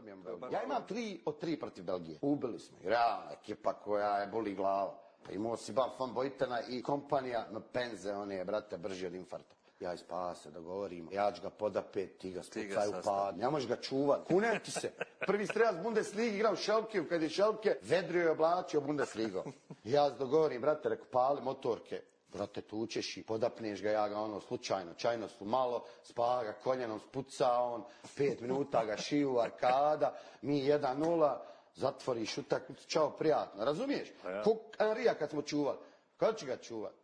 dobijem Belgiju. Ja imam 3 od 3 protiv Belgije. Ubili smo. Realna ekipa koja je boli glava. Imao si Van van Bojtena i kompanija na penze, on je, brate, brži od infarta. Ja ispase, dogovorimo. Ja ću ga podapet, ti ga spucaj u pad. Ne možeš ga čuvat. Kunem ti se. Prvi strelac Bundesligi igra u Šelkiju, kad je Šelke vedrio je oblačio Bundesligom. Ja se dogovorim, brate, reku, pali motorke. Brate, tučeš i podapneš ga, ja ga ono slučajno, čajno su malo, spa ga koljenom, spuca on, 5 minuta ga šiju, arkada, mi 1-0, zatvoriš utakmicu, čao, prijatno, razumiješ? Ko Anrija kad smo čuvali, kada će ga čuvati?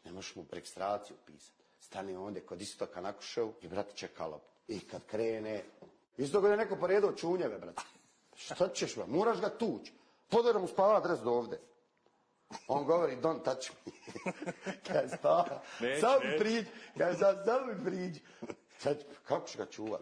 Ne možeš mu registraciju pisati. Stane onda kod Istoka na Kuševu i, brate, čeka loptu. I kad krene, isto kada je neko poredao čunjeve, brate. Šta ćeš, brate? Moraš ga tući. Podarom mu spava adres do ovde. On govori, don't touch me. Kaj spava? Sam mi priđi. Kaj sam mi priđi. Kako ću ga čuvat?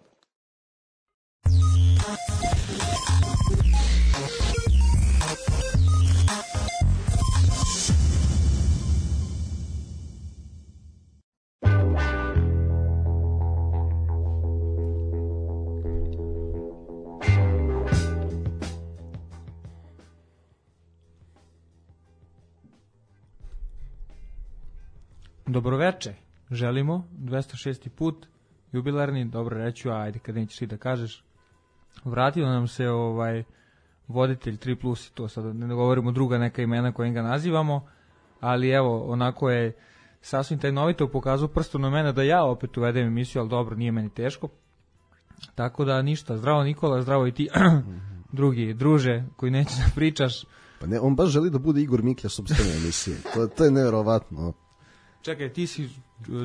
Dobroveče, želimo, 206. put, jubilarni, dobro reću, ajde kad nećeš ti da kažeš. Vratio nam se voditelj 3+, to sad ne govorimo druga neka imena kojim ga nazivamo, ali evo, onako je sasvim tajnovito pokazao prstom na mene da ja opet uvedem emisiju, ali dobro, nije meni teško. Tako da ništa, zdravo Nikola, zdravo i ti, drugi druže koji neće da pričaš. Pa ne, on baš želi da bude Igor Miklja sopstvene emisije, to je nevjerovatno. Čekaj, ti si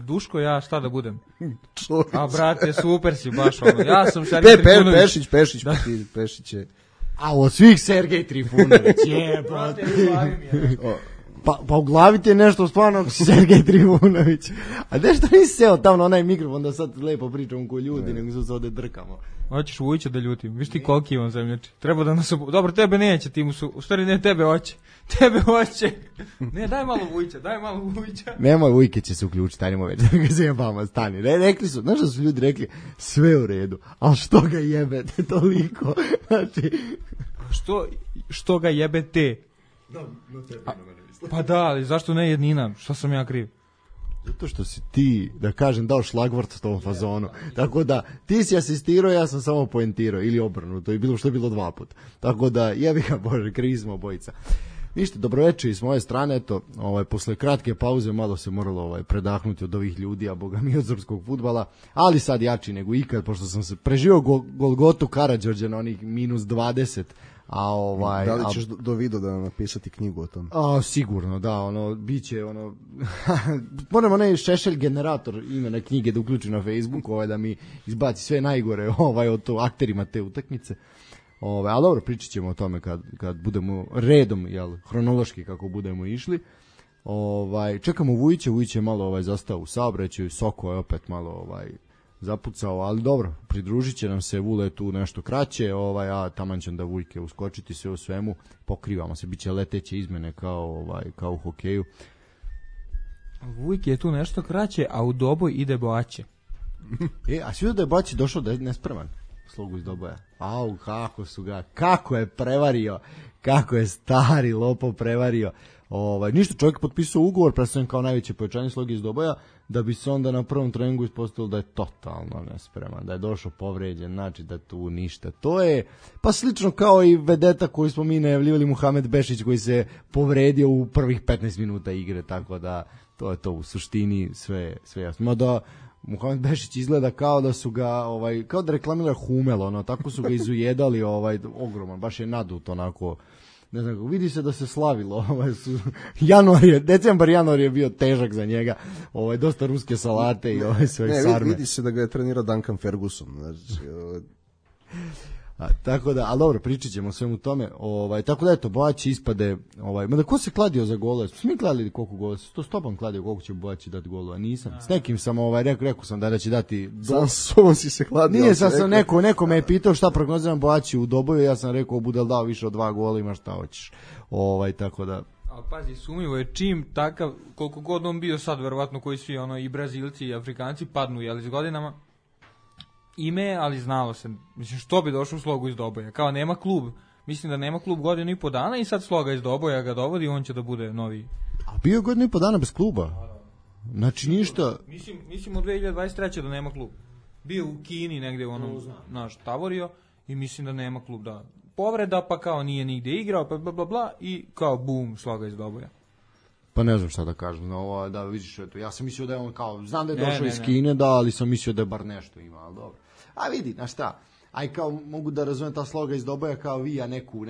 Duško, ja šta da budem? A brate, super si baš ono. Ja sam Sergej Trifunović. Pešić je. A od svih Sergej Trifunović, jebate. Pa u glavi ti je nešto stvarno ako si Sergej Trifunović. A nešto nisi seo tamo na onaj mikrofon da sad lepo pričamo ko ljudi, nego su se ovde drkamo. Hoćeš Vujića da ljutim, viš ti koliki imam zemljači. Treba da nas... Dobro, tebe neće, ti mu su... U stvari ne, tebe hoće. Ne, daj malo Vujića. Nemoj, Vujke će se uključiti, ajmo već, da ga zajebamo, stani. Rekli su, znaš da su ljudi rekli, sve u redu, ali što ga jebete toliko? Znači... Što ga jebete? Pa da, ali zašto ne jednina? Što sam ja kriv? Zato što si ti, da kažem, dao šlagvort tom fazonu. Tako da, ti si asistirao, ja sam samo poentirao. Ili obrnuto, i bilo što je bilo 2 puta. Tako da, jebi ga Bože, krivi smo obojica. Ništa, dobroveče i s moje strane, eto, posle kratke pauze malo se moralo predahnuti od ovih ljudi, a boga mi od srpskog fudbala, ali sad jači nego ikad, pošto sam se preživio Golgotu Karađorđa na onih -20, da li ćeš do video da napisati knjigu o tom? Sigurno, da, biće moram onaj Šešelj generator imena knjige da uključim na Facebook, da mi izbaci sve najgore od to akterima te utakmice. Ali dobro, pričat ćemo o tome kad budemo redom, hronološki kako budemo išli. Čekamo Vujića, Vujić je malo zastao u saobraćaju, Soko je opet malo zapucao, ali dobro, pridružit će nam se, Vule tu nešto kraće, a taman će da Vujke uskočiti sve u svemu, pokrivamo se, bit će leteće izmene kao u hokeju. Vujke je tu nešto kraće, a u Doboj ide Boaće. A svi da je Boaće došao da je nespreman slogu iz Doboja. Kako je prevario, kako je stari lopo prevario. Ništa, čovjek potpisao ugovor, predstavljen kao najveće pojačanje sloge iz Doboja, da bi se onda na prvom treningu ispostavilo da je totalno nespreman, da je došao povređen, znači da tu ništa. To je pa slično kao i vedeta koju smo mi najavljivali, Muhamed Bešić, koji se povredio u prvih 15 minuta igre, tako da to je to u suštini sve jasno. Mada Muhamed Bešić izgleda kao da su ga kao da reklamira Humel, tako su ga izujedali, ogroman, baš je nadut onako. Ne znam, vidi se da se slavilo, decembar, januar je bio težak za njega, dosta ruske salate i sve sarme. Vidi se da ga je trenirao Duncan Ferguson, znači... Tako da, ali dobro, pričat ćemo o svemu tome, tako da eto, Boaći ispade, mada ko se kladio za gole, smo mi kladili koliko gola, to Stopan kladio koliko će Boaći dati golova, nisam, s nekim sam, rekao sam da će dati... Sam s ovom si se kladio. Nije, sam neko me je pitao šta prognoziram Boaći u Doboju, ja sam rekao, bude li dao više od 2 gola, ima šta hoćeš, tako da... Ali pazi, sumnjivo je čim takav, koliko god on bio sad, verovatno koji svi i Brazilci i Afrikanci padnu, s godinama, ime, ali znalo se, mislim, što bi došao Slogu iz Doboja, kao nema klub, mislim da nema klub godinu i po dana i sad Sloga iz Doboja ga dovodi, on će da bude novi. A bio je godinu i po dana bez kluba? Znači ništa... Mislim od 2023. da nema klub. Bio u Kini negde u onom, naš, tavorio i mislim da nema klub, da. Povreda, pa kao nije nigde igrao, pa bla bla bla i kao bum, Sloga iz Doboja. Pa ne znam šta da kažem, no, ovo, da vidiš, eto, ja sam mislio da je on kao, znam da je došao iz Kine, da, ali sam mislio da je bar nešto ima, ali dobro. A vidi, znaš šta, aj kao mogu da razumem ta Sloga iz Doboja kao vija neku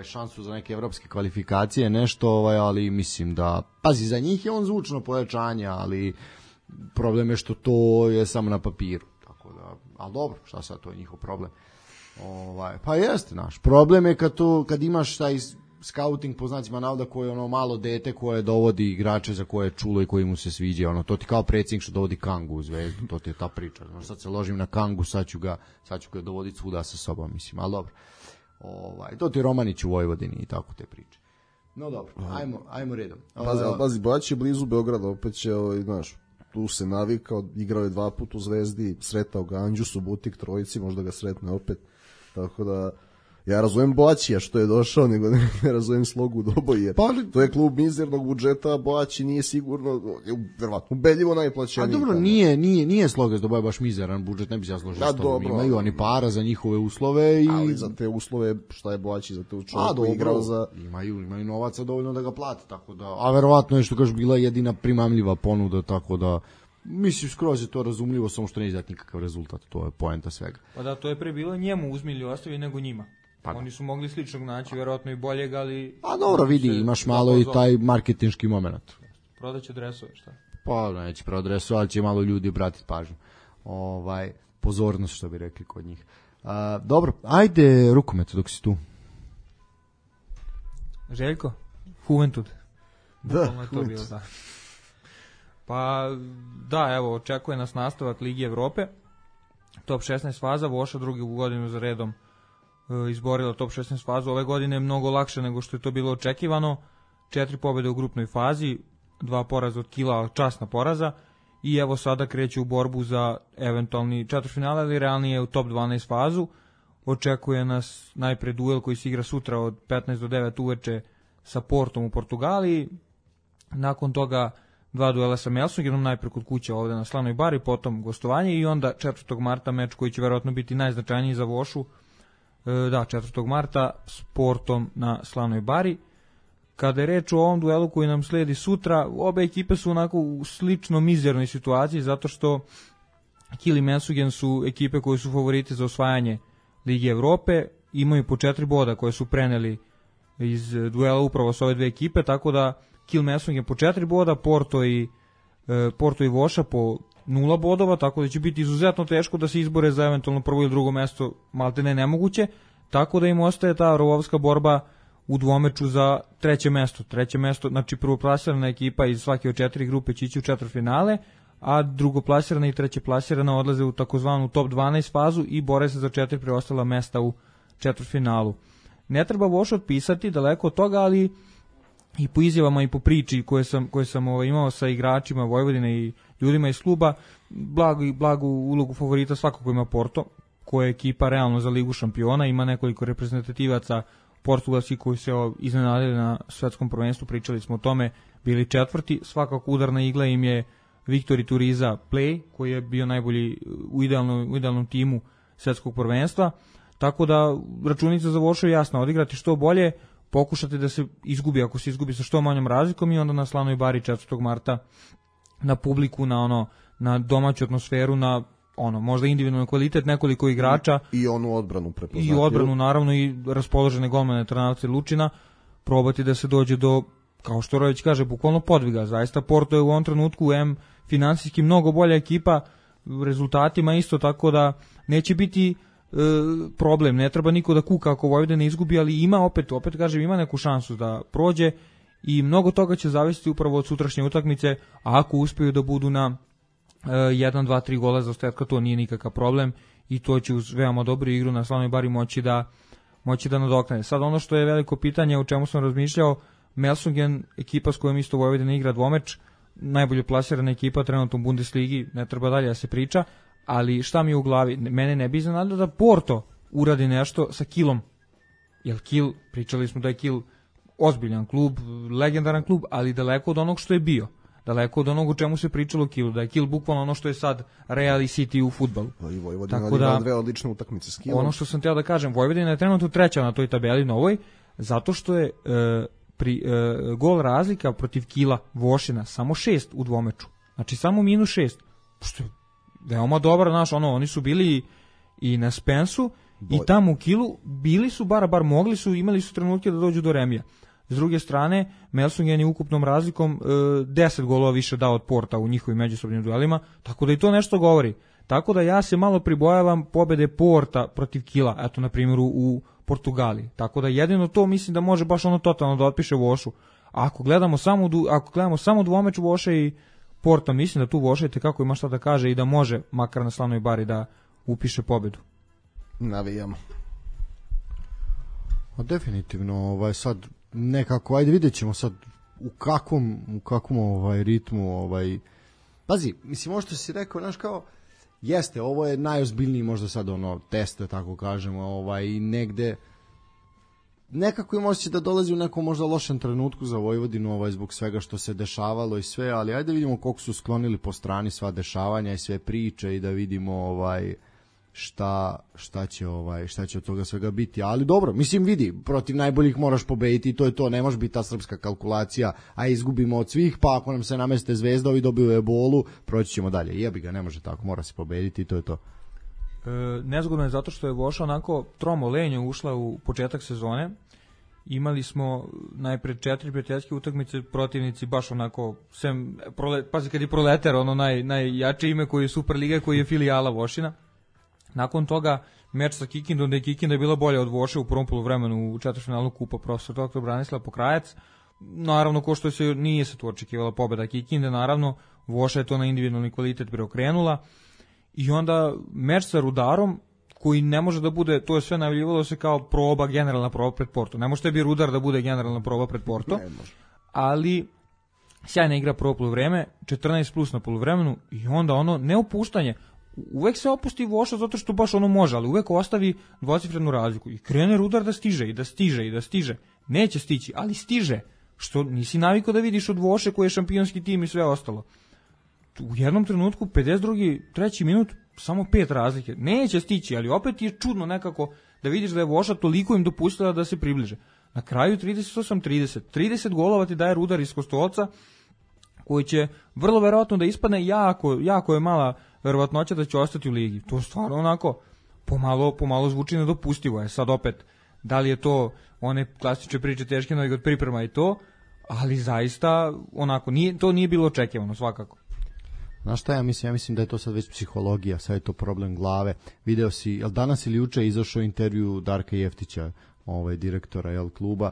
šansu za neke evropske kvalifikacije, nešto, ali mislim da, pazi, za njih je on zvučno pojačanje, ali problem je što to je samo na papiru, tako da, ali dobro, šta sad, to je njihov problem. Pa jeste, naš, problem je kad imaš taj scouting po znacima navoda koje je ono malo dete koje dovodi igrače za koje je čulo i koji mu se sviđa, to ti kao predsjednik što dovodi Kangu u Zvezdu, to ti je ta priča. Sad se ložim na Kangu, sad ću ga dovoditi svuda sa sobom, mislim, ali dobro. To ti je Romanić u Vojvodini i tako te priče. No dobro, ajmo redom. Pazi, Bać je blizu Beograda, opet će, znaš, tu se navikao, igrao je 2 puta u Zvezdi, sretao ga Andžu, Subotik, trojici, možda ga sretne opet, tako da ja razumem Boaćija što je došao, nego ne razumem Slogu Doboj, jer to je klub mizernog budžeta, a Boaći nije sigurno, verovatno, ubedljivo najplaćeniji. A dobro, nije Sloga iz Doboja baš mizeran budžet, ne bi se ja složio s tobom. Imaju oni para za njihove uslove. Ali za te uslove, šta je Boaći za te čovjek koji igrao za... Imaju novaca dovoljno da ga plate, tako da, a verovatno je što kažeš bila jedina primamljiva ponuda, tako da... Mislim, skroz je to razumljivo, samo što ne izdati nikakav rezultat, to je poenta svega. Pa da, to je pre bilo njemu uzmi ili ostavi nego njima. Pa. Oni su mogli sličnog naći, verovatno i boljeg, ali... A dobro, vidi, imaš malo i taj marketinški moment. Prodaće dresove, šta? Pa neće prodati dresove, ali će malo ljudi obratiti pažnju. Pozornost, što bi rekli kod njih. Dobro, ajde rukomet dok si tu. Željko? Juventud. Da, Juventud. Pa, da, evo, očekuje nas nastavak Ligi Evrope. Top 16 faza, Voša drugu godinu za redom izborila top 16 fazu. Ove godine je mnogo lakše nego što je to bilo očekivano. 4 pobjede u grupnoj fazi, 2 poraza od Kila, časna poraza. I evo sada kreće u borbu za eventualni četvrtfinale, ali realnije u top 12 fazu. Očekuje nas najpre duel koji se igra sutra od 15 do 9 uveče sa Portom u Portugaliji. Nakon toga 2 duela sa Melsungienom, najpre kod kuće ovde na Slanoj Bari, potom gostovanje i onda 4. marta meč koji će verovatno biti najznačajniji za Vošu. 4. marta s Portom na Slanoj Bari. Kada je reč o ovom duelu koji nam sledi sutra, obe ekipe su onako u slično mizernoj situaciji, zato što Kiel i Melsungen su ekipe koje su favoriti za osvajanje Lige Evrope, imaju po 4 boda koje su preneli iz duela upravo s ove dve ekipe, tako da Kiel Melsungen po 4 boda, Porto i Voša po 0 bodova, tako da će biti izuzetno teško da se izbore za eventualno prvo ili drugo mesto, malte ne nemoguće, tako da im ostaje ta rovovska borba u dvomeču za treće mesto, znači prvoplasirana ekipa iz svake od 4 grupe će ići u četvrtfinale, a drugoplasirana i trećeplasirana odlaze u takozvanu top 12 fazu i bore se za 4 preostala mesta u četvrtfinalu. Ne treba Voš otpisati, daleko od toga, ali i po izjavama i po priči koje sam imao sa igračima Vojvodine i ljudima iz kluba, blagu ulogu favorita svakako ima Porto, koja je ekipa realno za Ligu šampiona, ima nekoliko reprezentativaca portugalski koji se iznenadili na svetskom prvenstvu, pričali smo o tome, bili četvrti, svakako udarna igla im je Viktor Ituriza Play, koji je bio najbolji u idealnom timu svetskog prvenstva, tako da računica za Vošu je jasna, odigrati što bolje, pokušati da se izgubi, ako se izgubi sa što manjom razlikom i onda na Slanoj Bari 4. marta na publiku, na domaću atmosferu, na možda individualni kvalitet nekoliko igrača i onu odbranu prepoznatljivu. I odbranu naravno i raspoložene golmane Trnavca i Lučina, probati da se dođe do, kao što Rojević kaže, bukvalno podviga. Zaista Porto je u ovom trenutku finansijski mnogo bolja ekipa, rezultatima isto, tako da neće biti problem, ne treba niko da kuka ako Vojvodina izgubi, ali ima opet kažem, ima neku šansu da prođe i mnogo toga će zavisiti upravo od sutrašnje utakmice, a ako uspiju da budu na 1, 2, 3 gola za ostatka, to nije nikakav problem i to će uz veoma dobru igru na Slanoj Bari moći da nadoknade. Sad ono što je veliko pitanje, o čemu sam razmišljao, Melsungen, ekipa s kojom isto Vojvodina igra dvomeč, najbolje plasirana ekipa trenutno u Bundesligi, ne treba dalje da se priča, ali šta mi je u glavi, mene ne bi iznenadilo da Porto uradi nešto sa Kilom, jer Kil, pričali smo da je Kil ozbiljan klub, legendaran klub, ali daleko od onog što je bio, daleko od onog u čemu se pričalo o Kilu, da je Kil bukvalno ono što je sad Real i City u fudbalu. I Vojvodina odigrala dve odlične utakmice s Kilom. Ono što sam teo da kažem, Vojvodina je trenutno treća na toj tabeli novoj, zato što je gol razlika protiv Kila Vošina samo 6 u dvomeču. Znači samo -6. Što je veoma dobro, znaš, oni su bili i na Spensu i tamo u Kilu bili su bar mogli su, imali su trenutke da dođu do remija. S druge strane, Melsungen je ukupnom razlikom 10 golova više dao od Porta u njihovim međusobnim duelima, tako da i to nešto govori. Tako da ja se malo pribojavam pobede Porta protiv Kila, eto na primjer u Portugaliji. Tako da jedino to mislim da može baš totalno da otpiše Vošu. A ako gledamo samo dvomeč Voše i Porta, mislim da tu Voša kako ima šta da kaže i da može makar na slavnoj bari da upiše pobedu. Navijamo. Definitivno, sad nekako, ajde vidjet ćemo sad u kakvom ritmu, pazi, mislim, ovo što si rekao, znaš, kao, jeste, ovo je najozbiljniji možda sad test, da tako kažemo, i negde nekako im osjeća da dolazi u nekom možda lošem trenutku za Vojvodinu, zbog svega što se dešavalo i sve, ali ajde vidimo koliko su sklonili po strani sva dešavanja i sve priče i da vidimo šta će od toga svega biti, ali dobro, mislim, vidi, protiv najboljih moraš pobediti i to je to, ne može biti ta srpska kalkulacija, a izgubimo od svih, pa ako nam se nameste Zvezda, ovi dobiju ebolu, proći ćemo dalje, jebi ga, ne može tako, mora se pobediti i to je to. Nezgodno je zato što je Voša onako tromo lenjo ušla u početak sezone. Imali smo najpre 4 prijateljske utakmice, protivnici baš onako, pazi kad je Proletar, najjače ime koji je Superliga, koji je filijala Vošina. Nakon toga meč sa Kikindom, da je Kikinda bila bolja od Voše u prvom poluvremenu u četvrtfinalu kupa profesor dr. Branislav Pokrajac. Naravno, ko što nije se tu očekivala pobeda Kikinde, naravno, Voša je to na individualni kvalitet preokrenula. I onda meč sa Rudarom, koji ne može da bude, to je sve najavljivalo se kao generalna proba pred Porto. Ne može tebi Rudar da bude generalna proba pred Porto, ali sjajna igra prvo poluvreme, 14+ na poluvremenu i onda neopuštanje. Uvek se opusti Voša zato što baš može, ali uvek ostavi dvocifrenu razliku i krene Rudar da stiže i da stiže i da stiže. Neće stići, ali stiže, što nisi navikao da vidiš od Voše koji je šampionski tim i sve ostalo. U jednom trenutku, 52. 3. minut, samo 5 razlike. Neće stići, ali opet je čudno nekako da vidiš da je Voša toliko im dopustila da se približe. Na kraju 38-30. 30 golova ti daje Rudar iz Kostolca, koji će vrlo verovatno da ispadne jako je mala verovatnoća da će ostati u ligi. To stvarno onako pomalo zvuči nedopustivo. Je sad opet, da li je to one klasične priče teške noge od priprema i to, ali zaista onako, to nije bilo očekivano svakako. Znaš šta ja mislim da je to sad već psihologija, sad je to problem glave. Video si, jel danas ili juče izašao intervju Darka Jeftića, direktora kluba,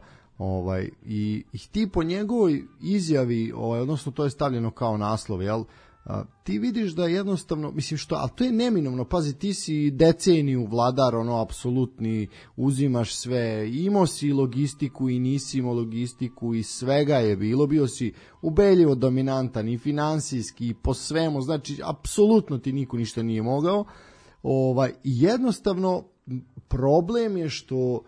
i ti po njegovoj izjavi, odnosno to je stavljeno kao naslov, ti vidiš da jednostavno, mislim što, ali to je neminovno, pazi, ti si deceniju vladar, apsolutni, uzimaš sve, imao si logistiku i nisi imao logistiku i svega je bilo, bio si ubedljivo dominantan i finansijski i po svemu, znači apsolutno ti niko ništa nije mogao, jednostavno problem je što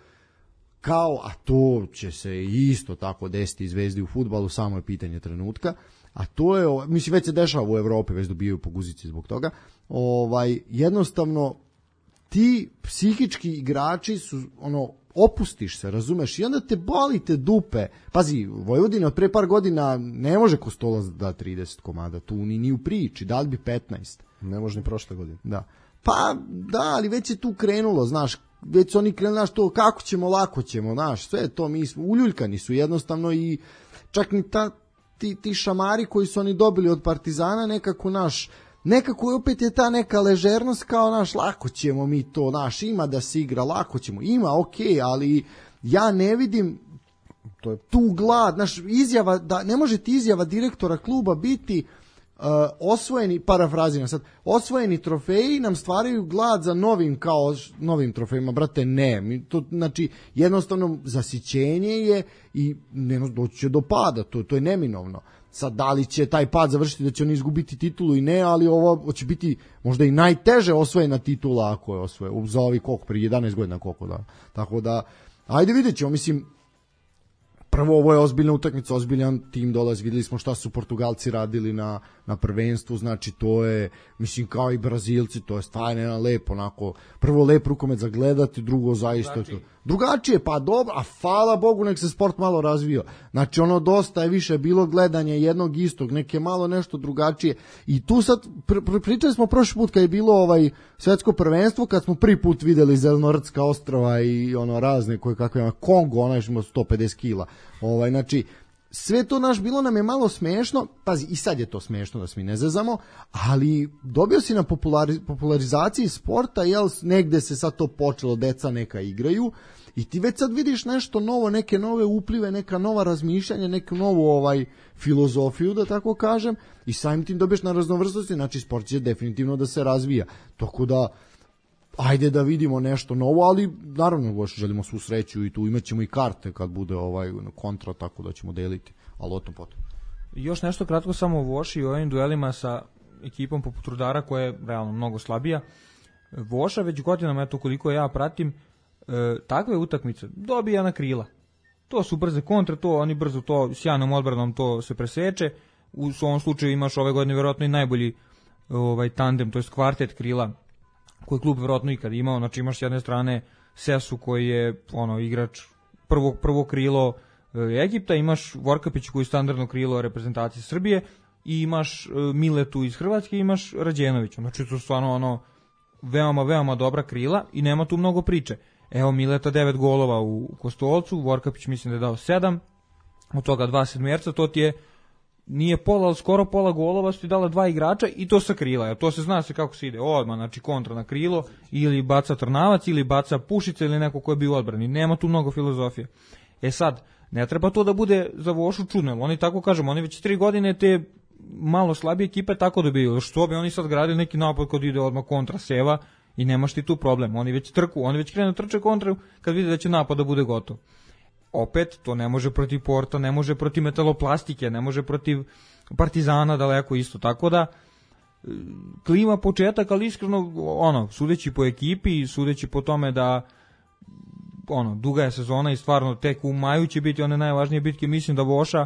kao, a to će se isto tako desiti Zvezdi u fudbalu, samo je pitanje trenutka, a to je, mislim, već se dešava u Evropi, već dobijaju po guzici zbog toga, jednostavno ti psihički igrači su, opustiš se, razumeš, i onda te boli te dupe. Pazi, Vojvodina od pre par godina ne može Kostolac da 30 komada, tu ni u priči, da li bi 15? Ne može ni prošle godine. Da. Pa, da, ali već je tu krenulo, znaš, već su oni krenuli, znaš, to kako ćemo, lako ćemo, znaš, sve to, mi smo, uljuljkani su jednostavno i čak ni ti šamari koji su oni dobili od Partizana nekako opet je ta neka ležernost kao, lako ćemo mi to, ima da se igra, lako ćemo, ima, okej, ali ja ne vidim tu glad, izjava, da ne može ti izjava direktora kluba biti osvojeni, parafrazina sad, osvojeni trofeji nam stvaraju glad za novim trofejima, brate, ne, to znači jednostavno zasićenje je i doći će do pada, to je neminovno. Sad, da li će taj pad završiti da će oni izgubiti titulu i ne, ali ovo će biti možda i najteže osvojena titula ako je osvoje, za ovih koliko, prije 11 godina koliko da. Tako da, ajde vidjet ćemo, mislim, prvo ovo je ozbiljna utakmica, ozbiljan tim dolazi, videli smo šta su Portugalci radili na prvenstvu, znači to je, mislim, kao i Brazilci, to je stvarno jedan lep, onako, prvo lep rukomet za gledati, drugo zaista to. Drugačije, pa dobro, a hvala Bogu nek se sport malo razvio. Znači ono dosta je više bilo gledanje jednog istog, neke malo nešto drugačije. I tu sad, pričali smo prošli put kad je bilo svetsko prvenstvo, kad smo prvi put videli Zelenorodska ostrava i ono razne koje kakve ima, Kongo, onaj što ima 150 kila. Znači, sve to naš bilo nam je malo smešno, pazi, i sad je to smešno da se mi ne zezamo, ali dobio si na popularizaciji sporta, jel, negde se sad to počelo, deca neka igraju, i ti već sad vidiš nešto novo, neke nove uplive, neka nova razmišljanja, neku novu filozofiju, da tako kažem, i samim tim dobiješ na raznovrsnosti, znači sport će definitivno da se razvija. Tako da, ajde da vidimo nešto novo, ali naravno još želimo svu sreću i tu imat ćemo i karte kad bude kontra, tako da ćemo deliti, ali o tom potom. Još nešto kratko samo o Voši i ovim duelima sa ekipom poput Rudara koja je realno mnogo slabija. Voša već godinama, eto koliko ja pratim, takve utakmice dobija na krila. To su brze kontre, to oni brzo to sjajnom odbranom to se preseče. U ovom slučaju imaš ove godine vjerojatno i najbolji tandem, to je kvartet krila koji klub vjerojatno ikad imao. Znači imaš s jedne strane Sesu koji je igrač prvo krilo Egipta, imaš Vorkapić koji je standardno krilo reprezentacije Srbije i imaš Miletu iz Hrvatske i imaš Rađenovića. Znači to je stvarno veoma, veoma dobra krila i nema tu mnogo priče. Evo Mileta 9 golova u Kostolcu, Vorkapić mislim da je dao 7, od toga 2 sedmerca, to ti je nije pola, ali skoro pola golova su ti dala 2 igrača i to sa krila. To se zna se kako se ide odmah, znači kontra na krilo, ili baca Trnavac, ili baca Pušica, ili neko ko je bio u odbrani. Nema tu mnogo filozofije. Sad, ne treba to da bude za Vošu čudno, oni tako kažemo, oni već 3 godine te malo slabije ekipe tako dobiju. Što bi oni sad gradili neki napad kod ide odmah kontra seva i nemaš ti tu problem. Oni već krenu trče kontra kad vide da će napad da bude gotov. Opet, to ne može protiv Porta, ne može protiv Metaloplastike, ne može protiv Partizana daleko isto. Tako da, klima početak, ali iskreno, sudeći po ekipi i sudeći po tome da duga je sezona i stvarno tek u maju će biti one najvažnije bitke, mislim da Voša,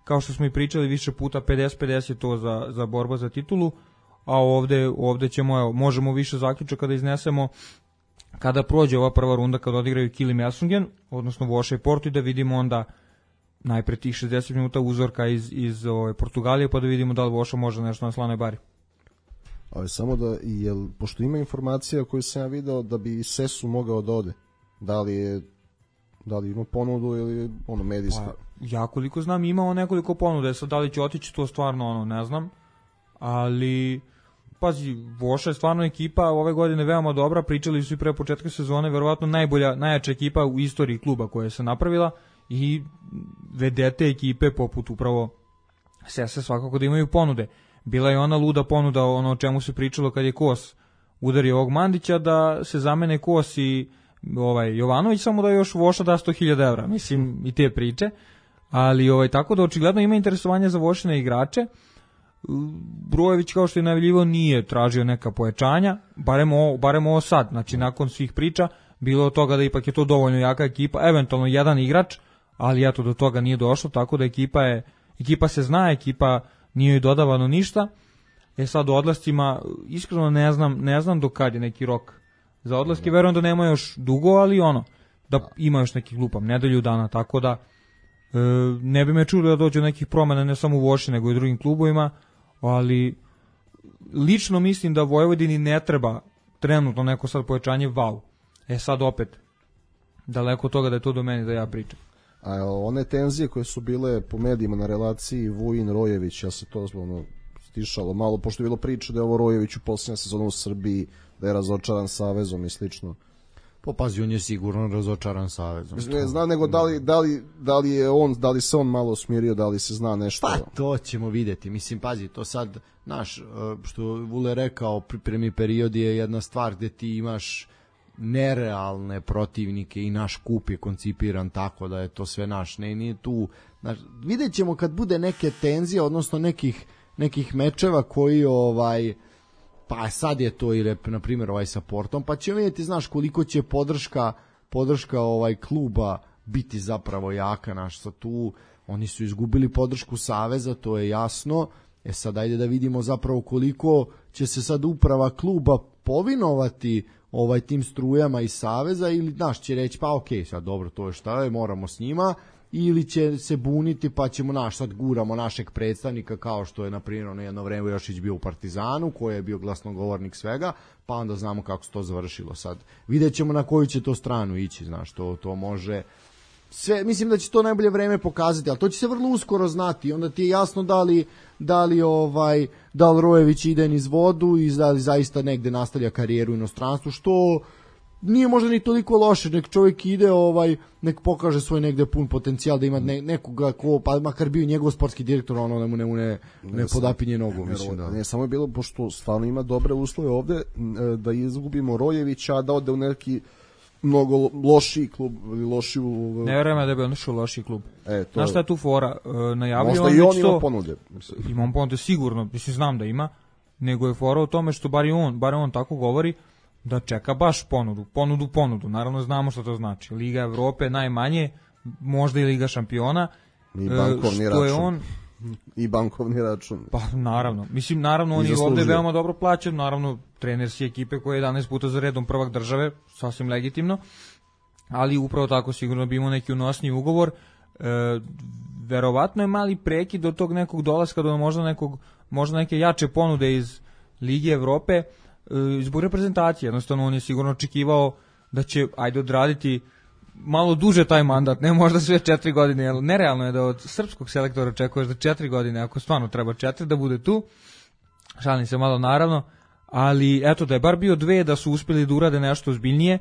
kao što smo i pričali više puta, 50-50 to za borba za titulu, a ovde ćemo, možemo više zaključaka da iznesemo kada prođe ova prva runda, kada odigraju Kilim i Asungen, odnosno Voša i Porto, i da vidimo onda najpre tih 60 minuta uzorka iz Portugalije, pa da vidimo da li Voša može nešto na slanoj bari. Ali samo da, pošto ima informacija koju sam ja video da bi Sesu mogao da ode, da li ima ponudu ili medijski? Pa, ja koliko znam imao nekoliko ponude, sad da li će otići to stvarno ne znam, ali pazi, Voša je stvarno ekipa ove godine veoma dobra, pričali su i pre početka sezone, verovatno najjača ekipa u istoriji kluba koja je se napravila i vedete ekipe poput upravo Sese svakako da imaju ponude. Bila je ona luda ponuda, o čemu se pričalo kad je Kos udario ovog Mandića, da se zamene Kos i Jovanović, samo da još Voša da 100.000 evra, mislim i te priče, ali tako da očigledno ima interesovanje za Vošine igrače. Brojević, kao što je najavljivao, nije tražio neka pojačanja, barem ovo sad, znači nakon svih priča bilo od toga da ipak je to dovoljno jaka ekipa, eventualno jedan igrač, ali eto do toga nije došlo, tako da ekipa se zna, ekipa nije joj dodavano ništa. Sad o odlascima iskreno ne znam do kad je neki rok za odlaske, verujem da nema još dugo, ali da ima još nekih lupam nedelju dana, tako da ne bi me čulo da dođe nekih promena ne samo u Voši nego i drugim klubovima, ali lično mislim da Vojvodini ne treba trenutno neko sad pojačanje wow. Sad opet daleko od toga da je to do meni da ja pričam. A one tenzije koje su bile po medijima na relaciji Vujin-Rojević, ja se to stišalo malo, pošto je bilo priča da je ovo Rojević u posljednja sezona u Srbiji, da je razočaran savezom i slično. Pazi, on je sigurno razočaran savezom. Ne znam, nego da li se on malo smirio, da li se zna nešto. Pa to ćemo vidjeti. Mislim, pazi, to sad, što Vule rekao, pripremni period je jedna stvar gde ti imaš nerealne protivnike i naš kup je koncipiran tako da je to sve naš. Nije tu, vidjet ćemo kad bude neke tenzije, odnosno nekih mečeva koji pa sad je to i na primjer sa Portom, pa ćemo vidjeti, znaš, koliko će podrška kluba biti zapravo jaka. Naš sa tu, oni su izgubili podršku saveza, to je jasno. Sad ajde da vidimo zapravo koliko će se sad uprava kluba povinovati tim strujama iz saveza, ili znaš, će reći pa okej, sad dobro, to je šta je, moramo s njima, ili će se buniti pa ćemo sad guramo našeg predstavnika, kao što je na primjer na jedno vreme Jošić bio u Partizanu, koji je bio glasnogovornik svega, pa onda znamo kako se to završilo. Sad vidjet ćemo na koju će to stranu ići, znaš, to može sve, mislim da će to najbolje vreme pokazati, ali to će se vrlo uskoro znati, onda ti je jasno da li Rojević ide niz vodu i da li zaista negde nastavlja karijeru u inostranstvu, što nije možda ni toliko loše, nek čovjek ide, nek pokaže svoj negde pun potencijal, da ima nekoga ko, pa makar bio njegov sportski direktor, da mu ne podapinje nogu, mislim da. Ne, samo je bilo, pošto stvarno ima dobre uslove ovde, da izgubimo Rojevića, a da ode u neki mnogo lošiji klub ili lošiju... Ne vjerujem da bi on ušao u lošiji klub. Znaš šta je tu fora? Najavio možda i on ima ponude. Ima on ponude sigurno, mislim znam da ima, nego je fora u tome što bar on tako govori, da čeka baš ponudu. Naravno znamo što to znači. Liga Evrope najmanje, možda i Liga šampiona. I bankovni račun. I bankovni račun. Pa naravno. Mislim, naravno on je ovde veoma dobro plaćen, naravno trener si ekipe koja je 11 puta za redom prvak države, sasvim legitimno, ali upravo tako sigurno bi imao neki unosniji ugovor. Verovatno je mali prekid do tog nekog dolaska, do možda neke jače ponude iz Lige Evrope, zbog reprezentacije. Jednostavno on je sigurno očekivao da će odraditi malo duže taj mandat, ne možda sve 4 godine, jer nerealno je da od srpskog selektora očekuješ da 4 godine, ako stvarno treba 4, da bude tu. Šalim se malo naravno, ali eto da je bar bio 2, da su uspjeli da urade nešto ozbiljnije,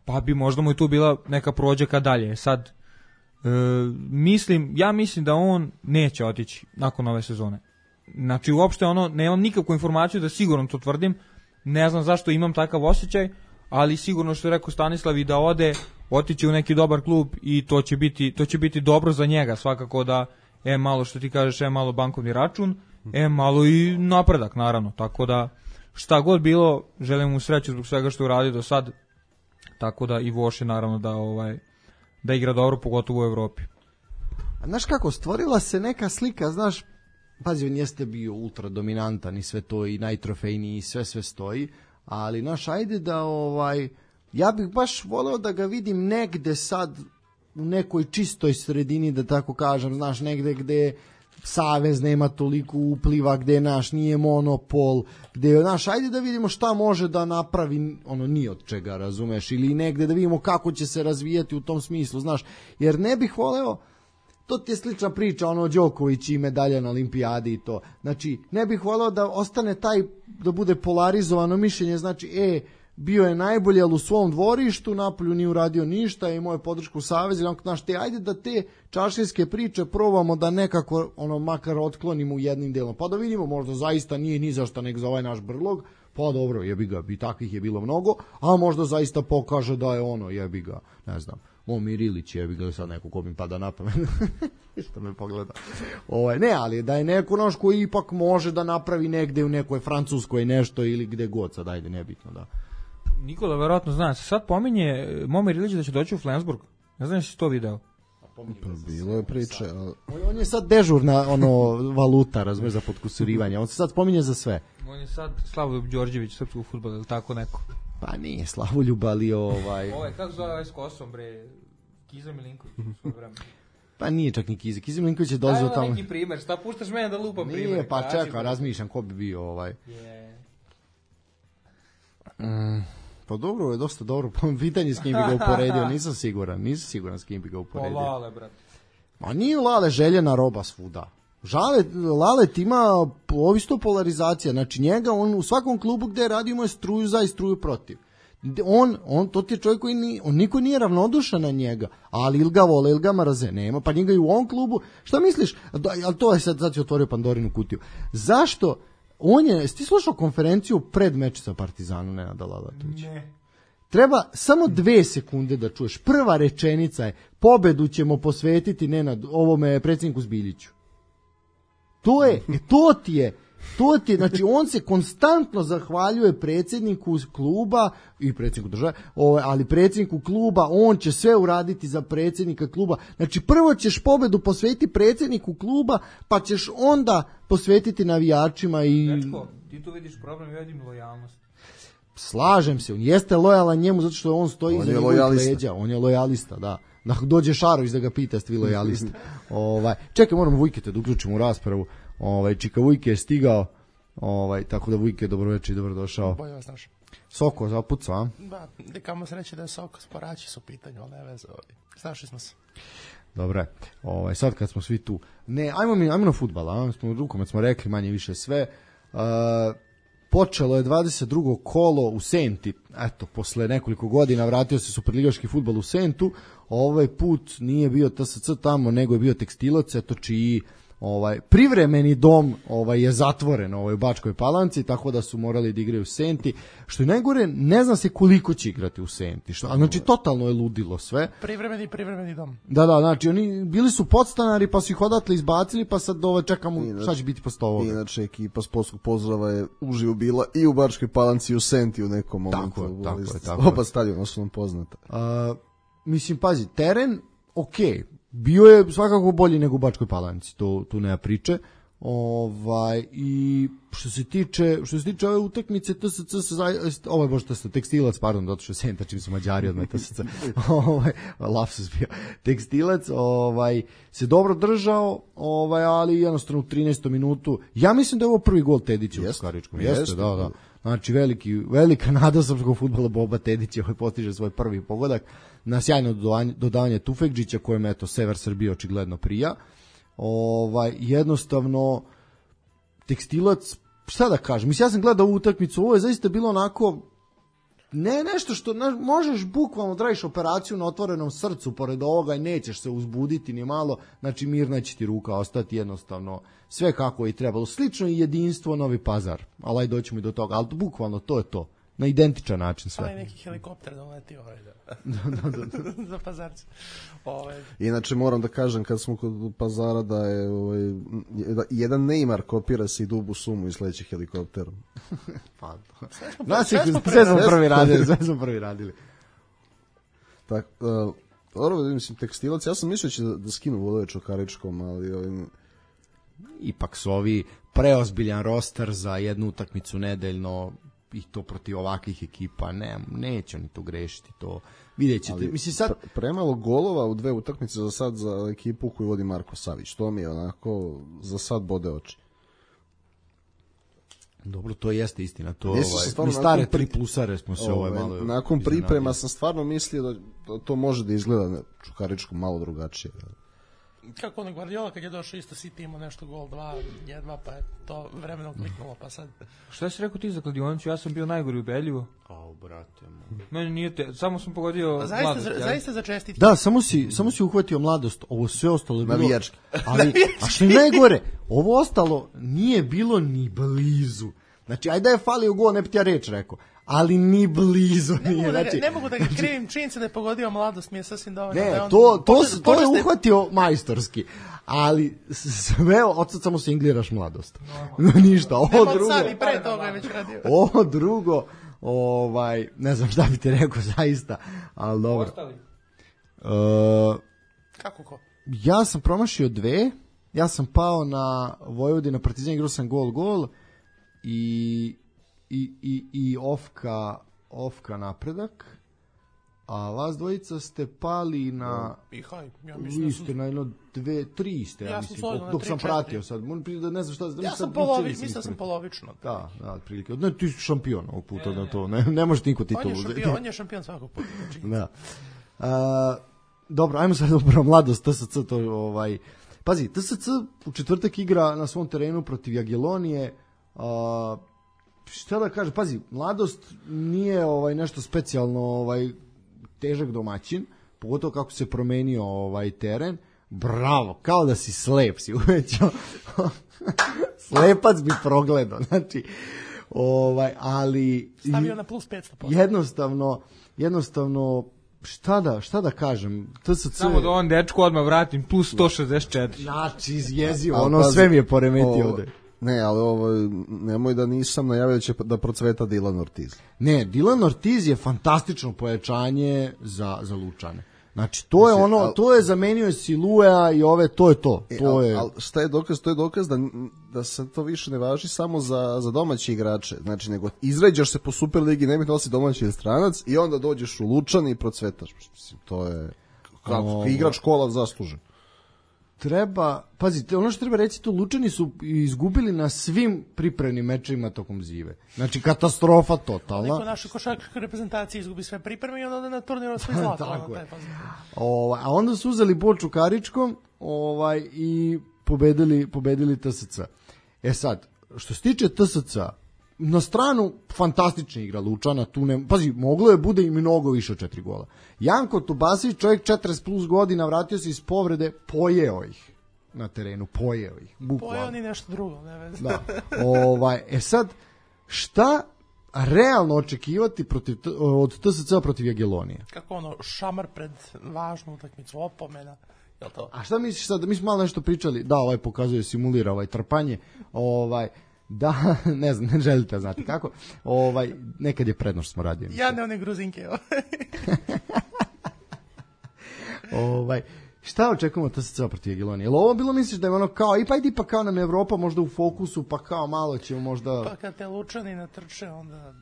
pa bi možda mu i tu bila neka prođeka dalje. Sad, ja mislim da on neće otići nakon ove sezone. Znači uopšte nemam nikakvu informaciju da sigurno to tvrdim, ne znam zašto imam takav osjećaj, ali sigurno što je rekao Stanislav i da otići u neki dobar klub i to će biti dobro za njega, svakako da malo što ti kažeš, malo bankovni račun, malo i napredak naravno, tako da šta god bilo, želim mu sreću zbog svega što je uradio do sad, tako da i Voši naravno da igra dobro, pogotovo u Evropi. A znaš kako, stvorila se neka slika, znaš, pazi, on jeste bio ultra dominantan i sve to i najtrofejniji i sve stoji, ali naš, ajde da ja bih baš voleo da ga vidim negde sad u nekoj čistoj sredini, da tako kažem, znaš, negde gde savez nema toliko upliva, gde nije monopol, gde, znaš, ajde da vidimo šta može da napravi ni od čega, razumeš, ili negde da vidimo kako će se razvijati u tom smislu, znaš, jer ne bih voleo, to ti je slična priča, Đoković i medalja na olimpijadi i to, znači, ne bih voleo da ostane da bude polarizovano mišljenje, znači, bio je najbolji, ali u svom dvorištu, napolju nije uradio ništa, imao je podršku saveza, ajde da te čaršijske priče probamo da nekako, makar otklonimo u jednim delom, pa da vidimo, možda zaista nije ni zašta nek za ovaj naš brlog, pa dobro, jebi ga, i takvih je bilo mnogo, a možda zaista pokaže da je jebi ga, ne znam, Momir Ilić, jebi ga, sad neko ko mi pada na pamet, što me pogleda, ne, ali da je neko naš koji ipak može da napravi negde u nekoj Francuskoj nešto ili gde god, sad ajde, nebitno, da. Nikola verovatno zna, se sad pominje Momir Ilić da će doći u Flensburg. Ne znam si to video. Bilo je priče. On je sad dežurna valuta, razumiješ, za potkusurivanje. On se sad spominje za sve. On je sad Slavoljub Đorđević, srpskog fudbala, ili tako neko? Pa nije Slavoljub, ali kako zove s Kosom, bre? Kiza Milinković u svoj vremenu. Pa nije čak ni Kiza. Kiza Milinković je dolazio tamo. Daj neki primer, šta puštaš mene da lupam primer? Nije, pa čekaj, razmišljam ko bi bio Pa dobro, je dosta dobro. Pitanje s kim bi ga uporedio, nisam siguran s kim bi ga uporedio. Lale, brate. Ma nije Lale željena roba svuda. Lalet ima ovisto polarizacija, znači njega, on u svakom klubu gde radi ima struju za i struju protiv. To ti je čovjek koji niko nije ravnodušan na njega, ali ili ga vole, ili ga mraze, nema, pa njega i u ovom klubu, šta misliš, ali to je sad si otvorio Pandorinu kutiju, zašto, ti slušao konferenciju pred meč sa Partizanom, Nenada Lalatovića? Ne. treba samo 2 sekunde da čuješ. Prva rečenica je, pobedu ćemo posvetiti ovome predsjedniku Zbiljiću. To ti je, znači on se konstantno zahvaljuje predsjedniku kluba i predsjedniku države, ali predsjedniku kluba, on će sve uraditi za predsjednika kluba. Znači prvo ćeš pobedu posvetiti predsjedniku kluba, pa ćeš onda posvetiti navijačima i... Dečko, ti tu vidiš problem, ja vidim lojalnost. Slažem se, on jeste lojalan njemu zato što on stoji iza njegovih leđa, on je lojalista, da. Dođe Šarović da ga pita, ste vi lojalisti. Čekaj, moramo Vujketa da uključimo u raspravu. Čika Vujke je stigao, tako da Vujke, dobroveče i dobrodošao. Bolje vas našao. Soko zapucao, a? Da, kamo sreće da je Soko, sporači su pitanje, ali ne veze, znašli smo se. Dobre, sad kad smo svi tu, ajmo na fudbal, rukomet smo rekli manje više sve. Počelo je 22. kolo u Senti, eto, posle nekoliko godina vratio se superligaški fudbal u Sentu, ovaj put nije bio TSC tamo, nego je bio Tekstilac, eto čiji privremeni dom je zatvoren u Bačkoj Palanci, tako da su morali da igraju u Senti, što je najgore, ne zna se koliko će igrati u Senti, znači totalno je ludilo sve. Privremeni dom. Da, znači oni bili su podstanari, pa su ih odatle izbacili, pa sad čekamo šta će biti posle ovoga. Inače, ekipa sportskog pozdrava je uživo bila i u Bačkoj Palanci i u Senti u nekom momentu. Tako je. Oba stadiona su nam poznata. Mislim, pazi, teren, okej, bio je svakako bolji nego u Bačkoj Palanci, tu nema priče. I što se tiče ove utakmice Tekstilac, pardon, zato što Senta čim su Mađari odmah TSC. Lapsus bio. Tekstilac se dobro držao, ali jednostavno u 13. minutu. Ja mislim da je ovo prvi gol Tedića u Čukaričkom. Jeste, da. Znači velika nada srpskog fudbala Boba Tedića postiže svoj prvi pogodak na sjajno dodavanje Tufekđića kojem Sever Srbije očigledno prija. Jednostavno Tekstilac, šta da kažem, mislim, ja sam gledao ovu utakmicu, ovo je zaista bilo onako nešto što možeš bukvalno da radiš operaciju na otvorenom srcu pored ovoga i nećeš se uzbuditi ni malo, znači mirna će ti ruka ostati, jednostavno sve kako je trebalo, slično i jedinstvo Novi Pazar, ali doćemo i do toga, ali bukvalno to je to, na identičan način sve. Neki helikopter doleti za Pazarce. Inače moram da kažem kad smo kod Pazara da je jedan Neymar kopira se i Dubu Sumu i sledeći helikopterom. Sve smo prvi radili. Tako, dobro, mislim, Tekstilac, ja sam mislio će da skinu vodove Čukaričkom, ali ipak su ovi preozbiljan roster za jednu utakmicu nedeljno i to protiv ovakvih ekipa, neće oni to grešiti, to vidjet ćete. Mislim, sad... Premalo golova u 2 utakmice za sad za ekipu koju vodi Marko Savić, to mi je onako za sad bode oči. Dobro, to jeste istina, to mi stare 3 plusare smo se malo... Nakon priprema sam stvarno mislio da to može da izgleda na Čukaričku malo drugačije. Kako ono Guardiola kad je došao isto City imao nešto gol 2, jedva, pa je to vremenom kliknulo, pa sad... Šta si rekao ti za kladionicu? Ja sam bio najgori u Beljivu. Brate. Meni nije samo sam pogodio mladost. Zaista za čestitke. Da, samo si uhvatio mladost, ovo sve ostalo je bilo... Navijački. Ali, a što je najgore, ovo ostalo nije bilo ni blizu. Znači, ajde da je falio gol, ne bi ti ja reč rekao. Ali ni blizu nije. Ne mogu da ga krivim, činjenica da je pogodio mladost, mi je sasvim dovoljno. Ne, to je uhvatio majstorski. Ali sve, odsad samo se ingliraš mladost. Ništa, ovo drugo... Sad i pre toga je već radio. Ovo drugo, ne znam šta bi ti rekao zaista, ali dobro. Ostali? Kako ko? Ja sam promašio 2, ja sam pao na Vojvodina Partizan, igrao sam gol i ofka napredak, a vas dvojica ste pali na... Vi ste na 2, 3 ste, ja mislim, dok sam pratio sad. Ne znam šta... Mislim da sam polovično. Da, otprilike. Ne, ti si šampion ovog puta na to, ne može niko titulu. On je šampion svakog puta. Da. Dobro, ajmo sad upravo mladost, TSC, to Pazi, TSC u četvrtak igra na svom terenu protiv Jagiellonije, šta da kažem, pazi, mladost nije nešto specijalno težak domaćin, pogotovo kako se promenio teren. Bravo, kao da si slep si uvećao. Slepac bi progledao, znači Ali Stavio na plus 500%. Jednostavno šta da kažem, TSC... Samo da on dečku odmah vratim, plus 164. Znači, izjezio, sve mi je poremetio ovde. Ne, ali nemoj da nisam najavio da će da procveta Dylan Ortiz. Ne, Dylan Ortiz je fantastično pojačanje za Lučane. Znači, to je to je zamenio Siluea i to je to. Ali šta je dokaz? To je dokaz da se to više ne važi samo za domaće igrače. Znači, nego izređaš se po Superligi, ne bih da si domaći ili stranac i onda dođeš u Lučane i procvetaš. Mislim, to je kako igrač kola zaslužen. Pazite, ono što treba reći, to Lučani su izgubili na svim pripremnim mečevima tokom zive. Znači, katastrofa totalna. Neko našoj košarkaškoj reprezentaciji izgubi sve pripreme i onda ode na turnir sve zlato. Tako je. A onda su uzeli Boču Karičkom i pobedili TSC. Sad, što se tiče TSC, na stranu fantastična igra Lučana, pazi, moglo je bude i mnogo više od 4 gola. Janko Tubasić, čovjek 40 plus godina, vratio se iz povrede, pojeo ih na terenu, pojeo ih, bukvalno. Pojeo ni nešto drugo, ne veze. Da. Sad, šta realno očekivati od TSC protiv Jagelonije? Kako šamar pred važnu utakmicu, opomena, je li to? A šta misliš sad, mi smo malo nešto pričali, da, pokazuje, simulira trpanje, da, ne znam, ne želite znati kako. Nekad je prednost smo radili. Ja ne one gruzinke. Šta očekujemo TSC protiv Jagelonije? Jel ovo bilo, misliš da je kao, pa kao nam je Evropa možda u fokusu, pa kao malo ćemo možda... Pa kad te Lučani natrče, onda...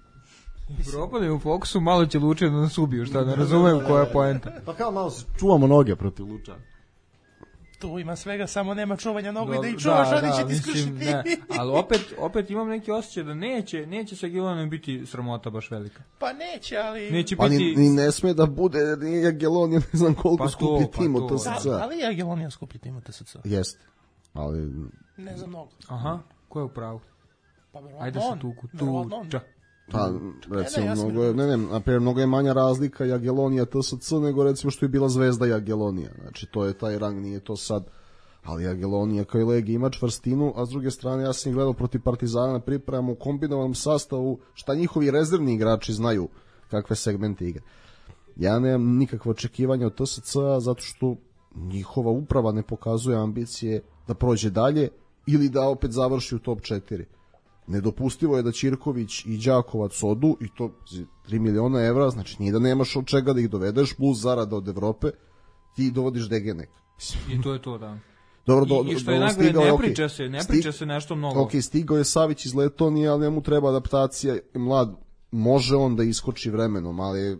Evropa da je u fokusu, malo će Lučani da nas ubiju, šta, ne razumem koja je poenta. Pa kao malo se čuvamo noge protiv Lučana. Tu ima svega, samo nema čuvanja nogu i da ih čuvaš, oni će ti skušiti. Ali opet imam neki osjećaj da neće sa Jagelonijom biti sramota baš velika. Pa neće, ali... Neće biti... ni ne sme da bude, nije Jagelonija, ne znam koliko skuplji tim od TSC. Ali je Jagelonija skuplji tim od TSC. Jeste, ali... Ne za mnogo. Aha, ko je u pravu? Pa verovatno ajde se tuča. Pa, recimo, mnogo je manja razlika Jagelonija TSC nego recimo što je bila Zvezda Jagelonija. Znači, to je taj rang, nije to sad. Ali Jagelonija kao i Legija ima čvrstinu, a s druge strane ja sam gledao protiv Partizana na pripremu u kombinovanom sastavu, šta njihovi rezervni igrači znaju kakve segmente igre. Ja nemam nikakve očekivanja od TSC zato što njihova uprava ne pokazuje ambicije da prođe dalje ili da opet završi u top 4. Nedopustivo je da Ćirković i Đakovac odu i to 3 miliona evra, znači nije da nemaš od čega da ih dovedeš, plus zarada od Evrope, ti dovodiš Degenek. I to je to, da. Dobro, I što je najgore, ne priča se nešto mnogo. Ok, stigao je Savić iz Letonije, ali njemu treba adaptacija, mlad, može on da iskoči vremenom, ali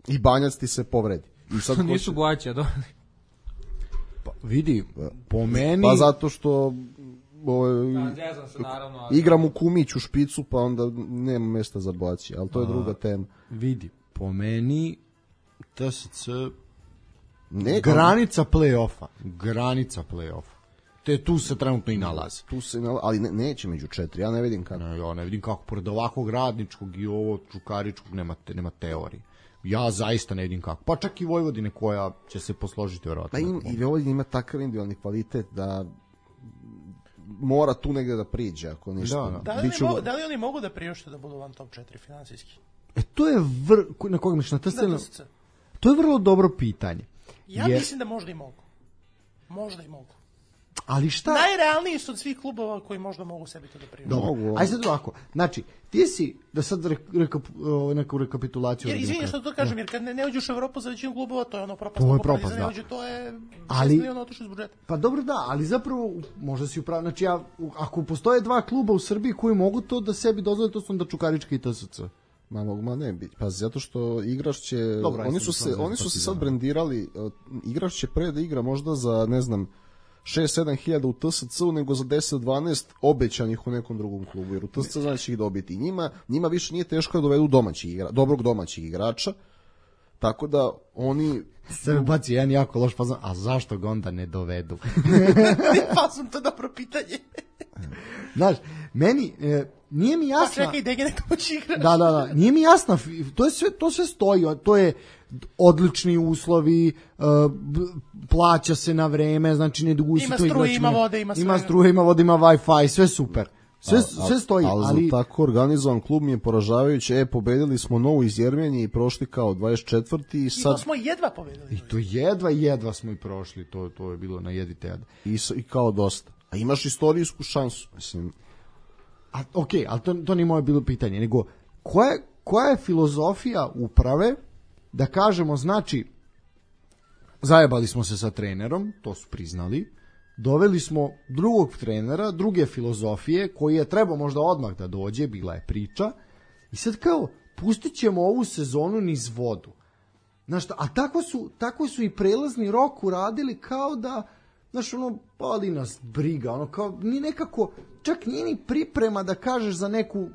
i Banjac ti se povredi. I sad nisu Blaća, da. Pa, vidi, po meni... Pa zato što... se, naravno, igram u Kumić u špicu, pa onda nema mesta za Blaći, ali to je druga tema. Vidi, po meni TSC granica play-offa. Tu se trenutno i nalazi. Ali neće među 4, ja ne vidim kako. Ja ne vidim kako, pored ovakvog Radničkog i ovo Čukaričkog nema teorije. Ja zaista ne vidim kako. Pa čak i Vojvodine koja će se posložiti vjerojatno. Pa i Vojvodina ima takav individualni kvalitet da mora tu negde da priđe, ako ništa. Da li oni mogu da priušte da budu van top 4 finansijski? To je na koga misliš, na TSC? To je vrlo dobro pitanje. Ja mislim da možda i mogu. Možda i mogu. Ali šta? Najrealniji su od svih klubova koji možda mogu sebi to da priušte. Ajde sad ovako. Znači, ti si, da sad neku rekapitulaciju... Jer izvini što to kažem, jer kad ne uđeš u Evropu za većinu klubova, to je ono propast. To je propast, da. To je 6 miliona otišlo iz budžeta. Pa dobro da, ali zapravo, možda si upravo, znači ako postoje 2 kluba u Srbiji koji mogu to da sebi dozvole, to su onda Čukarička i TSC. Ma ne bi, pa zato što igrač će, oni su se sad brendirali, igrač će pre da igra možda za, ne znam, 6-7 hiljada u TSC-u nego za 10-12 obećanih u nekom drugom klubu, jer u TSC znači ih dobiti. Njima više nije teško da dovedu dobrog domaćeg igrača, tako da oni... Sve baci jedan jako loš fazon, a zašto ga onda ne dovedu? Fazon, to je dobro pitanje. Znaš, meni, nije mi jasno... Pa čekaj, Degenek moći igrač. Da, nije mi jasno, to sve stoji, to je odlični uslovi, plaća se na vreme, znači ne dugo se to igrač. Ima struje, ima vode, ima sve. Ima struje, ima vode, ima Wi-Fi, sve super. Sve stoji, ali za tako organizovan klub mi je poražavajuće. Pobedili smo Novu iz Jermenije i prošli kao 24. I to smo jedva pobedili. I to jedva smo i prošli, to je bilo na jedite. I kao dosta. A imaš istorijsku šansu, mislim. Okej, ali to nije moje bilo pitanje, nego koja je filozofija uprave da kažemo, znači, zajebali smo se sa trenerom, to su priznali, doveli smo drugog trenera, druge filozofije, koji je trebao možda odmah da dođe, bila je priča, i sad kao, pustit ćemo ovu sezonu niz vodu. Znaš, a tako su i prelazni rok uradili kao da, znaš, ono, pali nas briga, ono, kao, ni nekako, čak nije ni priprema da kažeš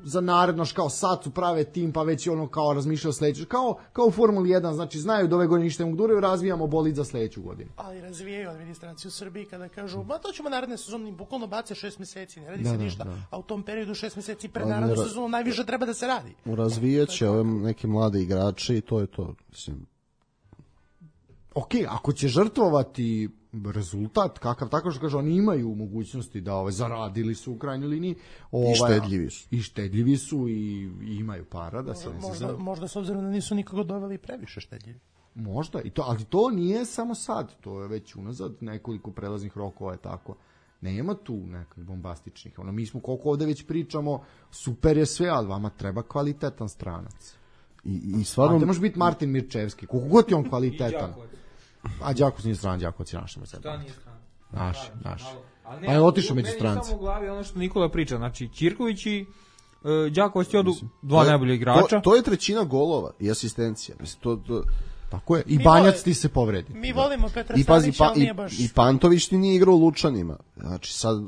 za naredno, kao sad su prave tim, pa već ono kao razmišljao sledeću, kao u Formuli 1, znači znaju da ove godine ništa ne mogu duraju, razvijamo bolid za sledeću godinu. Ali razvijaju administraciju u Srbiji kada kažu, ma to ćemo naredne sezone, bukvalno bace 6 meseci, ne radi se ništa, a u tom periodu 6 meseci pred narednu sezonu najviše treba da se radi. Razvijaće ove neke mlade igrače i to je to, mislim. Okej, ako će žrtvovati rezultat, kakav tako što kaže, oni imaju mogućnosti da zaradili su u krajnjoj liniji. I štedljivi su i imaju para da se možda s obzirom da nisu nikoga doveli previše štedljivi. Možda, ali to nije samo sad, to je već unazad nekoliko prelaznih rokova je tako. Nema tu nekih bombastičnih. Mi smo koliko ovde već pričamo, super je sve, ali vama treba kvalitetan stranac. I stvarno... A ne može biti Martin Mirčevski, koliko god je on kvalitetan. A Đakovac nije stran, Đakovac je naš. Šta nije stran? Naš. Pa je otišao među strance. Meni samo u glavi ono što Nikola priča, znači Ćirković i Đakovac ti odu dva najbolja igrača. To je trećina golova i asistencija. Tako je. I Banjac ti se povredi. Mi volimo Petra Stanića, ali nije baš... I Pantović ti nije igrao u Lučanima. Znači sad,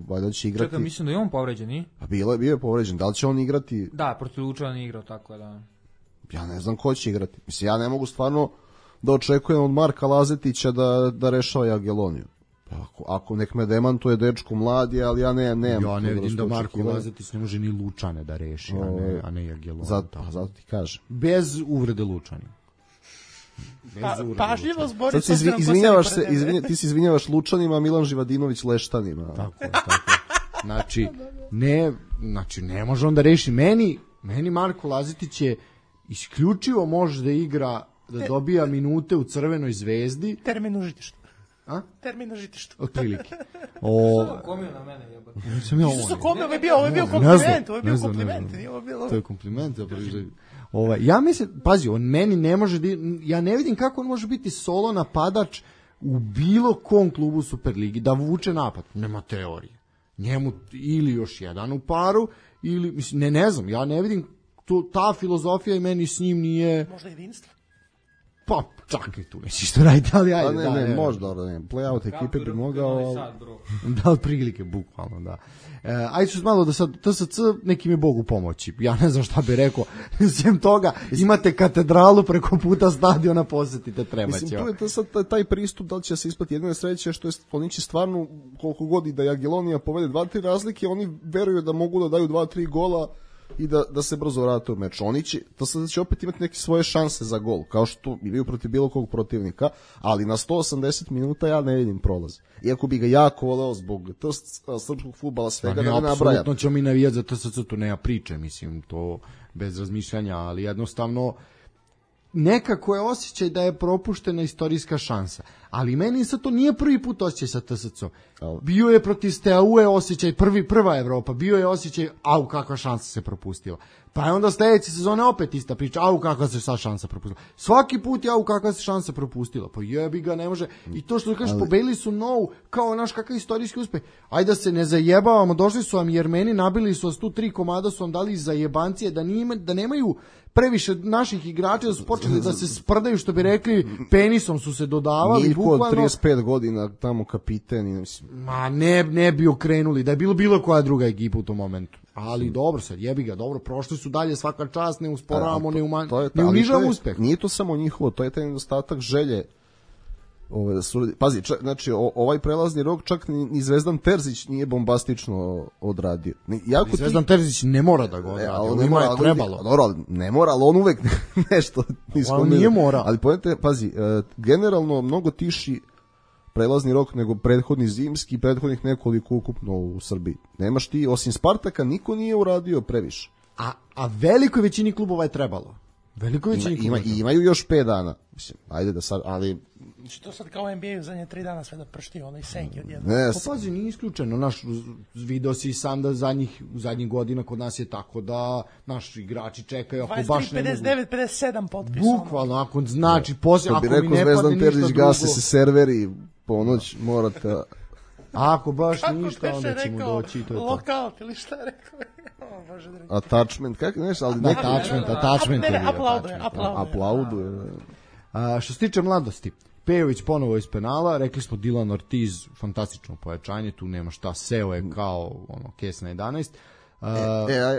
valjda će igrati... Čekaj, mislim da je on povređen, nije? Pa bio je povređen. Da li će on igrati... Da, protiv Lučana nije igrao, tako je da... Ja ne znam ko će igrati. Mislim, ja ne mogu stvarno da očekujem od Marka Lazetića da rešava Jageloniju. Ako nek me demantuje dečko mladi, ali ja ne vidim da Marko Lazetić ne može ni Lučane da reši, a ne Jageloniju. Zato ti kažem. Bez uvrede Lučanima. Pažljivo zbori. Ti se izvinjavaš Lučanima, a Milan Živadinović Leštanima. Tako. Znači, ne može on da reši. Meni Marko Lazetić je isključivo može da igra, da dobija minute u Crvenoj zvezdi. Termin u žitištu. Termin na žitištu. Otprilike. Komio na mene, jebate. Ovo je bio kompliment. To je kompliment. Ja mislim, pazi, on meni ne može, ja ne vidim kako on može biti solo napadač u bilo kom klubu Superligi, da vuče napad. Nema teorije. Njemu ili još jedan u paru, ili, mislim, ne znam, ja ne vidim, ta filozofija i meni s njim nije... Možda jedinstvo? Pa, čak i tu neći što raditi, ali ajde. Ne, možda, play-out ekipe bi mogao... Da, od prilike, bukvalno, da. Ajde ću malo da sad, TSC nekim je Bogu pomoći. Ja ne znam šta bi rekao. Sem toga, imate katedralu preko puta stadiona, posetite, treba će. Mislim, tu je sad taj pristup, da li će se ispati jedine sreće, što je, oni će stvarno, koliko god i da Jagelonija povede 2-3 razlike, oni veruju da mogu da daju 2-3 gola i da se brzo vrate u meč. Oni će opet imati neke svoje šanse za gol, kao što imaju protiv bilo kog protivnika, ali na 180 minuta ja ne vidim prolaz. Iako bi ga jako voleo zbog srpskog fudbala, svega da ne nabrajam. Apsolutno ćemo mi navijati za TSC, tu nema priče, mislim, to bez razmišljanja, ali jednostavno nekako je osjećaj da je propuštena istorijska šansa. Ali meni sad to nije prvi put osjećaj sa TSC-om. Bio je protiv Steaue osjećaj, prva Evropa, bio je osjećaj, kakva šansa se propustila. Pa je onda sledeće sezone opet ista priča, kakva se sad šansa propustila. Svaki put je kakva se šansa propustila. Pa jebi ga, ne može. I to što kažeš, pobedili su Novu, kao naš kakav istorijski uspeh. Ajde da se ne zajebavamo, došli su vam Jermeni, nabili su vas tu 3 komada, su vam dali zajebancije, da nemaju previše naših igrača, da su počeli da se sprdaju, što bi rekli, penisom su se dodavali. Niko od 35 godina tamo kapiten. Ma ne bi okrenuli, da je bilo koja druga ekipa u tom momentu. Ali dobro sad, jebi ga, dobro, prošli su dalje, svaka čast, ne usporavamo, ne unižavamo uspeh. Nije to samo njihovo, to je taj nedostatak želje. Pazi, znači ovaj prelazni rok čak ni Zvezdan Terzić nije bombastično odradio. Zvezdan Terzić ne mora da ga odradi, njima je trebalo. Dobro, ne mora, ali on uvek nešto. On nije mora. Ali pojete, pazi, generalno mnogo tiši prelazni rok, nego prethodni zimski i prethodnih nekoliko ukupno u Srbiji. Nemaš ti, osim Spartaka, niko nije uradio previše. A velikoj većini klubova je trebalo. Velikoj većini klubova. Imaju još 5 dana. Mislim, ajde da sad, ali... Znači to sad kao NBA u zadnje 3 dana sve da pršti onaj senki odjedno. Ne, Pa pazi, nije isključeno. Naš, video si sam da zadnjih godina kod nas je tako da naši igrači čekaju ako baš ne mogu. 23, 59, 57 potpisa. Bukvalno, ako znači, poslije, ako bi mi rekao ne padne Zvezdan ništa Terzić, drugo. gase se serveri, ponoć morate... Ako baš Kako ništa, onda beše ćemo rekao, doći i to je to. Lokaut ili šta je rekao? O, Bože dragi. Attachment, kako nešto, ali neki... Attachment. Ne, aplauduje. Aplauduje. Što se tiče mladosti, Pejović ponovo iz penala, rekli smo Dylan Ortiz, fantastično pojačanje, tu nema šta, seo je kao kes na 11.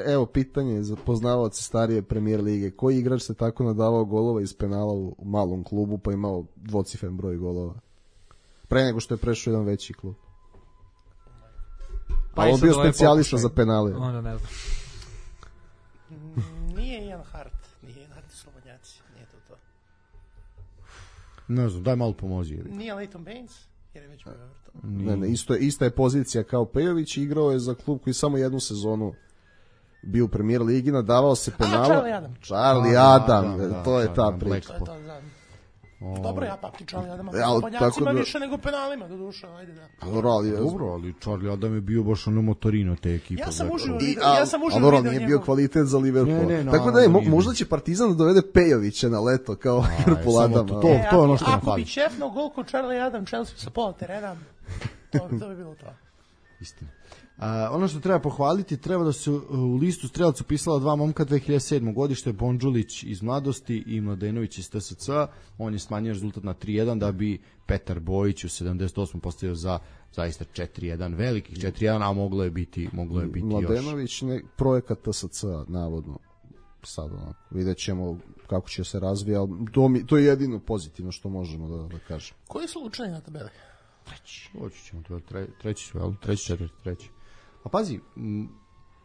Evo pitanje za poznavaoce starije Premier lige. Koji igrač se tako nadavao golova iz penala u malom klubu pa imao dvocifren broj golova? Pre nego što je prešao jedan veći klub. Pa on bio specijalista za penale. Onda ne znam. Nije Ian Hart, nije Ian Hart i Slobodnjaci, nije to. Ne znam, daj malo pomozi. Nije Leighton Baines, jer je već bio Everton. Ne, ista je pozicija kao Pejović, igrao je za klub koji samo jednu sezonu bio u Premier ligi, nadavao se penala. Charlie Adam, to je ta priča. To je to, dobro, ja pamtim Charlie Adama, ali Slobodnjacima da... više nego penalima, do duša, ajde da. Dobro, ali Charlie Adam je bio baš ono motorino te ekipe. Ja sam uživo video njegov. Nije bio kvalitet za Liverpool. Ne, tako da možda će Partizan da dovede Pejovića na leto kao Liverpool Adama. To je ono što nam fali. Ako bi čefno gol kod Charlie Adam, Chelsea sa pola terena, to bi bilo to. Istina. Ono što treba pohvaliti, treba da se u listu strelaca upisala 2 momka 2007. godište, Bondžulić iz Mladosti i Mladenović iz TSC. On je smanjio rezultat na 3-1 da bi Petar Bojić u 78. postavio za zaista 4-1, velikih 4-1, a moglo je biti Mladenović još. Projekat TSC, navodno. Sad vidjet ćemo kako će se razvija, ali to je jedino pozitivno što možemo da kažem. Koji su učeni na tabeli? Hoći ćemo, treći su, jel? Treći. A pazi,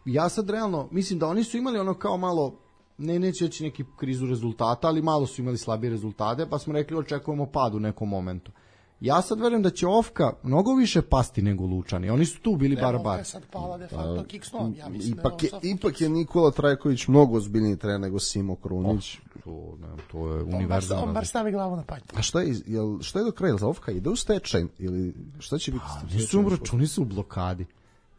ja sad realno, mislim da oni su imali ono kao malo, neće reći neki krizu rezultata, ali malo su imali slabije rezultate, pa smo rekli očekujemo pad u nekom momentu. Ja sad verujem da će Ofka mnogo više pasti nego Lučani. Oni su tu bili bar. Ofka je sad pala de facto kiksnom, ja mislim. Ipak je Nikola Trajković mnogo ozbiljniji trener nego Simo Krunić. To je univerzalno. On bar stavi glavu na panj. A šta je do kraja? Ofka ide u stečaj ili šta će biti? Računi su u blokadi.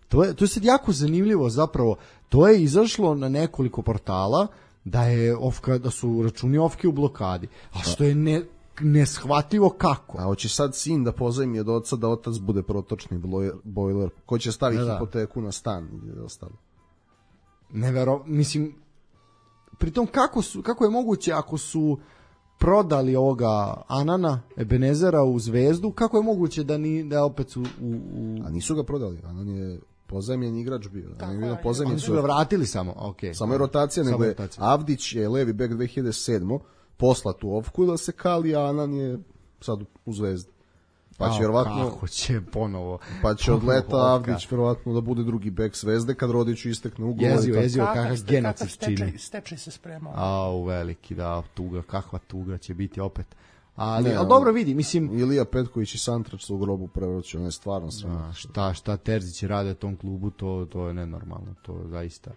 To je sad jako zanimljivo zapravo. To je izašlo na nekoliko portala da su računi Ofke u blokadi. A što je neshvatljivo kako. A hoće sad sin da pozajmi od oca da otac bude protočni bojler. Ko će staviti hipoteku na stan ili ostalo? Mislim, pritom kako je moguće ako su prodali ovoga Anana Ebenezera u Zvezdu, kako je moguće da opet su A nisu ga prodali, Anan je pozajmljen igrač bio. Oni su ga vratili samo, okej. Samo je rotacija, nego je Avdić je levi bek 2007. poslat u Ofku da se kali, a Anan je sad u Zvezdi. Pa će vjerovatno... Kako će ponovo? Pa će od leta Avdić vjerovatno da bude drugi bek Zvezde kad Rodiću istekne ugovor. Jezivo, kakav genocid čini. Stečaj se spremao. Veliki, da, tuga, kakva tuga će biti opet. Ali dobro vidi, mislim... Ilija Petković i Santrač su u grobu prevrću, on je stvarno sve. Šta Terzić rade tom klubu, to je nenormalno, to je zaista...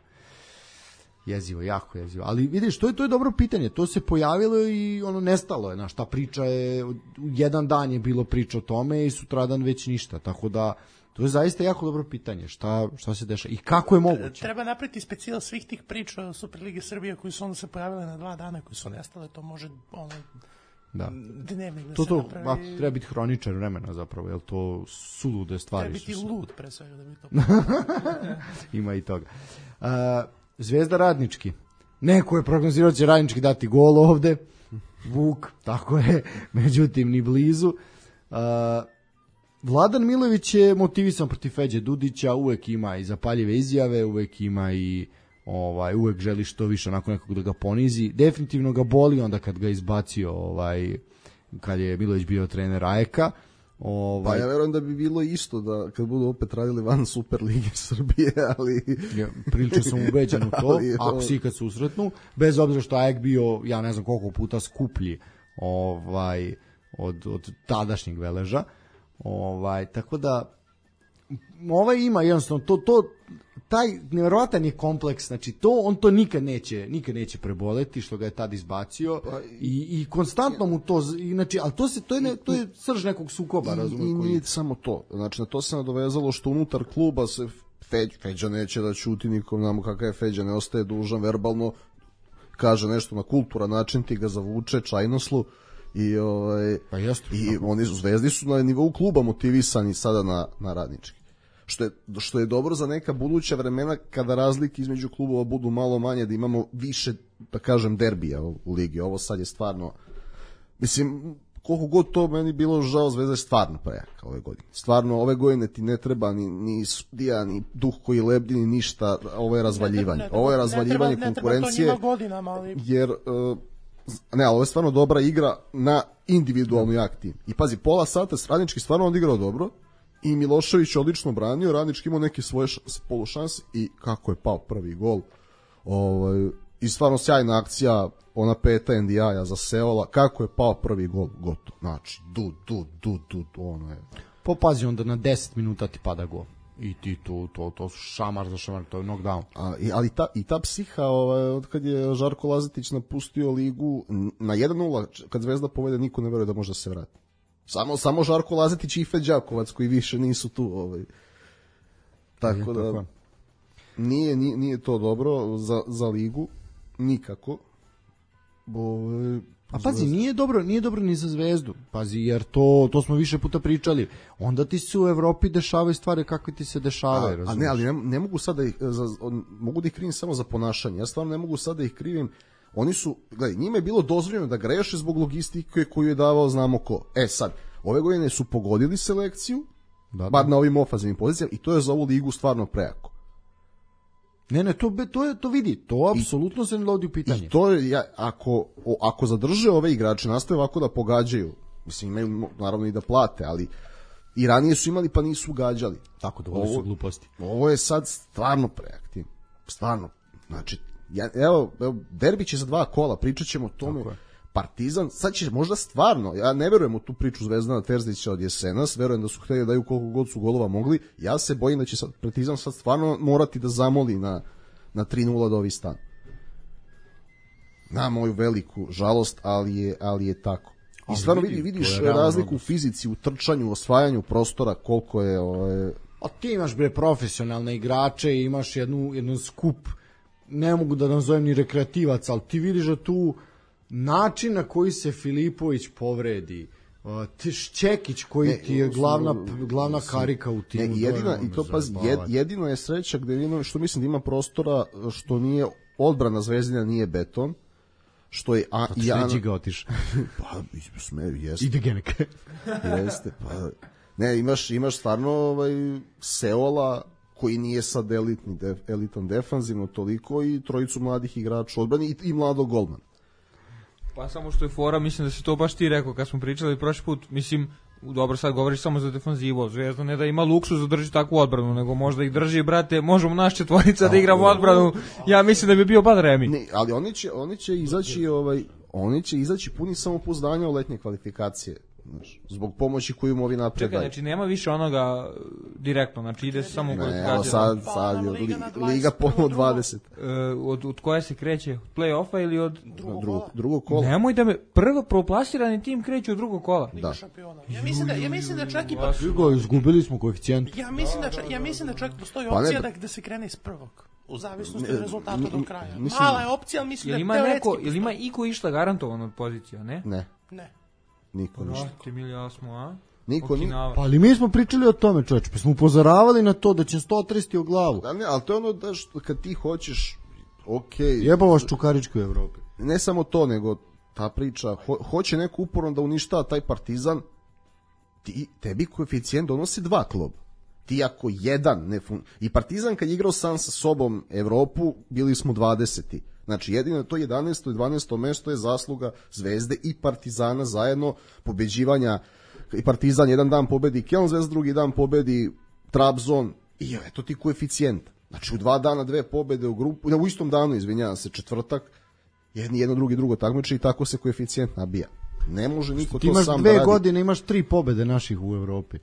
Jezivo, jako jezivo. Ali vidiš, to je dobro pitanje. To se pojavilo i nestalo je. Ta priča je, jedan dan je bilo priča o tome i sutradan već ništa. Tako da, to je zaista jako dobro pitanje. Šta se dešava i kako je moguće? Treba napraviti specijal svih tih priča o Superligi Srbije koji su onda se pojavile na 2 dana, koji su nestale. To može dnevnik da se napravi. Treba biti hroničar vremena zapravo, jer to sulude stvari. Treba biti lud pre svega da bi to... Ima i toga. Zvezda Radnički. Neko je prognozirao će Radnički dati gol ovde. Vuk, tako je. Međutim, ni blizu. Vladan Milović je motivisan protiv Feđe Dudića. Uvek ima i zapaljive izjave. Uvek ima i uvek želi što više onako nekog da ga ponizi. Definitivno ga boli onda kad ga izbacio kad je Milović bio trener AEK-a. Pa ja verujem da bi bilo isto da kad budu opet radili van Superlige Srbije, ali... Prilično sam ubeđen u to, ako si ikad susretnu, bez obzira što AEK bio, ja ne znam koliko puta skuplji od tadašnjeg Veleža, Tako da ima jednostavno taj nevjerovatan je kompleks, znači on to nikad neće preboleti što ga je tad izbacio i konstantno mu to, znači, ali to je srž nekog sukoba, razumiješ? I nije samo to, znači na to se nadovezalo što unutar kluba se Feđa neće da ćuti nikom, znamo kakav je Feđa, ne ostaje dužan verbalno, kaže nešto na kulturan način, ti ga zavuče čajnoslu i oni Zvezdi su na nivou kluba motivisani sada na radnički. Što je dobro za neka buduća vremena kada razlike između klubova budu malo manje, da imamo više, da kažem, derbija u ligi. Ovo sad je stvarno, mislim, koliko god to meni bilo žao, Zvezda je stvarno prejaka ove godine. Stvarno, ove godine ti ne treba ni sudija, ni duh koji lebdi, ni ništa, ovo je razvaljivanje. Ovo je razvaljivanje konkurencije, jer ali ovo je stvarno dobra igra na individualnu jak tim. I pazi, pola sata Radnički stvarno odigrao dobro, i Milošević odlično branio, Radnički imao neke svoje polušanse i kako je pao prvi gol. I stvarno sjajna akcija, ona peta NDI-a za Seola, kako je pao prvi gol, gotovo. Znači, ono je. Pazi, onda na 10 minuta ti pada gol. I ti to su šamar za šamar, to je knockdown. Ali ta psiha, od kad je Žarko Lazetić napustio ligu, na 1-0, kad Zvezda povede, niko ne veruje da može da se vrati. Samo Žarko Lazetić i Ife Đakovac koji više nisu tu. Tako da nije to dobro za ligu nikako. A pazi, nije dobro ni za Zvezdu. Pazi, jer to smo više puta pričali. Onda ti se u Evropi dešavaju stvari kakve ti se dešavaju. Ali ne mogu sad da ih mogu da ih krivim samo za ponašanje. Ja stvarno ne mogu sad da ih krivim. Oni su, gledaj, njima je bilo dozvoljeno da greše zbog logistike koju je davao znamo ko. Sad, ove godine su pogodili selekciju, bar na ovim ofazivnim pozicijama, i to je za ovu ligu stvarno prejako. Ne, to vidi, to apsolutno se ne dovodi u pitanje. I to je, ako zadrže ove igrače, nastave ovako da pogađaju, mislim, imaju naravno i da plate, ali i ranije su imali pa nisu gađali. Tako da, ovo su gluposti. Ovo je sad stvarno prejak tim. Stvarno, znači, evo, derbi će za 2 kola, pričat ćemo o tome. Partizan, sad će možda stvarno, ja ne verujem u tu priču Zvezdana Terzića od jesenas, verujem da su hteli da daju koliko god su golova mogli, ja se bojim da će Partizan sad stvarno morati da zamoli na 3-0 da ovi stan. Na moju veliku žalost, ali je tako. I stvarno vidiš razliku u fizici, u trčanju, u osvajanju prostora, koliko je... A ti imaš profesionalne igrače i imaš jednu skup, ne mogu da nazovem ni rekreativac, ali ti vidiš da tu način na koji se Filipović povredi, Šćekić koji ti je glavna karika u timu. Jedino je sreća gde što mislim da ima prostora, što nije odbrana Zvezdina, nije beton, što je Šleđi ga otiš. Pa jeste. Ide Genek. Jeste, pa ne, imaš stvarno Seola koji nije sad elitan defanzivno toliko, i trojicu mladih igrača odbrani i mladog golmana. Pa samo što je fora, mislim da si to baš ti rekao kad smo pričali prošli put, mislim, dobro, sad govoriš samo za defanzivu, Zvezda ne da ima luksuz da drži takvu odbranu, nego možda ih drži, brate, možemo naš četvorica da igramo odbranu, ja mislim da bi bio bad Remi. Ne, ali oni će izaći puni samopouzdanja u letnje kvalifikacije. Zbog pomoći koju mu ovi napred daju. Znači nema više onoga direktno, znači ide se samo u kvalifikacije. Sad je Liga ponovo 20. Od koje se kreće? Play-offa ili od drugog kola? Nemoj da me prvoplasirani tim kreće od drugog kola. Liga šampiona. Ja mislim da čak i izgubili smo koeficijent. Ja mislim da čak postoji opcija da se krene iz prvog. U zavisnosti od rezultata do kraja. Mala je opcija, ali mislim da teoretski... Jel ima iko išta garantovan od pozicija, ne? Ne. Niko ništa. Niko. Pa ali mi smo pričali o tome, čoveče, pa smo upozoravali na to da će 130 u glavu. Da, ne, ali to je ono da kad ti hoćeš, okej. Jebavaš Čukaričku u Evropi. Ne samo to, nego ta priča, hoće neko uporno da uništava taj Partizan, tebi koeficijent donosi 2 kluba. Ti ako jedan i Partizan kad je igrao sam sa sobom Evropu, bili smo 20. Znači jedino to 11. i 12. mesto je zasluga Zvezde i Partizana zajedno, pobeđivanja, i Partizan jedan dan pobedi Keln, Zvezda drugi dan pobedi Trabzon, i eto ti koeficijent. Znači u 2 dana 2 pobede u grupu, u istom danu, izvinjavam se, četvrtak, jedno drugo takmiče i tako se koeficijent nabija. Ne može niko Ti to imaš sam da radi. 2 godine, imaš 3 pobede naših u Evropi.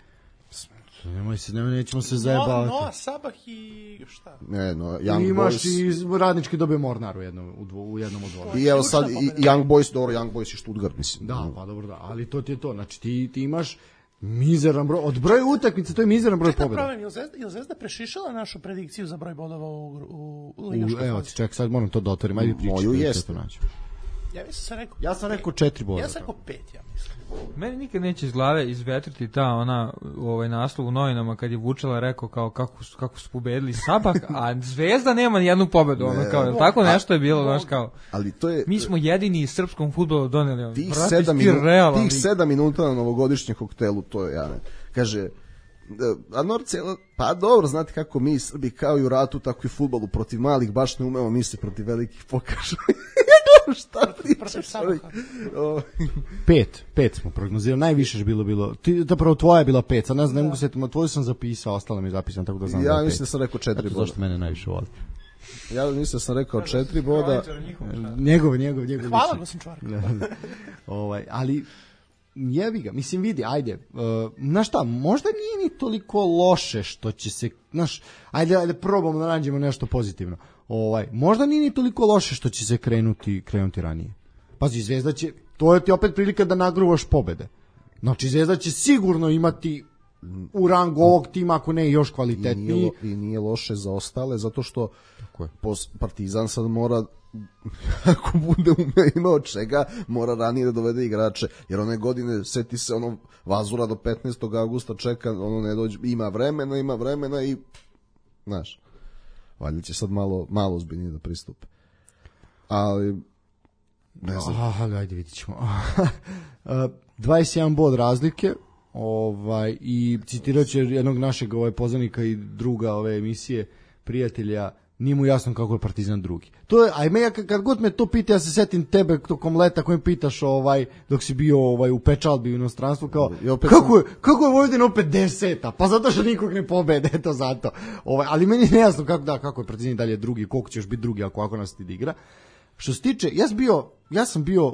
Nećemo se zajebavati. Noah, Sabah i šta? Ne, no, Young Imaš Boys. i Radnički dobio Mornar u jednom od dvora. I evo sad i Young Boys, dobro, Young Boys i Stuttgart, mislim. Da, pa dobro, da, ali to ti je to. Znači ti imaš mizeran broj, od broja utakmica to je mizeran broj pobjeda. Problem, je li Zvezda prešišala našu predikciju za broj bodova u ligaškoj Evo, fazi? ček, sad moram to da otvorim, ajde pričati. Moju jeste. Ja sam rekao 4 boda. Ja sam rekao 5, ja mislim. Meni nikad neće iz glave izvetriti ta ona naslov u novinama kad je Vučela rekao kao kako su pobedili Sabah, a Zvezda nema ni jednu pobedu, ono kao tako nešto je bilo, znaš kao. Ali to je Mi smo jedini srpskom fudbalu doneli tih 7 minuta na novogodišnjem koktelu, to je Jane. Kaže a Norce, pa dobro, znate kako mi Srbi kao i u ratu, tako i u fudbalu protiv malih baš ne umemo, mi se protiv velikih pokažu. Šta pričaš? 5 smo prognozirali, najviše je bilo. Zapravo tvoja je bila 5, sad ne mogu se setiti, tvoju sam zapisao, ostalo mi je zapisano, tako da znam da je 5. Ja mislim da sam rekao 4 boda. Zašto mene najviše voli? Ja mislim da sam rekao 4 boda. Njegov. Hvala, gosim čvark. Ali jebi ga, mislim vidi, ajde, znaš šta, možda nije ni toliko loše što će se, znaš, ajde probamo da nađemo nešto pozitivno. Možda nije ni toliko loše što će se krenuti ranije. Pazi, Zvezda će, to je ti opet prilika da nagruvaš pobede. Znači, Zvezda će sigurno imati u rangu ovog tima, ako ne još kvalitetniji. I nije loše za ostale, zato što Partizan sad mora, ako bude imao čega, mora ranije da dovede igrače, jer one godine, seti se ono Vazura do 15. augusta čeka, ono ne dođe, ima vremena i znaš, valjda će sad malo ozbiljnije da pristupe. Ali ne znam. Ajde vidit ćemo. 21 bod razlike, i citirat će jednog našeg poznanika i druga ove emisije, prijatelja, nije mu jasno kako je Partizan drugi. To je, kad god me to pita, ja se setim tebe tokom leta kojim pitaš dok si bio u pečalbi u inostranstvu, kao kako je Vojvodina opet 10. Pa zato što nikog ne pobede, eto zato. Ali meni je nejasno kako je Partizan dalje drugi, koliko će još biti drugi ako nas ti igra. Što se tiče, ja sam bio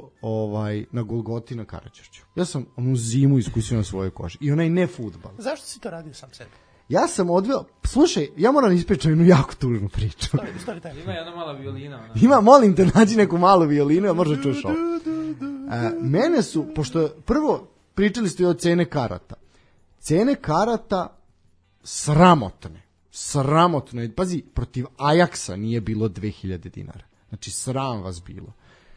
na Golgoti na Karađorđu. Ja sam onu zimu iskusio na svojoj koži. I onaj ne fudbal. Zašto si to radio sam sebi? Ja sam odveo, slušaj, ja moram ispričati jednu jako tužnu priču. Ima jedna mala violina. Ima, molim te, nađi neku malu violinu, a možda čuš ovo. Mene su, pošto prvo pričali ste o cene karata. Cene karata sramotno. Pazi, protiv Ajaksa nije bilo 2000 dinara. Znači, sram vas bilo.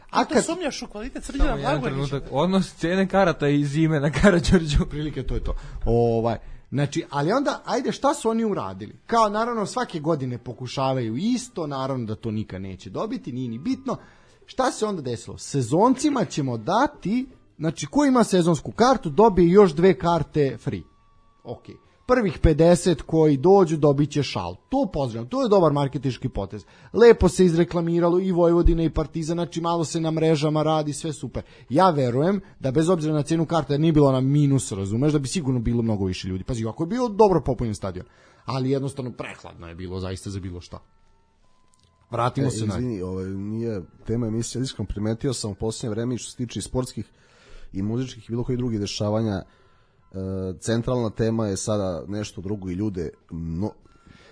A kad sumnjaš u kvalitet Srđana Blagojevića? Odnos cene karata i zime na Karađorđu. Prilike, to je to. Znači, ali onda, ajde, šta su oni uradili? Kao, naravno, svake godine pokušavaju isto, naravno da to nikad neće dobiti, nije ni bitno. Šta se onda desilo? Sezoncima ćemo dati, znači, ko ima sezonsku kartu, dobije još 2 karte free. Ok. Prvih 50 koji dođu dobit će šal. To pozdravljam, to je dobar marketinški potez. Lepo se izreklamiralo i Vojvodina i Partizan, znači malo se na mrežama radi, sve super. Ja verujem da bez obzira na cenu karte, jer nije bilo na minus, razumeš, da bi sigurno bilo mnogo više ljudi. Pazi, ako je bio dobro popunjen stadion, ali jednostavno prehladno je bilo zaista za bilo šta. Vratimo se na... Izvini, nije tema emisija, iskreno primetio sam u posljednje vreme što se tiče sportskih i muzičkih i bilo koji drugih dešavanja. Centralna tema je sada nešto drugo i ljude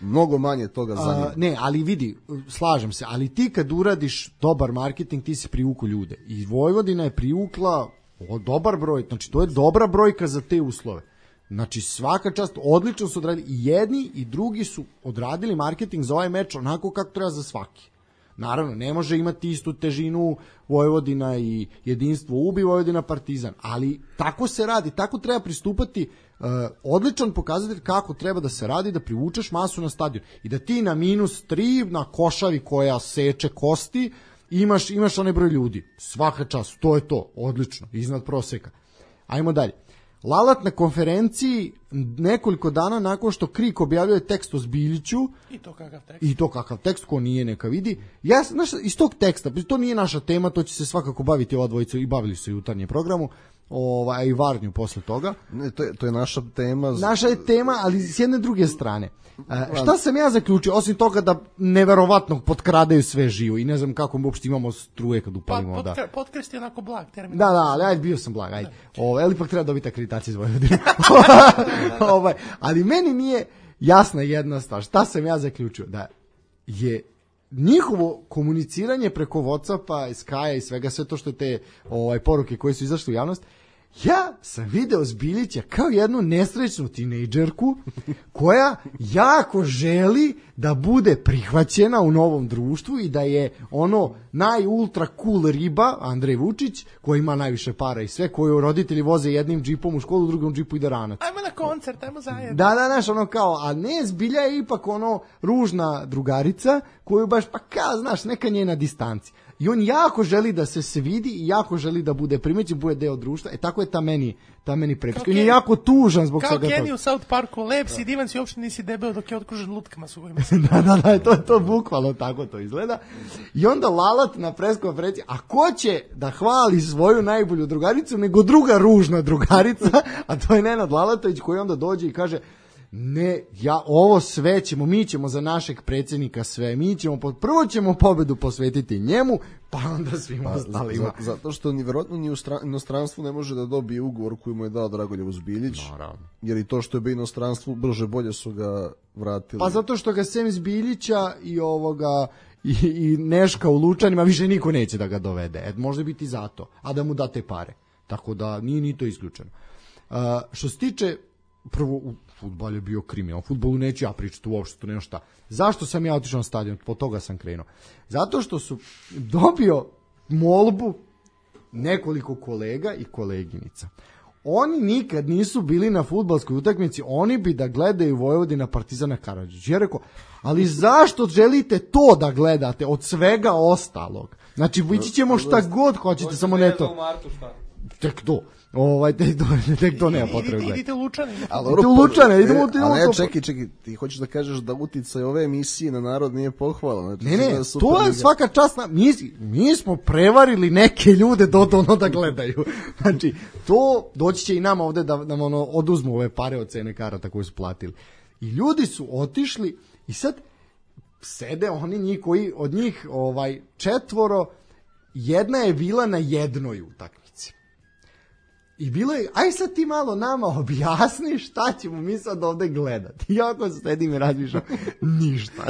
mnogo manje toga zanima. Ne, ali vidi, slažem se, ali ti kad uradiš dobar marketing, ti si privuku ljude. I Vojvodina je privukla dobar broj, znači to je dobra brojka za te uslove. Znači svaka čast, odlično su odradili, i jedni i drugi su odradili marketing za ovaj meč onako kako treba za svaki. Naravno, ne može imati istu težinu Vojvodina i jedinstvo ubi Vojvodina Partizan, ali tako se radi, tako treba pristupati, odličan pokazatelj kako treba da se radi, da privučeš masu na stadion i da ti na -3 na košavi koja seče kosti imaš onaj broj ljudi. Svaka čast, to je to, odlično, iznad proseka. Ajmo dalje. Lalat na konferenciji nekoliko dana nakon što Krik objavljuje tekst o Zbiljiću. I to kakav tekst, ko nije neka vidi. Iz tog teksta, to nije naša tema, to će se svakako baviti ova dvojica i bavili su u jutarnjem programu. i Varnju posle toga. Ne, to je naša tema. Naša je tema, ali s jedne druge strane. Šta sam ja zaključio, osim toga da neverovatno potkradaju sve živo i ne znam kako mi uopšte imamo struje kad upalimo. Potkrest je onako blag termin. Da, ali ajde, bio sam blag, ajde. Ali ipak treba dobiti akreditaciju iz Vojvodine. Ali meni nije jasna jedna stvar. Šta sam ja zaključio? Da je njihovo komuniciranje preko Whatsappa, Skype i svega, sve to što je te poruke koje su izašle u javnost, ja sam video Zbiljića kao jednu nesrećnu tinejdžerku koja jako želi da bude prihvaćena u novom društvu i da je ono najultra cool riba, Andrej Vučić, koji ima najviše para i sve, koju roditelji voze jednim džipom u školu, drugom džipu ide ranac. Ajmo na koncert, ajmo zajedno. Da, znaš, ono kao, a ne, Zbilja je ipak ono ružna drugarica koju baš, pa kao, znaš, neka njena distanci. I on jako želi da se vidi i jako želi da bude primećen, bude deo društva. tako je ta meni prepiska. On je jako tužan zbog svega toga. Kao Kenny u South Parku, lep si, divan si, uopšte nisi debeo dok je okružen lutkama su kojima se... Da, to bukvalno tako to izgleda. I onda Lalat na preskonferenciji, a ko će da hvali svoju najbolju drugaricu nego druga ružna drugarica, a to je Nenad Lalatović, koji onda dođe i kaže... Ne, ovo sve mi ćemo za našeg predsjednika sve, prvo ćemo pobedu posvetiti njemu, pa onda svima ostalima. Zato što vjerojatno ni u inostranstvu ne može da dobije ugovor koji mu je dao Dragoljev Zbiljić, jer i to što je bio inostranstvu brže bolje su ga vratili. Pa zato što ga sem Zbiljića i Neška u Lučanima više niko neće da ga dovede, može biti zato, a da mu date pare, tako da nije ni to isključeno. Što se tiče, prvo fudbal je bio kriminal. O fudbalu neću ja pričati uopšte, tu nema šta. Zašto sam ja otišao na stadion? Po toga sam krenuo. Zato što su dobio molbu nekoliko kolega i koleginica. Oni nikad nisu bili na fudbalskoj utakmici, oni bi da gledaju Vojvodina Partizana Karađorđa. Ja rekao, ali zašto želite to da gledate od svega ostalog? Znači, ići ćemo šta god hoćete, samo ne to. Tek to. Tek to nema potrebe. Idite u Lučane. Idite u Lučane, idemo u Ali čekaj, ti hoćeš da kažeš da uticaj ove emisije na narod nije pohvalan. Znači, ne, to je svaka čast. Mi smo prevarili neke ljude da gledaju. Znači, to doći će i nama ovde da nam oduzmu ove pare od cene karata koje su platili. I ljudi su otišli i sad sede oni koji od njih 4, jedna je bila na jednoj utakmici. I bilo je, aj sad ti malo nama objasni šta ćemo mi sad ovde gledati. Jako sedim i razmišljam, ništa.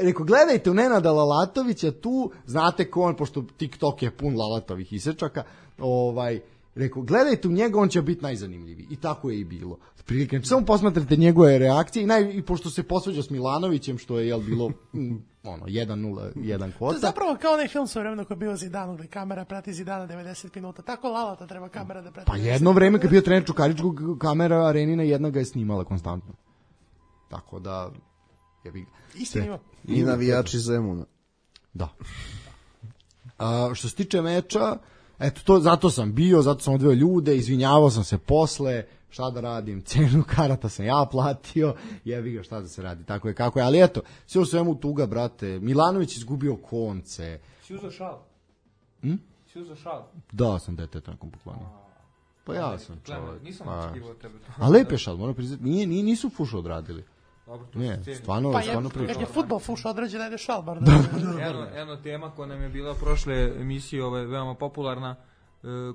Rekao, gledajte u Nenada Lalatovića tu, znate ko on, pošto TikTok je pun Lalatovih isečaka, rekao, gledajte u njega, on će biti najzanimljiviji. I tako je i bilo. Prilike, samo posmatrate njegove reakcije i pošto se posvađao s Milanovićem, što je bilo 1-0, kvota. To je zapravo kao onaj film svoje vremena koji je bio Zidanu, gde kamera prati Zidana 90 minuta. Tako Lalata treba kamera da prati. Pa jedno vreme kad je bio trener Čukaričkog, kamera Arenina jedna ga je snimala konstantno. Tako da... Istinimo. I navijači Zemuna. Da. Što se tiče meča, eto, zato sam bio, zato sam odveo ljude, izvinjavao sam se posle, šta da radim, cenu karata sam ja platio, jebi ga, šta da se radi, tako je kako je, ali eto, sve u svemu tuga, brate, Milanović izgubio konce. Si uzao šal? Si uzao šal? Da, sam dete tako poklonio. Pa ja sam čovjek. Nisam očekivao tebe. A lep je šal, moram priznati, nisu fuš odradili. Dobro, to ne, stvarno priča. Kad je fudbal fuš odrađen, ajde šal bar. Jedna tema koja nam je bila prošle emisije, veoma popularna,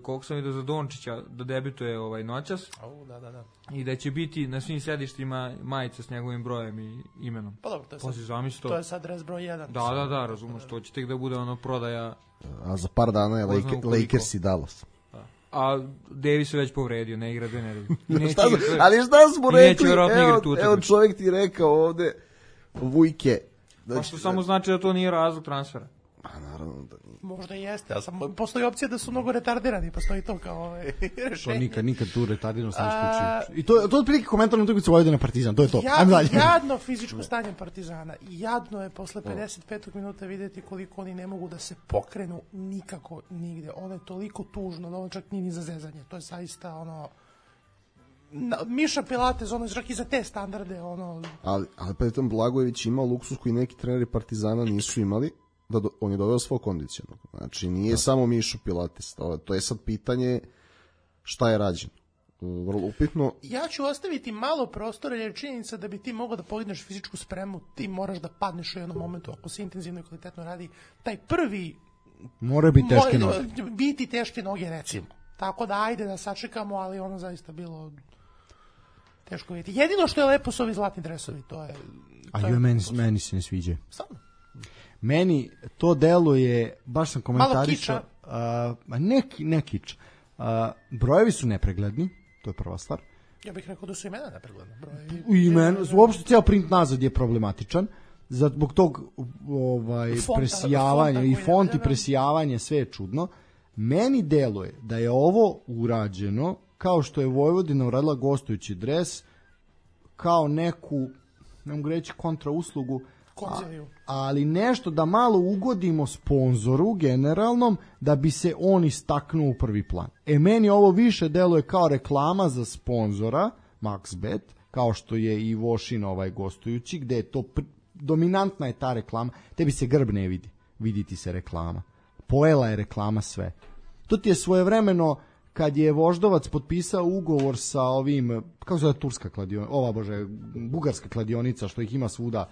koliko sam vidio za Dončića da debituje noćas. Da. I da će biti na svim sedištima majica s njegovim brojem i imenom. Pa dobro, to je sad res broj 1. Da, razumeš, to će tek da bude prodaja. A za par dana je Lakers i Dallas. A Davis je već povredio, ne igra 2 nedelje. Ali šta smo rekli? Evo čovjek ti rekao ovde, Vujke. Pa što samo znači da to nije razlog transfera? Pa naravno da nije. Možda jeste, ali postoji opcija da su mnogo retardirani, postoji to kao rešenje. To nikad tu retardiranost ne isključuje. I to je otprilike komentar na utakmicu Vojvodina Partizan, to je to. Jadno fizičko stanje Partizana. Jadno je posle 55. minuta vidjeti koliko oni ne mogu da se pokrenu nikako nigde. Ono je toliko tužno da ono čak nije ni za zezanje. To je zaista Miša Pilates, čak i za te standarde. Ali Petan Blagojević imao luksus koji neki treneri Partizana nisu imali. On je doveo svog kondicionog. Znači, nije samo Mišo Pilates. To je sad pitanje šta je rađeno. Vrlo upitno. Ja ću ostaviti malo prostora, jer je činjenica da bi ti mogao da podigneš fizičku spremu, ti moraš da padneš u jednom momentu, ako se intenzivno i kvalitetno radi. Taj prvi... Mora biti teške noge. Biti teške noge, recimo. Tako da ajde da sačekamo, ali ono zaista bilo teško vidjeti. Jedino što je lepo su ovi zlatni dresovi, to je... Meni se ne sviđa. Stvarno? Meni to deluje, baš sam komentarisao... Ne kič. Brojevi su nepregledni, to je prva stvar. Ja bih rekao da su imena nepregledna. Uopšte cijel print nazad je problematičan. Zbog tog presijavanja i font i presijavanje, sve je čudno. Meni deluje da je ovo urađeno kao što je Vojvodina uradila gostujući dres, kao neku, ne mogu reći kontrauslugu, ali nešto da malo ugodimo sponzoru generalnom, da bi se on istaknuo u prvi plan. Meni ovo više deluje kao reklama za sponzora MaxBet, kao što je i Vošin gostujući, gde je to dominantna je ta reklama. Tebi se grb ne vidi, vidi ti se reklama. Pojela je reklama sve. To ti je svojevremeno kad je Voždovac potpisao ugovor sa ovim, kako se zove turska kladionica, bugarska kladionica, što ih ima svuda,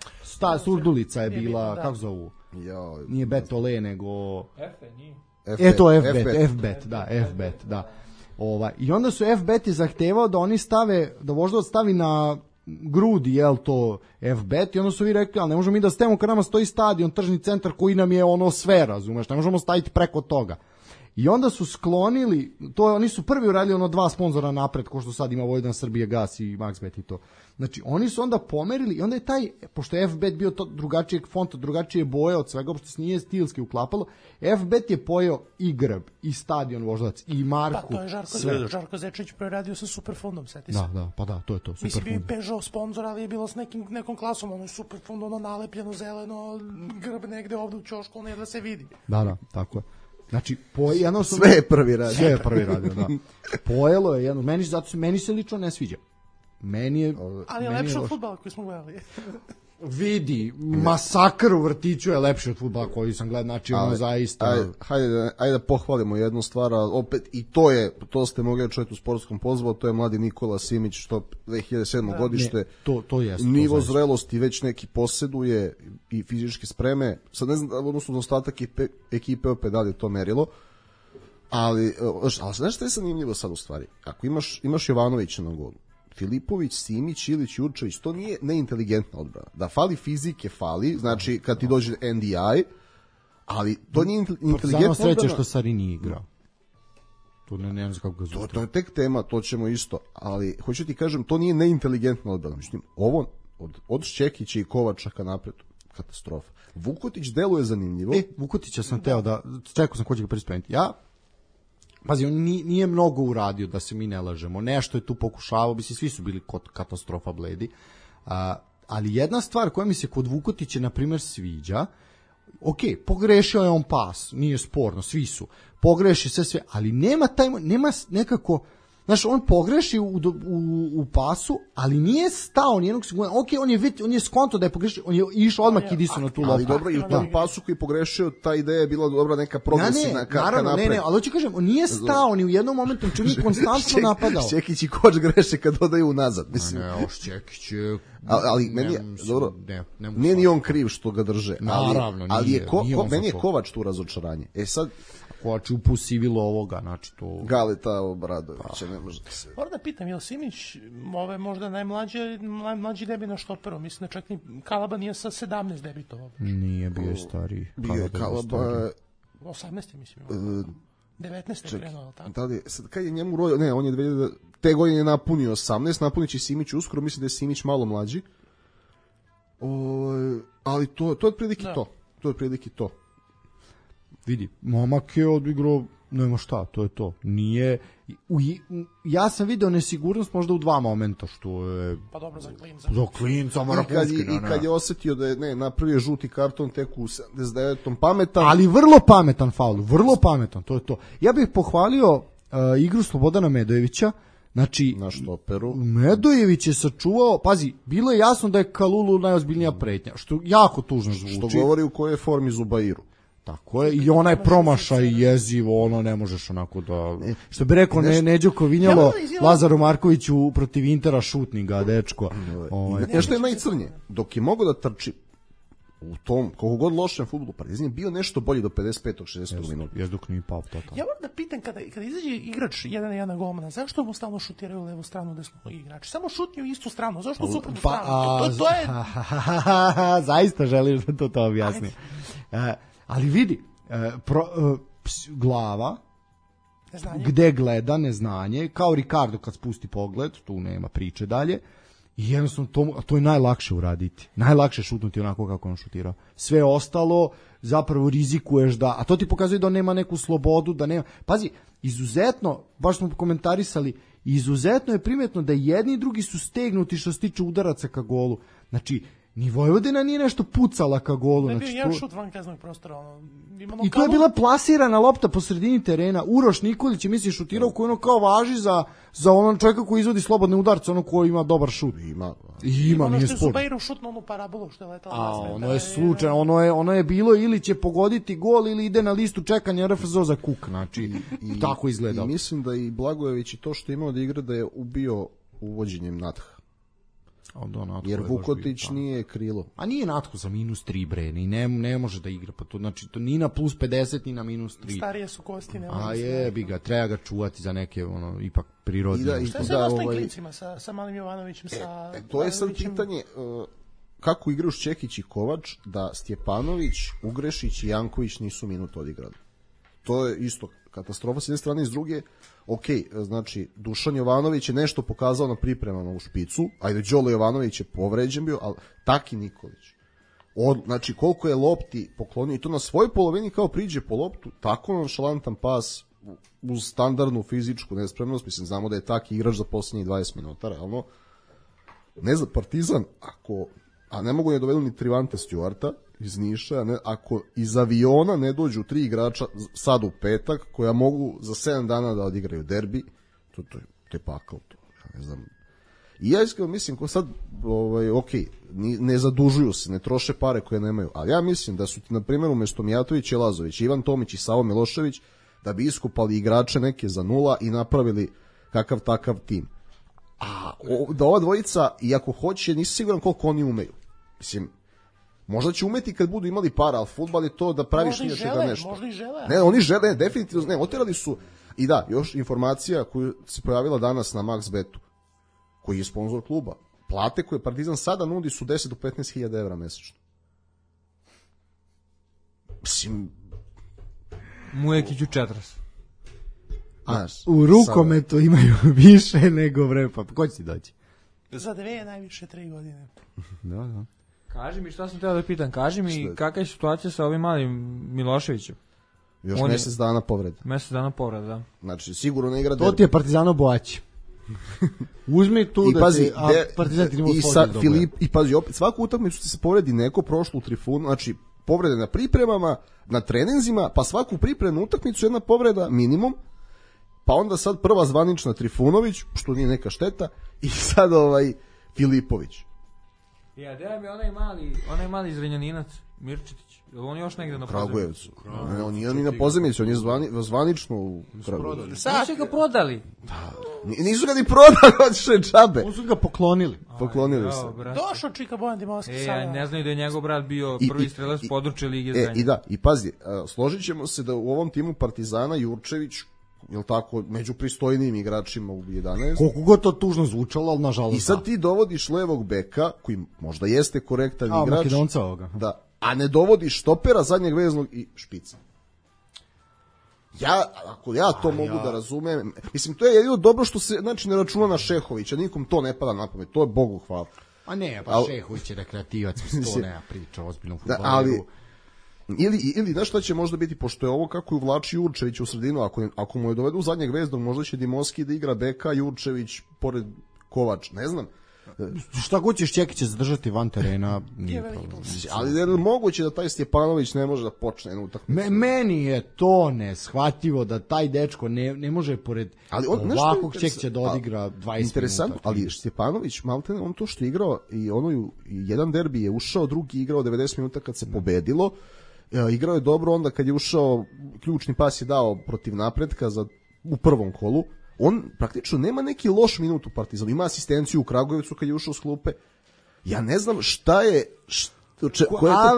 Surdulica je bila, kako zovu? Nije Betole, nego... FBet, da. I onda su FBet zahtevao da oni stave, da Voždovac stavi na grudi, to FBet, i onda su vi rekli, ali ne možemo mi da stavimo kad nama stoji stadion, tržni centar koji nam je sve, razumeš, ne možemo staviti preko toga. I onda su sklonili, oni su prvi uradili 2 sponzora napred, ko što sad ima Vojvodina Srbije, Gas i MaxBet i to. Znači, oni su onda pomerili i onda je taj, pošto je FBet bio to drugačijeg fonta, drugačije boje od svega, pošto se nije stilski uklapalo, FBet je pojeo i grb, i stadion Voždovac, i marku. Pa to je Žarko Zečević preradio sa Superfondom, seti se. Da, to je to. Mislim, bio i Peugeot sponsor, ali je bilo s nekom klasom, ono je Superfond, nalepljeno zeleno, grb negde ovde u ćošku, ono je da se vidi. Da, tako je. Znači, sve je prvi radio, da. Pojelo je jedno, meni se lično ne sviđa. Ali je lepše od fudbala koji smo gledali. Vidi, masakr u vrtiću je lepši od fudbala koji sam gledao, znači ono zaista... Ajde da pohvalimo jednu stvar, opet i to ste mogli čuti u sportskom pozvu, to je mladi Nikola Simić, što 2007. godište, to jest, nivo zrelosti već neki posjeduje i fizičke spreme, sad ne znam, odnosno ostatak ekipe opet dalje to merilo, ali znaš što je zanimljivo sad u stvari, ako imaš Jovanovića na golu, Filipović, Simić, Ilić, Jurčević, to nije neinteligentna odbrana. Da fali fizike, fali, znači kad ti dođe NDI, ali to nije inteligentna odbrana. Sreće što Sari nije igrao. To ne znam kako ga zove. To je tek tema, to ćemo isto, ali hoću ti kažem, to nije neinteligentna odbrana. Mislim, ovo od Šćekića i Kovača ka napred, katastrofa. Vukotić deluje zanimljivo. Vukotića sam teo da, čekao sam ko će ga prispremiti. Pazi, on nije mnogo uradio, da se mi ne lažemo. Nešto je tu pokušavao, svi su bili kod katastrofa bledi. Ali jedna stvar koja mi se kod Vukotića, na primjer, sviđa, pogrešio je on pas, nije sporno, svi su. Pogreši sve, ali nema nekako... Znaš, on pogreši u pasu, ali nije stao nijednog sekunda. On je skonto da je pogrešio, on je išao odmah Kidisu na tu loptu. Ali dobro, i u tom pasu koji je pogrešio, ta ideja je bila dobra neka progresivna ka napred. Ne, ali hoću kažem, on nije stao ni u jednom momentu, čim je konstantno napadao. Šćekić i Koč greše kad dodaju unazad. Šćekić je... Ali meni je, dobro, nije ni on kriv što ga drže. Naravno, nije. Meni je Kovač tu razočaranje. Sad... Kovač upusivilo ovoga, znači to... Galeta Obradovića, ne može da se... Moram da pitam, je li Simić možda najmlađi debi na štoperu? Mislim da čak ni Kalaba nije sa 17 debitovao. Nije, bio je stariji. Bio je Kalaba... 18. mislim. 19. je krenuo, tako? Da li, sad kad je njemu rodio... Ne, on je te godine je napunio 18, napunit će Simić uskoro, mislim da je Simić malo mlađi. Ali to je otprilike to. To je otprilike to. Vidi, momak je odigrao, nema šta, to je to. Nije, ja sam video nesigurnost možda u 2 momenta, što je... Pa dobro, za klinca. Za klinca, Marakovski. I kad je osetio da je, napravio žuti karton tek u 79. pametan. Ali vrlo pametan faul, vrlo pametan, to je to. Ja bih pohvalio igru Slobodana Medojevića, znači... Na štoperu. Medojević je sačuvao, pazi, bilo je jasno da je Kalulu najozbiljnija pretnja, što jako tužno zvuči. Što govori u kojoj formi Zubairu. Tako je, i onaj promašaj jezivo, ono ne možeš onako da... Što bi rekao Neđo Kovinjalo, Lazaru Markoviću protiv Intera šutninga, dečko. Nešto je najcrnije, dok je mogao da trči u tom, koliko god lošem fudbalu, Partizan je bio nešto bolji do 55. 60. minuta. Jes dok nije pao totalno. Ja moram da pitam, kada izađe igrač 1-1 golmana, zašto mu stalno šutiraju u levu stranu, desnu igrač? Samo šutnju u istu stranu, zašto u suprotnu stranu? To je... Zaista želiš da to objasni. Ali vidi, glava, neznanje. Gde gleda, neznanje, kao Ricardo kad spusti pogled, tu nema priče dalje, i jednostavno to je najlakše uraditi. Najlakše šutnuti onako kako on šutirao. Sve ostalo zapravo rizikuješ da, a to ti pokazuje da on nema neku slobodu, da nema. Pazi, izuzetno, baš smo komentarisali, izuzetno je primetno da jedni i drugi su stegnuti što se tiče udaraca ka golu. Znači, ni Vojvodina nije nešto pucala ka golu. Ne je bio znači, jedan šut van kaznog prostora. I to je bila plasirana lopta po sredini terena. Uroš Nikolić je, mislim, šutirao koji ono kao važi za onog čovjeka koji izvodi slobodne udarce, ono koji ima dobar šut. Ima, nije ono što je sport. Zubairu šutno onu parabolu što je letala. Ono je slučajno, ono je bilo ili će pogoditi gol ili ide na listu čekanja RFZO za kuk, znači tako izgleda. I mislim da i Blagojević i to što je imao da igra da je ubio uvođenjem Natha. Jer Vukotić nije krilo. A nije Natko za -3 bre, ni ne može da igra, pa to znači to ni na +50 ni na -3. Starije su kosti, ne može. A jebi ga, treba ga čuvati za neke ono ipak prirodne. Šta se sa ostalim klincima sa Malim Jovanovićem, sa to je sad pitanje kako igraju Čekić i Kovač da Stjepanović, Ugrešić i Janković nisu minut odigrali. To je isto katastrofa s jedne strane i s druge. Ok, znači Dušan Jovanović je nešto pokazao na pripremama u špicu, ajde Đolo Jovanović je povređen bio, ali Taki Nikolić. Znači koliko je lopti poklonio i to na svojoj polovini kao priđe po loptu, tako nonšalantan pas uz standardnu fizičku nespremnost, mislim znamo da je Taki igrač za posljednjih 20 minuta, realno. Ne za Partizan, a ne mogu ne dovedu ni Trivante Stjuarta iz Niša, ako iz aviona ne dođu 3 igrača sad u petak koja mogu za 7 dana da odigraju derbi, to je pakao to, ja ne znam. I ja iskreno mislim ko sad ok, ne zadužuju se, ne troše pare koje nemaju, ali ja mislim da su ti na primjer umjesto Mijatović i Lazović, Ivan Tomić i Savo Milošević da bi iskupali igrače neke za 0 i napravili kakav takav tim. A da ova dvojica, iako hoće, nisi siguran koliko oni umeju. Mislim, možda će umeti kad budu imali para, ali fudbal je to da praviš nije čega nešto. Možda i žele. Ne, oni žele, definitivno, ne, oterali su, i da, još informacija koju se pojavila danas na MaxBetu, koji je sponsor kluba. Plate koje Partizan sada nudi su 10 do 15.000 evra mesečno. Mislim... Mujekiću 40. U rukometu imaju više nego vrepa. Ko će ti doći? Za 2 najviše 3 godine. Da. Kaži mi, šta sam teo da pitam, kaži mi kakva je situacija sa ovim malim Miloševićem? Još mjesec dana povreda. Mjesec dana povreda, da. Znači, sigurno ne igra derbi. To ti je Partizano Boać. Uzmi tu da ti, Partizan ti nima slođe. I pazi, opet, svaku utakmicu ti se povredi neko prošlo u Trifunu, znači, povrede na pripremama, na treninzima, pa svaku pripremnu utakmicu jedna povreda minimum, pa onda sad prva zvanična Trifunović, što nije neka šteta, i sad Filipović. Ja, gdje mi onaj mali Zrenjaninac, Mirčetić, je li on još negdje na Kragujevcu? On nije ni na pozemici, on je zvanično u Kragujevcu. Sad će ga prodali. Nisu ga ni prodali, odšao džabe. On su ga poklonili. Poklonili se. Došao Čika Bojan Dimovski sada. Ne znaju da je njegov brat bio prvi strelac područja Lige Zrenjanin. I pazi, složit ćemo se da u ovom timu Partizana Jurčević, jel tako, među pristojnijim igračima u 11. Koliko god to tužno zvučalo, ali nažalost. I sad ti dovodiš levog beka, koji možda jeste korektan igrač. Makedonca ovoga. Da, a ne dovodiš štopera, zadnjeg veznog i špica. Ako ja to mogu da razumem, mislim, to je jedino dobro što se, znači, ne računa na Šehovića, nikom to ne pada na pamet, to je Bogu hvala. A ne, pa Šehović je rekreativac, to nema priča o ozbiljnom fudbalu. Ali, ili znaš šta će možda biti, pošto je ovo kako je uvlači Jurčević u sredinu, ako mu je dovedu zadnjeg veznog, možda će Dimovski da igra beka, Jurčević pored Kovač, ne znam. Šta god ćeš Čekića zadržati van terena, nije problem. Ali je moguće da taj Stjepanović ne može da počne jednu utakmicu? Meni je to neshvatljivo da taj dečko ne može pored ovakvog Čekića da odigra 20 interesantno, minuta. Ali Stjepanović, maltene, on to što je igrao i jedan derbi je ušao, drugi igrao 90 minuta kad se pobedilo Igrao je dobro onda kad je ušao, ključni pas je dao protiv Napretka u prvom kolu. On praktično nema neki loš minut u Partizanu. Ima asistenciju u Kragujevcu kad je ušao s klupe. Ja ne znam šta je...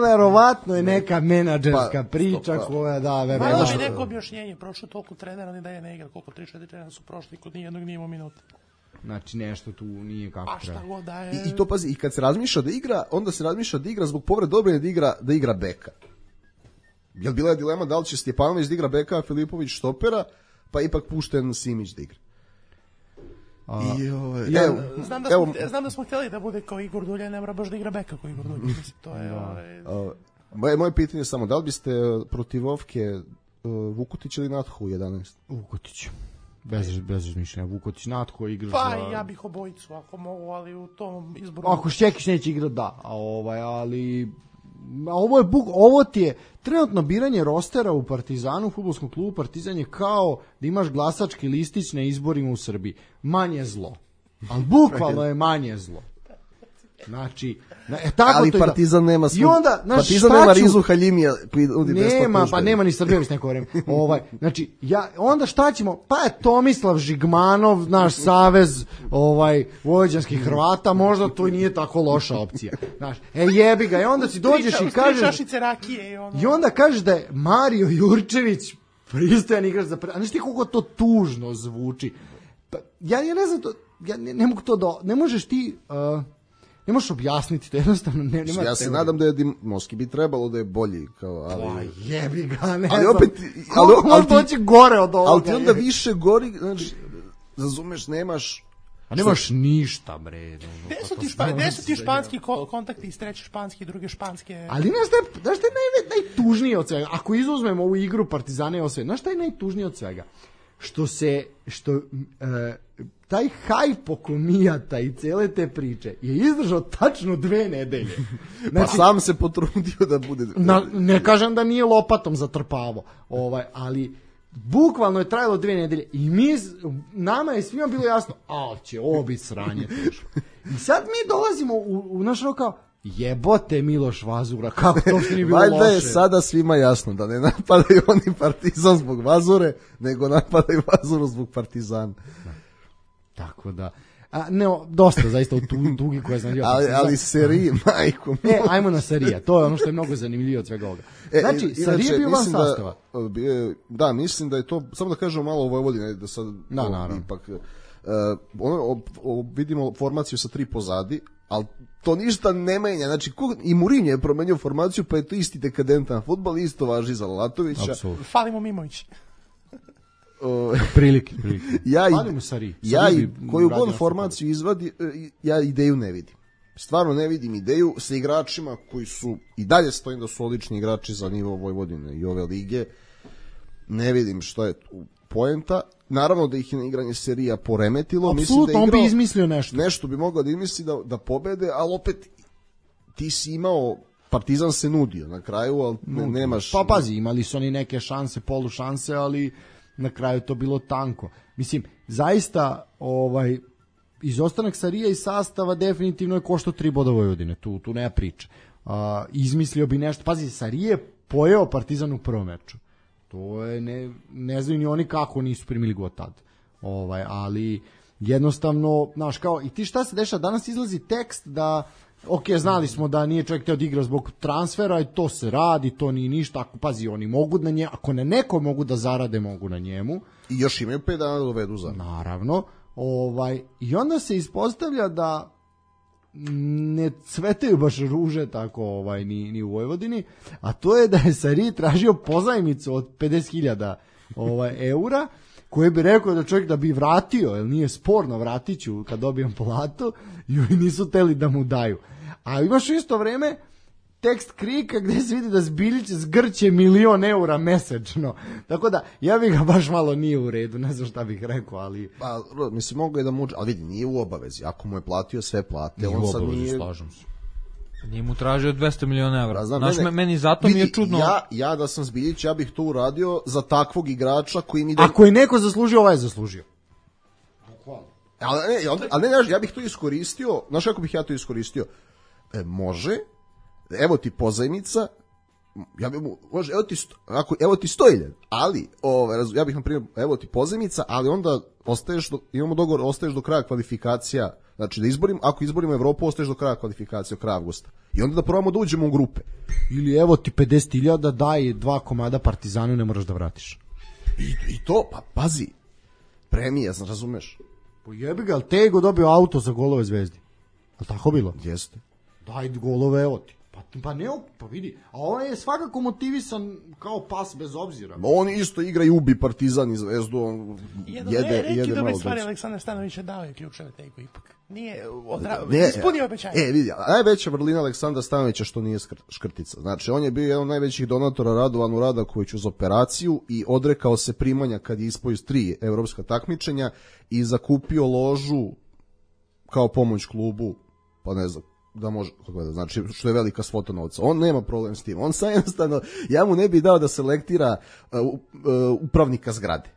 verovatno je neka menadžerska priča koja da... Malo bi neko objašnjenje, prošlo toliko trenera, ni da je ne igra, koliko 3-4 trenera su prošli, kod nijednog nije imao minuta. Znači nešto tu nije kako treba. A šta god da je... I to pazi, i kad se razmišlja da igra, onda se razmišlja da igra zbog povrede odbrane da igra beka. Jel bila je dilema da li će Stjepanović da igra beka, a Filipović štopera, pa ipak pušten Simić da igra. Znam da smo htjeli da bude kao Igor Dulje, ne mora baš da igra beka kao Igor Dulje. Mislim, to je... Moje pitanje je samo, da li biste protiv Ovke Vukotić ili Nathu u 11? Vukotić. Bez mišljenja. Vukotić, Natho igra pa ja bih obojicu ako mogu, ali u tom izboru... Ako Šćekić neće igrati, da. Ali... Ovo ti je trenutno biranje rostera u Partizanu, u fudbalskom klubu Partizan je kao da imaš glasački listić na izborima u Srbiji. Manje zlo. Ali bukvalno je manje zlo. Znači, tako ali to Partizan nema i onda, Partizan nema Rizu Haljimija. Nema ni Srbijević neko vreme. Znači, onda šta ćemo? Pa je Tomislav Žigmanov, naš savez vojvođanskih Hrvata, možda to i nije tako loša opcija. Znaš, jebi ga, i onda si dođeš i kažeš... I onda kažeš da je Mario Jurčević pristojan igrač za... A znaš ti koliko to tužno zvuči? Ja ne znam to... Ne mogu to da... Ne možeš ti... Ne možeš objasniti, to jednostavno nema teorije. Ja se nadam da je Dimoski bi trebalo da je bolji. Ali jebi ga, ne ali znam. Opet, ali doći gore od ovoga. Ali ti onda više gori, znači, razumeš, nemaš... A nemaš ništa, bre. Gde su ti španski kontakti iz treće španske i druge španske? Ali znaš šta je najtužnije od svega? Ako izuzmemo ovu igru Partizana i osve, znaš šta je najtužnije od svega? Što taj hajp oko Mijata i cele te priče je izdržao tačno 2 nedelje. Znači, pa sam se potrudio da bude... Ne kažem da nije lopatom zatrpavo, ali bukvalno je trajalo 2 nedelje i nama je svima bilo jasno, će ovo biti sranje teško. I sad mi dolazimo u naš kao, jebote Miloš Vazura, kako to što nije bilo loše. Valjda je sada svima jasno da ne napadaju oni Partizan zbog Vazure, nego napadaju Vazuru zbog Partizana. Tako da... dosta zaista u dugi koje znam. Ali seriji, majko. Ajmo na serija, to je ono što je mnogo zanimljivije od svega ovoga. Znači, serija je bio van sastava. Da, mislim da je to, samo da kažemo malo o Vojvodini, da sad ipak... vidimo formaciju sa 3 pozadi, ali to ništa ne menja. Znači, i Mourinho je promenio formaciju, pa je to isti dekadentan fudbal, isto važi za Lalatovića. Falimo Mimović. Prilike. Ja koju god formaciju izvadi, ja ideju ne vidim. Stvarno ne vidim ideju sa igračima koji su, i dalje stojim da su odlični igrači za nivo Vojvodine i ove lige. Ne vidim što je poenta. Naravno da ih je na igranje serija poremetilo. Apsolutno, on bi izmislio nešto. Nešto bi mogao da izmisli da pobede, ali opet ti si imao, Partizan se nudio na kraju, ali nemaš... Pa pazi, imali su oni neke šanse, polušanse, ali na kraju to bilo tanko. Mislim, zaista izostanak Sarija iz sastava definitivno je koštao 3 boda Vojvodine, tu nema priče. Izmislio bi nešto, pazi, Sarije pojeo Partizan u prvom meču. To je, ne znaju ni oni kako nisu primili god tad. Ali jednostavno, znaš, kao, i ti šta se dešava, danas izlazi tekst da, znali smo da nije čovjek teo da igra zbog transfera i to se radi, to nije ništa, ako pazi, oni mogu na njemu, ako na neko mogu da zarade, mogu na njemu. I još imaju 5 dana da dovedu za. Naravno, i onda se ispostavlja da ne cvetaju baš ruže tako ni u Vojvodini, a to je da je Sarij tražio pozajmicu od 50.000 eura, koje bi rekao da čovjek da bi vratio, jer nije sporno, vratit ću kad dobijem platu, i oni nisu teli da mu daju. A imaš u isto vreme tekst Krika gdje se vidi da Zbiljić zgrće 1.000.000 eura mesečno. Tako da, ja bih ga baš malo nije u redu, ne znam šta bih rekao, ali... Pa, mislim, mogu je da muče, ali vidi, nije u obavezi. Ako mu je platio sve plate, nije on u sad obavezi, nije... slažem se. Nije mu tražio 200 miliona evra. Znam, znaš, meni zato mi je čudno... Ja da sam Zbiljić, ja bih to uradio za takvog igrača koji mi... Ako je neko zaslužio, ovaj je zaslužio. Ali ne, ja bih to iskoristio, znaš kako bih ja to iskoristio? Može, evo ti pozajmica, ja bih mu, može, evo ti 100.000, ali, ja bih na primjer, evo ti pozajmica, ali onda imamo dogovor, ostaješ do kraja kvalifikacija, znači ako izborimo Evropu, ostaješ do kraja kvalifikacija, do kraja avgusta. I onda da probamo da uđemo u grupe. Ili evo ti 50.000, daj 2 komada Partizanu, ne moraš da vratiš. I to, pa pazi, premija, razumeš? Pa jebi ga, ali Tego dobio auto za golove Zvezdi. Ali tako bilo? Jeste. Daj golove, evo ti. Pa vidi, a on je svakako motivisan kao pas bez obzira. On isto igra i ubi Partizan i Zvezdu, on jede dobre malo. stvari Aleksandar Stanović je dao je ključeve Tego ipak. Nije ispunio obećanje. Vidi, najveća vrlina Aleksandra Stanovića što nije škrtica. Znači, on je bio jedan od najvećih donatora Radovanu Radakoviću za operaciju i odrekao se primanja kad je ispao iz 3 evropska takmičenja i zakupio ložu kao pomoć klubu, pa ne znam, da može, znači što je velika svota novca. On nema problem s tim. On sam jednostavno, ja mu ne bih dao da selektira upravnika zgrade.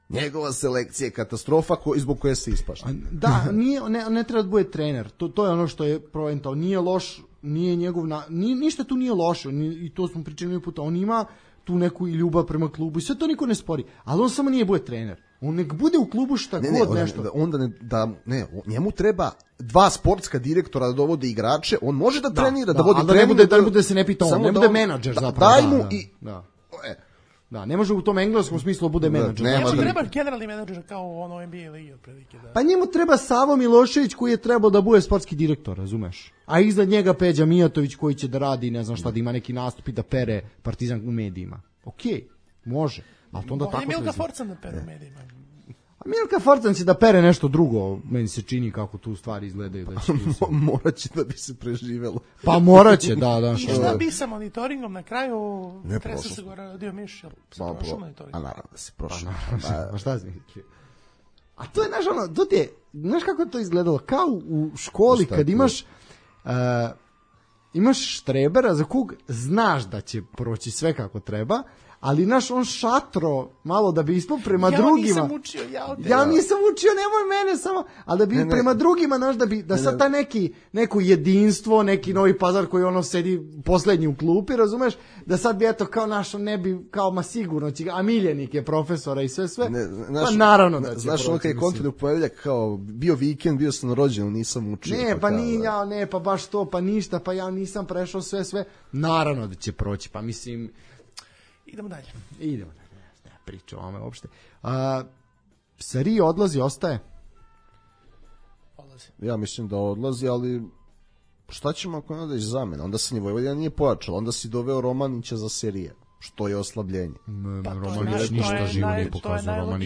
Njegova selekcija je katastrofa zbog koje se ispašta. Da, ne treba da bude trener. To je ono što je proentao. Nije loš, nije njegov ništa tu nije loše. I to smo pričali jedan puta. On ima tu neku ljubav prema klubu i sve to niko ne spori. Ali on samo nije bude trener. On nek bude u klubu šta god nešto. Njemu treba 2 sportska direktora da dovode igrače, on može da trenira, da vodi trening. Da ne bude se ne pita on, ne bude menadžer zapravo. Daj mu i... Da, ne može u tom engleskom smislu bude menadžer. Znači treba generalni menadžer kao u ono NBA ligi otprilike. Pa njemu treba Savo Milošević koji je trebao da bude sportski direktor, razumeš? A iznad njega Peđa Mijatović koji će da radi, ne znam šta, da ima neki nastup i da pere Partizan u medijima. Okej, može. Ali to onda tako. Milka Forcan da pere u medijima. A Milka Forcan će da pere nešto drugo, meni se čini kako tu stvari izgledaju. Moraće da bi se preživelo. Pa moraće, da. I šta bi sa monitoringom na kraju? Tresa se gore rodio Miš, jel se prošao monitoring? A naravno da se prošao. Pa šta si mislio? A to je, znaš kako je to izgledalo? Kao u školi kad imaš štrebera za kog znaš da će proći sve kako treba, ali on šatro malo da bi ispao prema drugima. Ja nisam učio, nemoj mene samo, ali da bi prema drugima, da sad ta neko jedinstvo, neki Novi Pazar koji sedi poslednji u klupi, razumeš, da sad bi kao ne bi, kao sigurno će, a miljenik je profesora i sve, pa naravno da će. Znaš, ono kad je Kontinent Poveljak kao bio vikend, bio sam rođen, nisam učio. Pa baš to, pa ništa, pa ja nisam prešao sve, naravno da će proći, pa mislim. Idemo dalje. Ne priča o ome uopšte. Sari odlazi, ostaje? Odlazi. Ja mislim da odlazi, ali šta ćemo ako ne daš zamena? Onda se ni Vojvodina nije pojačala, onda si doveo Romanića za serije, što je oslabljenje. Romanić ništa živo nije pokazao.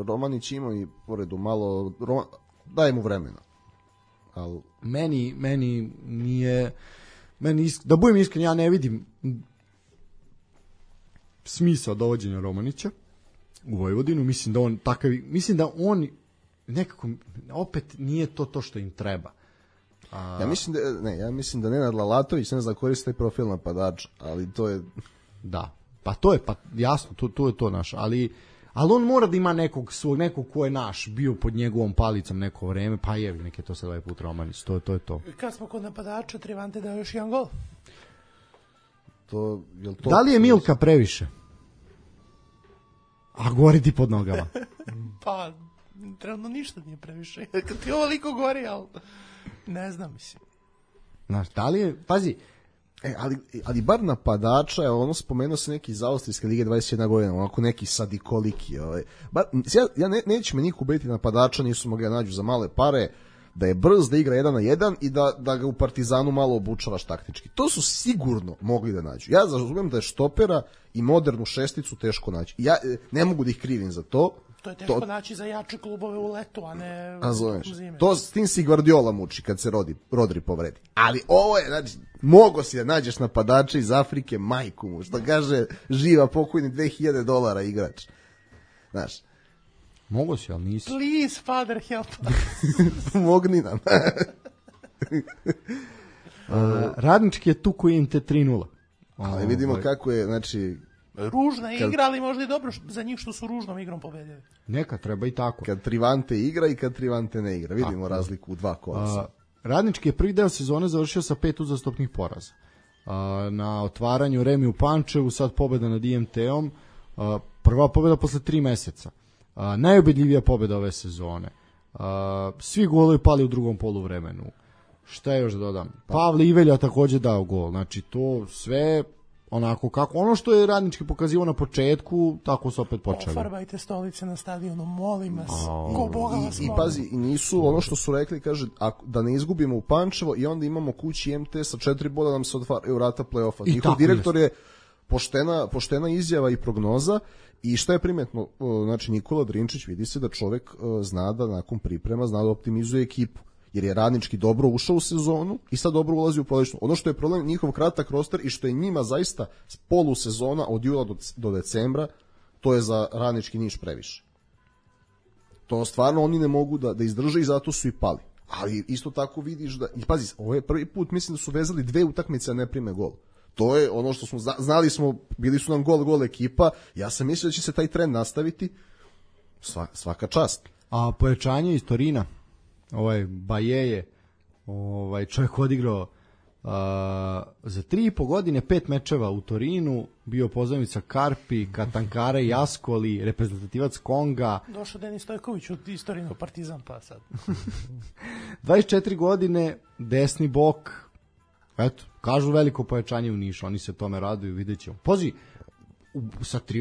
Romanić ima i poredu malo, daj mu vremena. Ali meni nije, da budem iskren, ja ne vidim smisao dovođenja Romanića u Vojvodinu, mislim da on nekako opet nije to što im treba. Ja mislim da Nenad Lalatović ne zna koristiti taj profil napadača, ali to je pa jasno, to je to naš, ali on mora da ima nekog ko je naš, bio pod njegovom palicom neko vreme, pa nek je to sad ovaj put Romanić, to je to. Kad smo kod napadača, Trivante dao još jedan gol. Da li je Milka previše? A gori ti pod nogama. Pa, trenutno ništa nije previše. Kad ti ovoliko gori, ali ne znam, mislim. Znaš, da li je, pazi, ali bar napadača, spomenuo se neki iz Austrijske lige 21 godina, onako neki sadikoliki. Ja neću me niko ubediti napadača, nisu mogli da nađu za male pare, da je brz, da igra 1 na 1 i da ga u Partizanu malo obučavaš taktički. To su sigurno mogli da nađu. Ja razumijem da je štopera i modernu šesticu teško naći. Ja ne mogu da ih krivim za to. To je teško naći za jače klubove u letu, a ne u zime. S tim si Guardiola muči kad se Rodri povredi. Ali ovo je, znači, mogo si da nađeš napadača iz Afrike, majku mu, što kaže živa pokojni $2000 igrač. Znaš, mogo si, ali nisi. Please, father, help. Mogni nam. Radnički je tu koji im te 3-0. Ali vidimo kako je, znači... Ružna igra, ali možda i dobro za njih što su ružnom igrom pobedili. Neka, treba i tako. Kad Trivante igra i kad Trivante ne igra. Vidimo razliku u 2 kola. Radnički je prvi deo sezone završio sa 5 uzastopnih poraza. Na otvaranju Remi u Pančevu, sad pobeda nad IMT-om, prva pobeda posle 3 meseca. Najubedljivija pobeda ove sezone. Svi golovi pali u drugom poluvremenu. Šta je još da dodam? Pavle Ivelja takođe dao gol. Znači to sve onako kako ono što je Radnički pokazivao na početku, tako su opet počeli. Ofarbajte stolice na stadionu, molim vas. Ko Boga vas I molim. pazi, i nisu ono što su rekli, kaže, da ne izgubimo u Pančevo i onda imamo kući MT sa 4 boda nam se otvaraju vrata play-offa. Njihov direktor je poštena izjava i prognoza. I šta je primetno, znači Nikola Drinčić vidi se da čovek zna da nakon priprema zna da optimizuje ekipu, jer je Radnički dobro ušao u sezonu i sad dobro ulazi u prolećnu. Ono što je problem njihov kratak roster i što je njima zaista polusezona od jula do decembra, to je za Radnički Niš previše. To stvarno oni ne mogu da izdrže i zato su i pali. Ali isto tako vidiš da, i pazi, ovo je prvi put, mislim da su vezali 2 utakmice, a ne prime gol. To je ono što smo znali smo, bili su nam gol ekipa. Ja sam mislio da će se taj trend nastaviti. Svaka čast. A pojačanje iz Torina, Baje je čovjek odigrao za 3,5 godine 5 mečeva u Torinu, bio pozajmica Karpi, Katankare, Jaskoli, reprezentativac Konga. Došao Denis Stojković iz Torina u Partizan, pa sad. 24 godine, desni bok. Eto, kažu veliko pojačanje u Nišu, oni se tome raduju, vidjet ćemo. Pozi,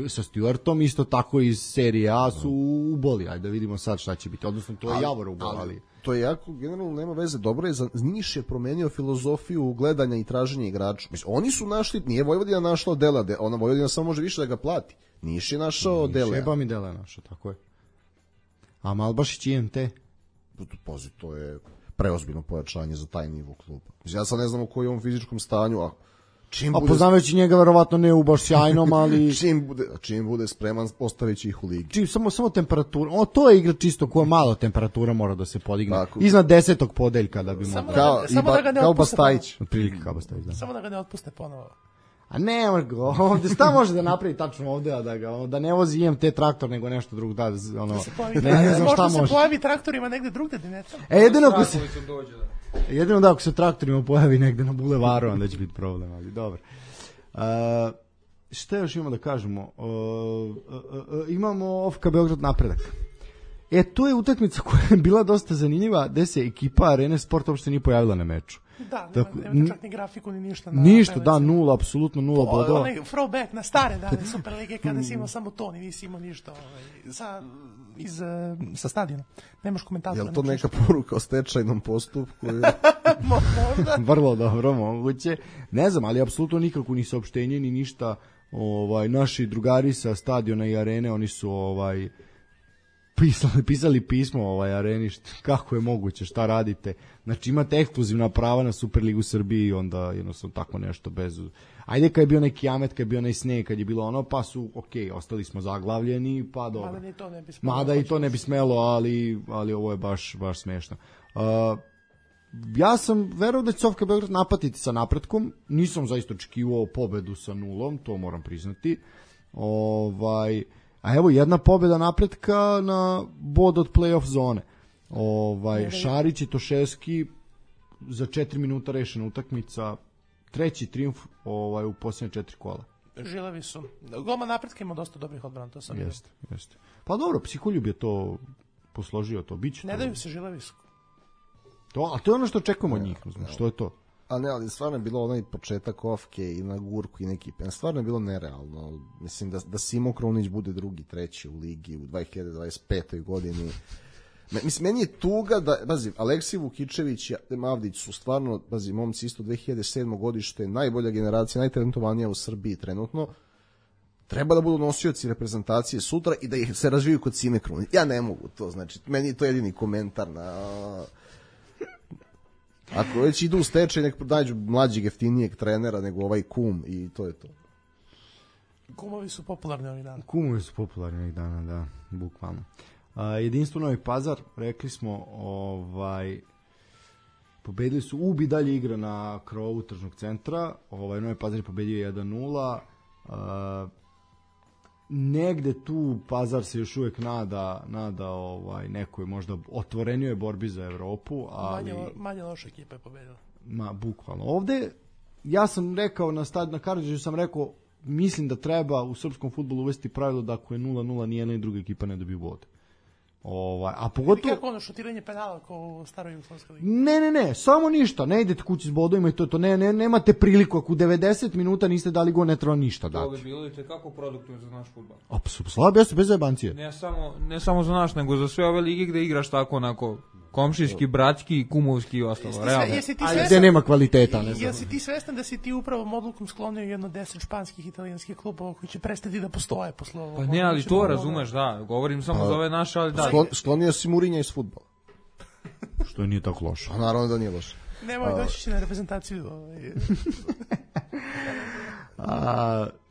sa Stuartom isto tako iz serije A su uboli, ajde da vidimo sad šta će biti, odnosno to je Javor uboli. Ali to je jako, generalno nema veze, dobro je, Niš je promenio filozofiju gledanja i traženja igrača. Mislim, oni su našli, nije Vojvodina našla Dela, ona Vojvodina samo može više da ga plati. Niš je našao Dela. Šeba mi Dela našao, tako je. A Malbašić i IMT? Pozi, to je preozbiljno pojačanje za taj nivo kluba. Ja sad ne znam u kojem fizičkom stanju, a poznavajući njega verovatno ne u baš sjajnom, ali čim bude spreman postavit će ih u ligi. Samo temperatura. To je igra čisto koja malo temperatura mora da se podigne. Tako. Iznad 10. podeljka da bi mogao. Kao Bastajić. Otprilike kao Bastajić, da. Samo da ga ne otpuste ponovo. A ne, ovdje šta može da napravi tačno ovdje, a da ne vozi IMT traktor nego nešto drugo, da ne znam šta može. Možda se pojavi traktorima negde drugde, da ne tamo. Jedino da ako se traktorima pojavi negde na bulevaru, onda će biti problem, ali dobro. Šta još imamo da kažemo? Imamo OFK Beograd Napredak. To je utakmica koja je bila dosta zanimljiva, gde se ekipa Arene Sport uopšte nije pojavila na meču. Da, nema čak ni grafiku, ni ništa. Ništa, da, nula, apsolutno nula bodova. Onaj throwback na stare dane Superlige kada si imao samo to, nisi imao ništa sa stadiona. Nemaš komentatora. Je li to neka poruka o stečajnom postupku? Možda. Vrlo dobro, moguće. Ne znam, ali apsolutno nikako ni saopštenje, ni ništa. Naši drugari sa stadiona i arene, oni su pisali pismo Areni, kako je moguće, šta radite. Znači imate ekskluzivna prava na Superligu Srbiji, onda jednostavno tako nešto bez... Ajde kad je bio neki Amet, kad je bio sneg, kad je bilo ono, pa su, ostali smo zaglavljeni, pa dobro. Mada i to ne bi smelo, ali ovo je baš smešno. Ja sam verovao da će Sofka Beograd napatiti sa Napretkom, nisam zaista očekivao pobedu sa 0, to moram priznati. A evo jedna pobjeda Napretka na bod od play-off zone. Šarić i Toševski za 4 minuta rešena utakmica, treći trijumf u posljednje 4 kola. Žilavi su. Golman Napretka ima dosta dobrih odbrana, to sam vidio. Jeste. Pa dobro, Psiholjub je to posložio, to biće. Ne daju se Žilavi su. A to je ono što očekujemo od njih, što je to? A ne, ali stvarno je bilo onaj početak Ofke i na Gurku i neki pen. Stvarno je bilo nerealno. Mislim da Simo Krunić bude drugi, treći u ligi u 2025. godini. Mislim, meni je tuga da, Aleksij Vukičević i Mavdić su stvarno, momci isto 2007. godište, najbolja generacija, najtalentovanija u Srbiji trenutno. Treba da budu nosioci reprezentacije sutra i da ih se razviju kod Sime Krunić. Ja ne mogu to, znači, meni je to jedini komentar na... Ako već idu u stečaj, nek nađu mlađeg, jeftinijeg trenera nego ovaj kum i to je to. Kumovi su popularni ovih dana. Da, bukvalno. Jedinstvo Novi Pazar, rekli smo, pobedili su, Ubi dalje igra na krovu tržnog centra, Novi Pazar je pobedio 1-0, negde tu Pazar se još uvijek nada nekoj možda otvorenijoj borbi za Evropu, ali manje loša ekipa je pobedila. Bukvalno. Ovde ja sam rekao na Karadžiću sam rekao, mislim da treba u srpskom fudbalu uvesti pravilo da ako je 0-0 nijedna i druga ekipa ne dobije bod. A pogotovo... Kako ono šutiranje penala kao u staroj Jugoslavskoj ligi? Ne, samo ništa, ne idete kući s bodovima i to nemate priliku, ako u 90 minuta niste dali gol, ne treba ništa dati. To bi bilo i tekako produktivno za naš fudbal. Apsolutno, slabo jeste bez zajebancije. Ne samo za naš, nego za sve ove lige gde igraš tako onako komšijski, bratski, kumovski i ostalo. Realno. Gde nema kvaliteta, ne znam. Jesi ti svestan da si ti upravo odlukom sklonio jedno 10 španskih i italijanskih klubova koji će prestati da postoje posle ovog? Pa ne, ali to razumeš, da. Govorim samo za ove naše, ali da. Sklonio si Murinja iz fudbala. Što nije tako loše. A naravno da nije loše. Nemoj, doći će na reprezentaciju.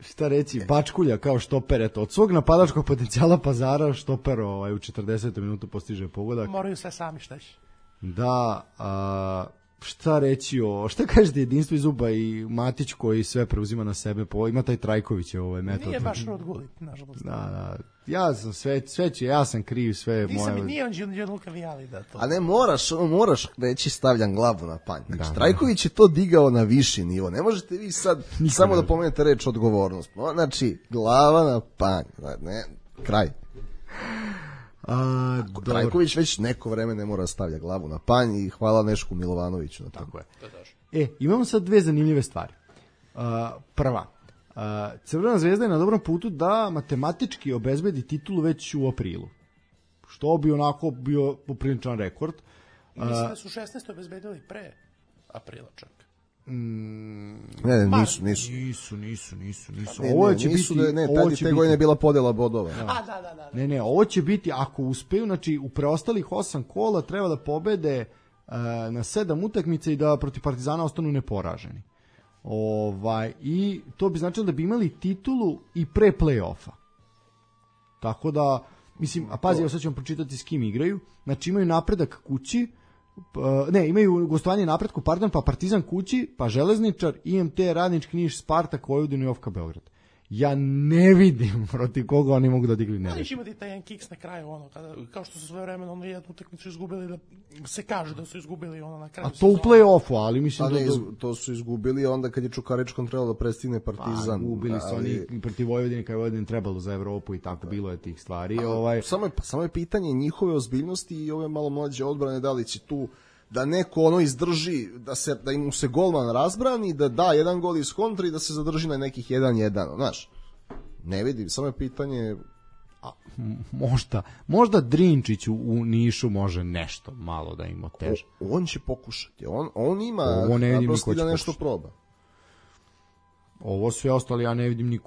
Šta reći, Bačkulja kao štoper, eto, od svog napadačkog potencijala Pazara štoper u 40. minutu postiže pogodak. Moraju sve sami, šta će? Da, šta reći šta kažete Jedinstvo iz Zuba i Matić koji sve preuzima na sebe, ima taj Trajković metod. Nije baš Rodgulit, nažalost. Da, ja sam ja sam kriv, sve moje. Nije on Gianluca Vialli da to. A ne, moraš reći stavljam glavu na panj. Znači, Trajković je to digao na viši nivo. Ne možete vi sad samo da pomenete reč odgovornost. Znači, glava na panj. Ne, kraj. Trajković već neko vreme ne mora stavlja glavu na panj i hvala Nešku Milovanoviću na tako je. Imamo sad dve zanimljive stvari. Prva, Crvena zvezda je na dobrom putu da matematički obezbedi titulu već u aprilu. Što bi onako bio popriličan rekord. Mislim da su 16. obezbedili pre aprila čak. Ne, nisu. Ovo će biti, te godine je bila podela bodova. Da. Ne, ovo će biti, ako uspeju, znači u preostalih 8 kola treba da pobede na 7 utakmica i da protiv Partizana ostanu neporaženi. I to bi značilo da bi imali titulu i pre play-offa. Tako da, mislim, a pazi, evo sad ćemo pročitati s kim igraju. Znači imaju Napredak kući, imaju gostovanje Napretku, pa Partizan kući, pa Železničar, IMT, Radnički Niš, Spartak, Vojvodinu i Ofka Beograd. Ja ne vidim protiv koga oni mogu da digli nerešeno. Ali će imati taj jedan kiks na kraju, kao što su svoje vremena jednu utakmicu izgubili, da se kaže da su izgubili na kraju. A to u play-offu, ali mislim to su izgubili onda kad je Čukaričkom trebalo da prestigne Partizan. Gubili su oni protiv Vojvodine, kad je Vojvodine trebalo za Evropu i tako, bilo je tih stvari. Samo je pitanje njihove ozbiljnosti i ove malo mlađe odbrane, da li će tu da neko izdrži, da im se golman razbrani, da da jedan gol iz kontra i da se zadrži na nekih 1-1, znaš. Ne vidim, samo je pitanje... Možda Drinčić u Nišu može nešto malo da im oteže. On će pokušati, on ima naprosto da nešto proba. Ovo sve ostalo, ja ne vidim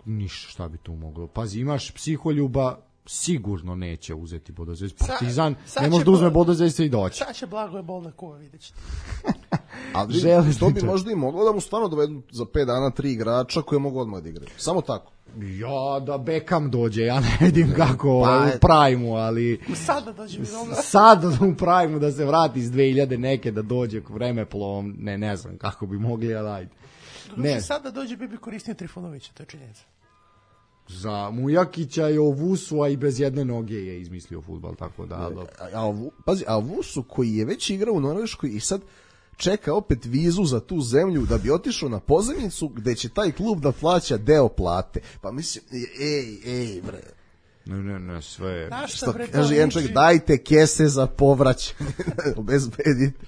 ništa šta bi tu moglo. Pazi, imaš Psiholjuba, sigurno neće uzeti Bodozvez. Partizan ne može da uzme Bodozvez i doći. Sad će Blagoje bol na kuva, vidjet ćete. Ali to bi možda i moglo da mu stvarno dovedu za 5 dana 3 igrača koje mogu odmah da igraju. Samo tako. Ja, da Beckham dođe, ja ne vidim kako u Prime-u, ali... Sada dođe mi dobro. Sada u Prime-u da se vrati iz 2000 neke, da dođe vremeplovom, ne znam kako bi mogli, ali ajde. Ne. Sada dođe bi koristio Trifunovića, to je činjenica. Za Mujakića i Ovusu, a i bez jedne noge je izmislio fudbal, tako da... Pazi, a Ovusu koji je već igrao u Norveškoj i sad čeka opet vizu za tu zemlju da bi otišao na pozajmicu gde će taj klub da plaća deo plate. Pa mislim, bre. Ne, sve... Što kaže jedan čovjek, dajte kese za povraćanje, obezbedite.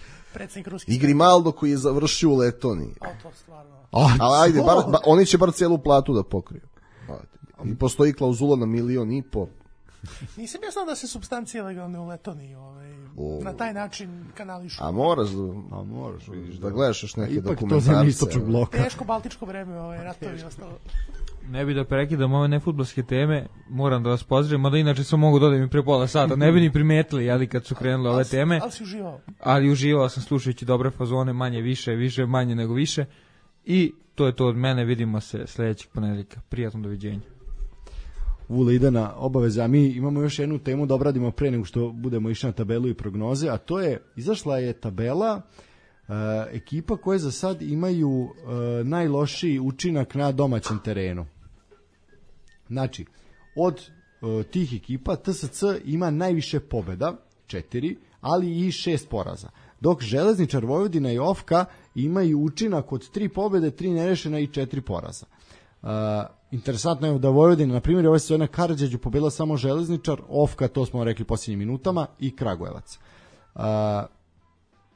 I Grimaldo koji je završio u Letoniji. To stvarno. Ali ajde, oni će bar cijelu platu da pokriju. I postoji klauzula na 1,5 miliona. Nisam ja znao da se supstancije legalne u Letoniji na taj način kanališu. A moraš, vidiš, da gledaš još neke dokumentarce. Teško baltičko vreme, ratovi i ostalo. Ne bi da prekidam ove nefudbalske teme, moram da vas pozdravim, mada inače sam mogu dodati mi pre pola sata, ne bi ni primetili, ali kad su krenule ove teme. Ali si uživao. Ali uživao sam slušajući dobre fazone, manje više, manje nego više. I to je to od mene, vidimo se sljedećeg ponedeljka. Prijatno doviđenja. Vule ide na obaveze, a mi imamo još jednu temu da obradimo pre nego što budemo išli na tabelu i prognoze, a to je, izašla je tabela ekipa koje za sad imaju najlošiji učinak na domaćem terenu. Znači, od tih ekipa TSC ima najviše pobjeda, 4, ali i 6 poraza. Dok Železničar, Vojvodina i Ofka imaju učinak od 3 pobede, 3 nerešena i 4 poraza. Interesantno je da Vojvodina, na primjer, ove sezone Karađorđe pobedila samo Železničar, Ofka, to smo rekli posljednjim minutama, i Kragujevac.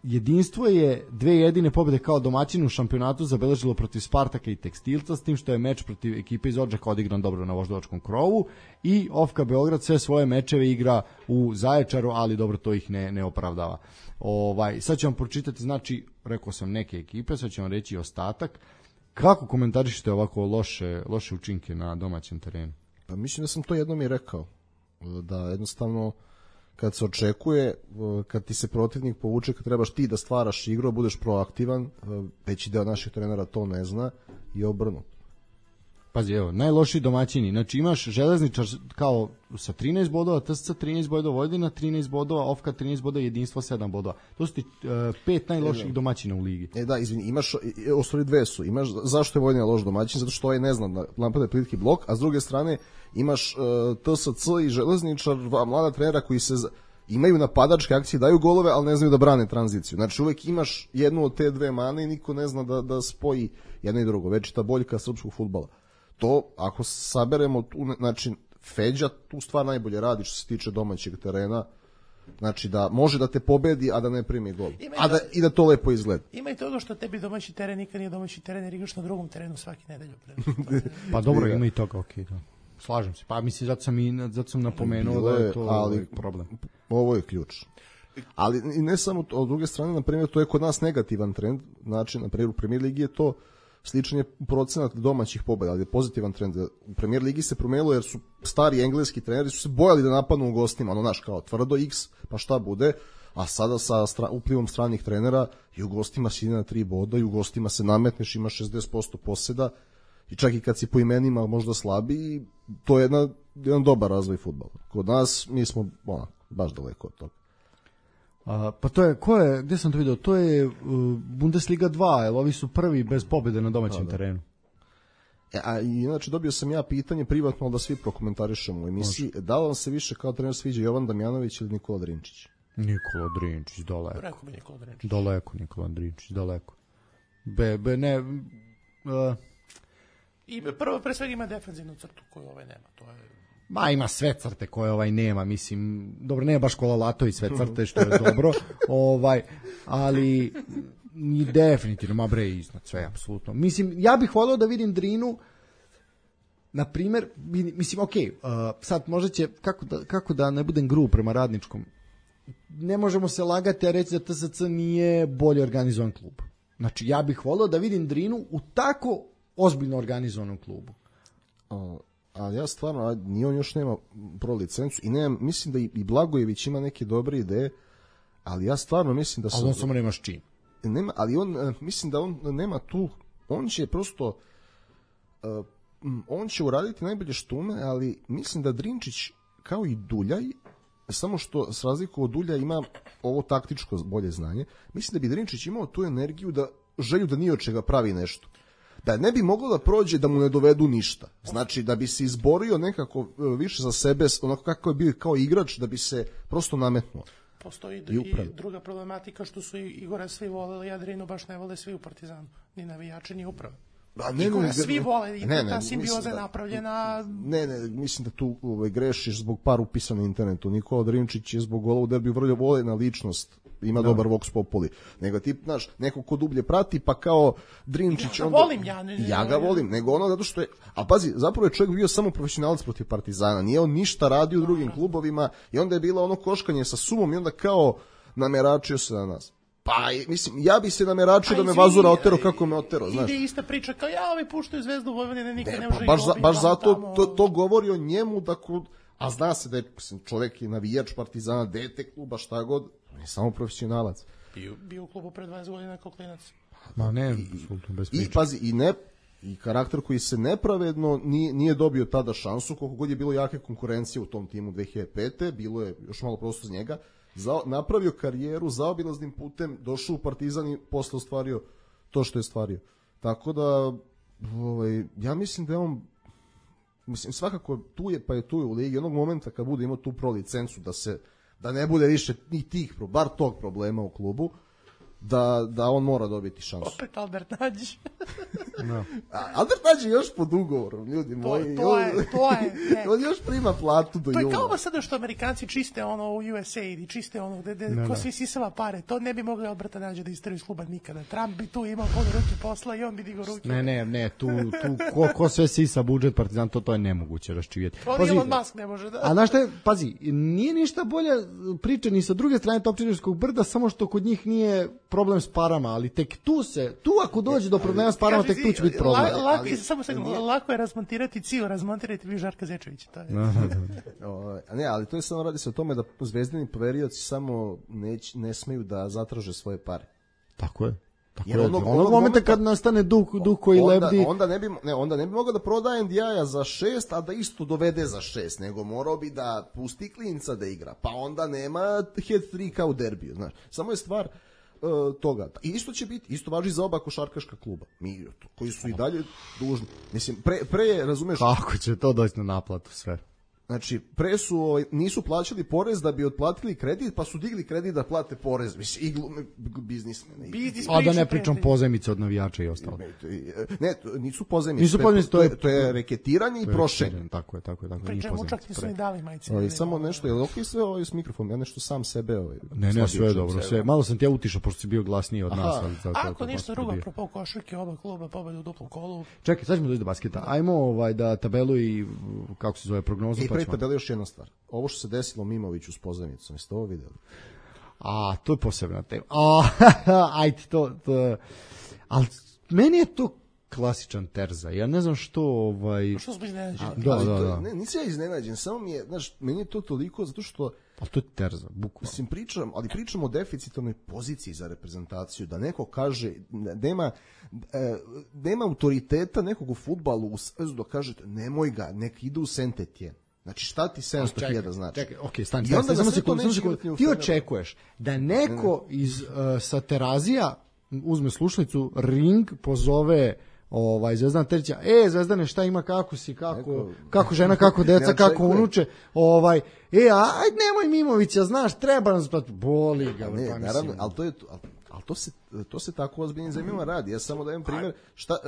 Jedinstvo je 2 jedine pobjede kao domaćin u šampionatu zabeležilo protiv Spartaka i Tekstilca, s tim što je meč protiv ekipe iz Odžaka odigran dobro na voždovačkom krovu, i Ofka Beograd sve svoje mečeve igra u Zaječaru, ali dobro, to ih ne opravdava. Sad ću vam pročitati, znači, rekao sam neke ekipe, sad ću vam reći ostatak. Kako komentarišete ovako loše učinke na domaćem terenu? Pa mislim da sam to jednom i rekao, da jednostavno kad se očekuje, kad ti se protivnik povuče, kad trebaš ti da stvaraš igru, budeš proaktivan, veći deo naših trenera to ne zna i obrnu. Pazi, evo, najlošiji domaćini, znači imaš Železničar kao sa 13 bodova, TSC 13 bodova, Vojvodina 13 bodova, Ofka 13 bodova, Jedinstvo 7 bodova. To su ti 5 najloših domaćina u ligi. Da, izvini, imaš, ostali 2 su, imaš, zašto je Vojvodina loš domaćin? Zato što ovaj ne zna da napada plitki blok, a s druge strane imaš TSC i Železničar, mlada trenera koji se imaju napadačke akcije, daju golove, ali ne znaju da brane tranziciju. Znači uvek imaš jednu od te 2 mane i niko ne zna da spoji jedno i drugo. Već ta boljka srpskog fudbala. To, ako saberemo, znači, Feđa tu stvar najbolje radi što se tiče domaćeg terena, znači da može da te pobedi, a da ne primi gol, i da to lepo izgleda. Ima i to što tebi domaći teren nikad nije domaći teren, jer igraš na drugom terenu svaki nedelju. Pa dobro, ima i toga, okej, da. Slažem se, pa mislim, zato sam napomenuo da je to problem. Ovo je ključ. Ali i ne samo to, od druge strane, na primjer, to je kod nas negativan trend, znači, na primjer, u Premier Ligi je to sličan je procenat domaćih pobjeda, ali je pozitivan trend. U Premier Ligi se promenilo jer su stari engleski treneri su se bojali da napadnu u gostima, ono naš kao tvrdo X, pa šta bude, a sada sa uplivom stranih trenera i u gostima si ide na 3 boda i u gostima se nametneš, ima 60% poseda i čak i kad si po imenima možda slabi, to je jedan dobar razvoj fudbala. Kod nas mi smo baš daleko od toga. Pa to je, gde sam to vidio, to je Bundesliga 2, jer ovi su prvi bez pobjede na domaćem terenu. A inače dobio sam ja pitanje privatno, ali da svi prokomentarišemo u emisiji, da li vam se više kao trener sviđa Jovan Damjanović ili Nikola Drinčić? Nikola Drinčić, daleko. Rekao bi Nikola Drinčić. Daleko, Nikola Drinčić, daleko. Prvo, pre svega ima defenzivnu crtu koju nema, to je... Ima sve crte koje nema, mislim, dobro, nema baš Kola Latović sve crte, što je dobro, ali definitivno, iznad sve, apsolutno. Mislim, ja bih volio da vidim Drinu, na primjer, mislim, sad možda će, kako da ne budem grub prema Radničkom, ne možemo se lagati, a reći da TSC nije bolje organizovan klub. Znači, ja bih volio da vidim Drinu u tako ozbiljno organizovanom klubu. Ali ja stvarno, ni on još nema pro licencu i mislim da i Blagojević ima neke dobre ideje, ali ja stvarno mislim da... Ali on samo nema s čim. Nema, ali on, mislim da on nema tu, on će prosto, on će uraditi najbolje što ume, ali mislim da Drinčić, kao i Duljaj, samo što s razliku od Dulja ima ovo taktičko bolje znanje, mislim da bi Drinčić imao tu energiju želju da ni od čega pravi nešto. Da ne bi moglo da prođe da mu ne dovedu ništa. Znači da bi se izborio nekako više za sebe, onako kako je bio kao igrač, da bi se prosto nametnuo. Postoji i druga problematika što su Igora svi voleli, a Drinu baš ne vole svi u Partizanu. Ni navijači, ni uprave. Igora svi vole, ta simbioza je napravljena... Ne, mislim da tu grešiš zbog par upisa na internetu. Nikola Drinčić je zbog gola u derbiju vrlo voljena ličnost, ima dobar vox populi. Nego ti, znaš, neko ko dublje prati, pa kao Drinčić... Ja ga volim, ja ga volim, nego ono zato što je... A pazi, zapravo je čovjek bio samo profesionalac protiv Partizana, nije on ništa radio u drugim klubovima i onda je bilo ono koškanje sa sumom i onda kao nameračio se na nas. Pa, mislim, ja bi se nameračio da me Vazura otero kako me otero, znaš. Ide ista priča kao ovi puštaju Zvezdu Vojvodine, nikad ne može baš zato to govori o njemu, a zna se da je čovjek je navijač Partizana, dete kluba, šta god, on je samo profesionalac. Bio u klubu pre 20 godina kao klinac. Ma ne, bez priče. I pazi, i karakter koji se nepravedno nije dobio tada šansu, koliko god je bilo jake konkurencije u tom timu 2005. Bilo je još malo prosto z njega, napravio karijeru zaobilaznim putem, došao u Partizan i posle ostvario to što je stvario. Tako da, ja mislim da je on, svakako tu je, pa je tu u ligi, onog momenta kad bude imao tu pro licencu, da ne bude više ni bar tog problema u klubu, da on mora dobiti šansu. Opet Albert Nađić. Albert Nađi je još pod ugovorom, ljudi moji. To je, on još prima platu do to je jula. kao ovo sada što Amerikanci čiste ono u USA i čiste ono gde ko svi sisava pare. To ne bi mogli Alberta Nađa da isteri iz kluba nikada. Trump bi tu imao puno ruke posla i on bi digao ruke. Ne, tu ko sve sisa budžet Partizan, to je nemoguće raščivjeti. To Elon Musk ne može da. A znaš šta je, pazi, nije ništa bolja priča ni sa druge strane Topčiderskog brda, samo što kod njih nije problem s parama, ali tek tu ako dođe do problema s parama, tek tu će biti problem. Lako je razmontirati Cio, razmontirati vi Žarka Zečevića. Ne, ali to je samo, radi se o tome da zvezdini poverioci samo ne smeju da zatraže svoje pare. Tako je. Jer onog momenta kad nastane duh koji lebdi, onda ne bi mogao da prodaje Ndiaja za 6, a da isto dovede za 6, nego morao bi da pusti klinca da igra, pa onda nema head trick kao u derbiju, znaš. Samo je stvar toga. I isto važi za oba košarkaška kluba. Koji su i dalje dužni. Mislim, pre razumeš... Kako će to doći na naplatu sve? Znači, pre su, nisu plaćali porez da bi otplatili kredit, pa su digli kredit da plate porez. Mislim, biznismene. A da ne pričam pozajmice od navijača i ostalo. Ne, nisu pozajmice. To je reketiranje i prošenje. Tako je. Pričamo, čak nisu ni dali majice. Samo nešto, je li ok sve ovo s mikrofonom? Ja nešto sam sebe... Ne, sve je dobro. Malo sam ti ja utišao, pošto si bio glasniji od nas. Ako ništa drugo, apropo košarke, oba kluba pobedu u duplom kolu. Čekaj, sad ćemo doći do basketa. Ajmo da tabelu i, kako se zove, prognozu. I pre tabeli još jedna stvar. Ovo što se desilo Mimoviću s pozajmicom, jeste ovo vidjeli? To je posebna tema. Ajde, to... Ali meni je to klasičan terza. Ja ne znam što... Što smo iznenađeni? Da. Nisi ja iznenađen, samo mi je, znaš, meni je to toliko zato što... Ali to je terza, bukvalno. Mislim, pričamo o deficitarnoj poziciji za reprezentaciju, da neko kaže, nema autoriteta nekog u fudbalu u svezu da kažete, nemoj ga, nek ide u Saint-Étienne. Znači, šta ti 700.000 znači? Čekaj, okej, stani. Ti očekuješ da neko sa Terazija uzme slušalicu, ring, pozove Zvezdana Terića, Zvezdane, šta ima, kako si, kako žena, kako deca, kako unuče, ajde, nemoj Mimovića, znaš, treba nas, boli ga. Naravno, ali to se tako ozbiljnim zemljama radi. Ja samo dajem primjer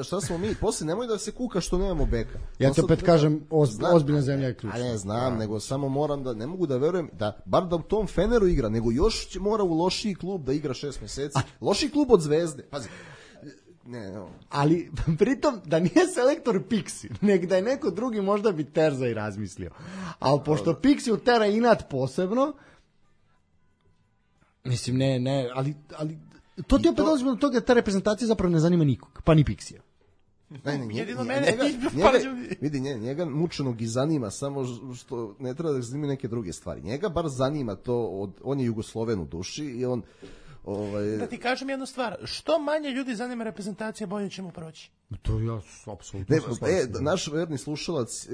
šta smo mi. Posle nemoj da se kuka što nemamo beka. Ja ti opet kažem, ozbiljna zemlja je ključ. Ne znam, nego samo moram da, ne mogu da verujem da bar da u tom Feneru igra, nego još mora u lošiji klub da igra 6 meseci. Lošiji klub od Zvezde. Pazi. Ali pritom da nije selektor Pixi, nek da je neko drugi, možda bi terza i razmislio. Ali pošto Pixi utera inat posebno, mislim ali to ti opet dolazimo do toga da ta reprezentacija zapravo ne zanima nikog, pa ni Pixija. Njega mučenog i zanima, samo što ne treba da zanima neke druge stvari. Njega bar zanima to, on je Jugosloven u duši i on... Da ti kažem jednu stvar, što manje ljudi zanima reprezentacija, bolje ćemo proći. To ja apsolutno naš verni slušalac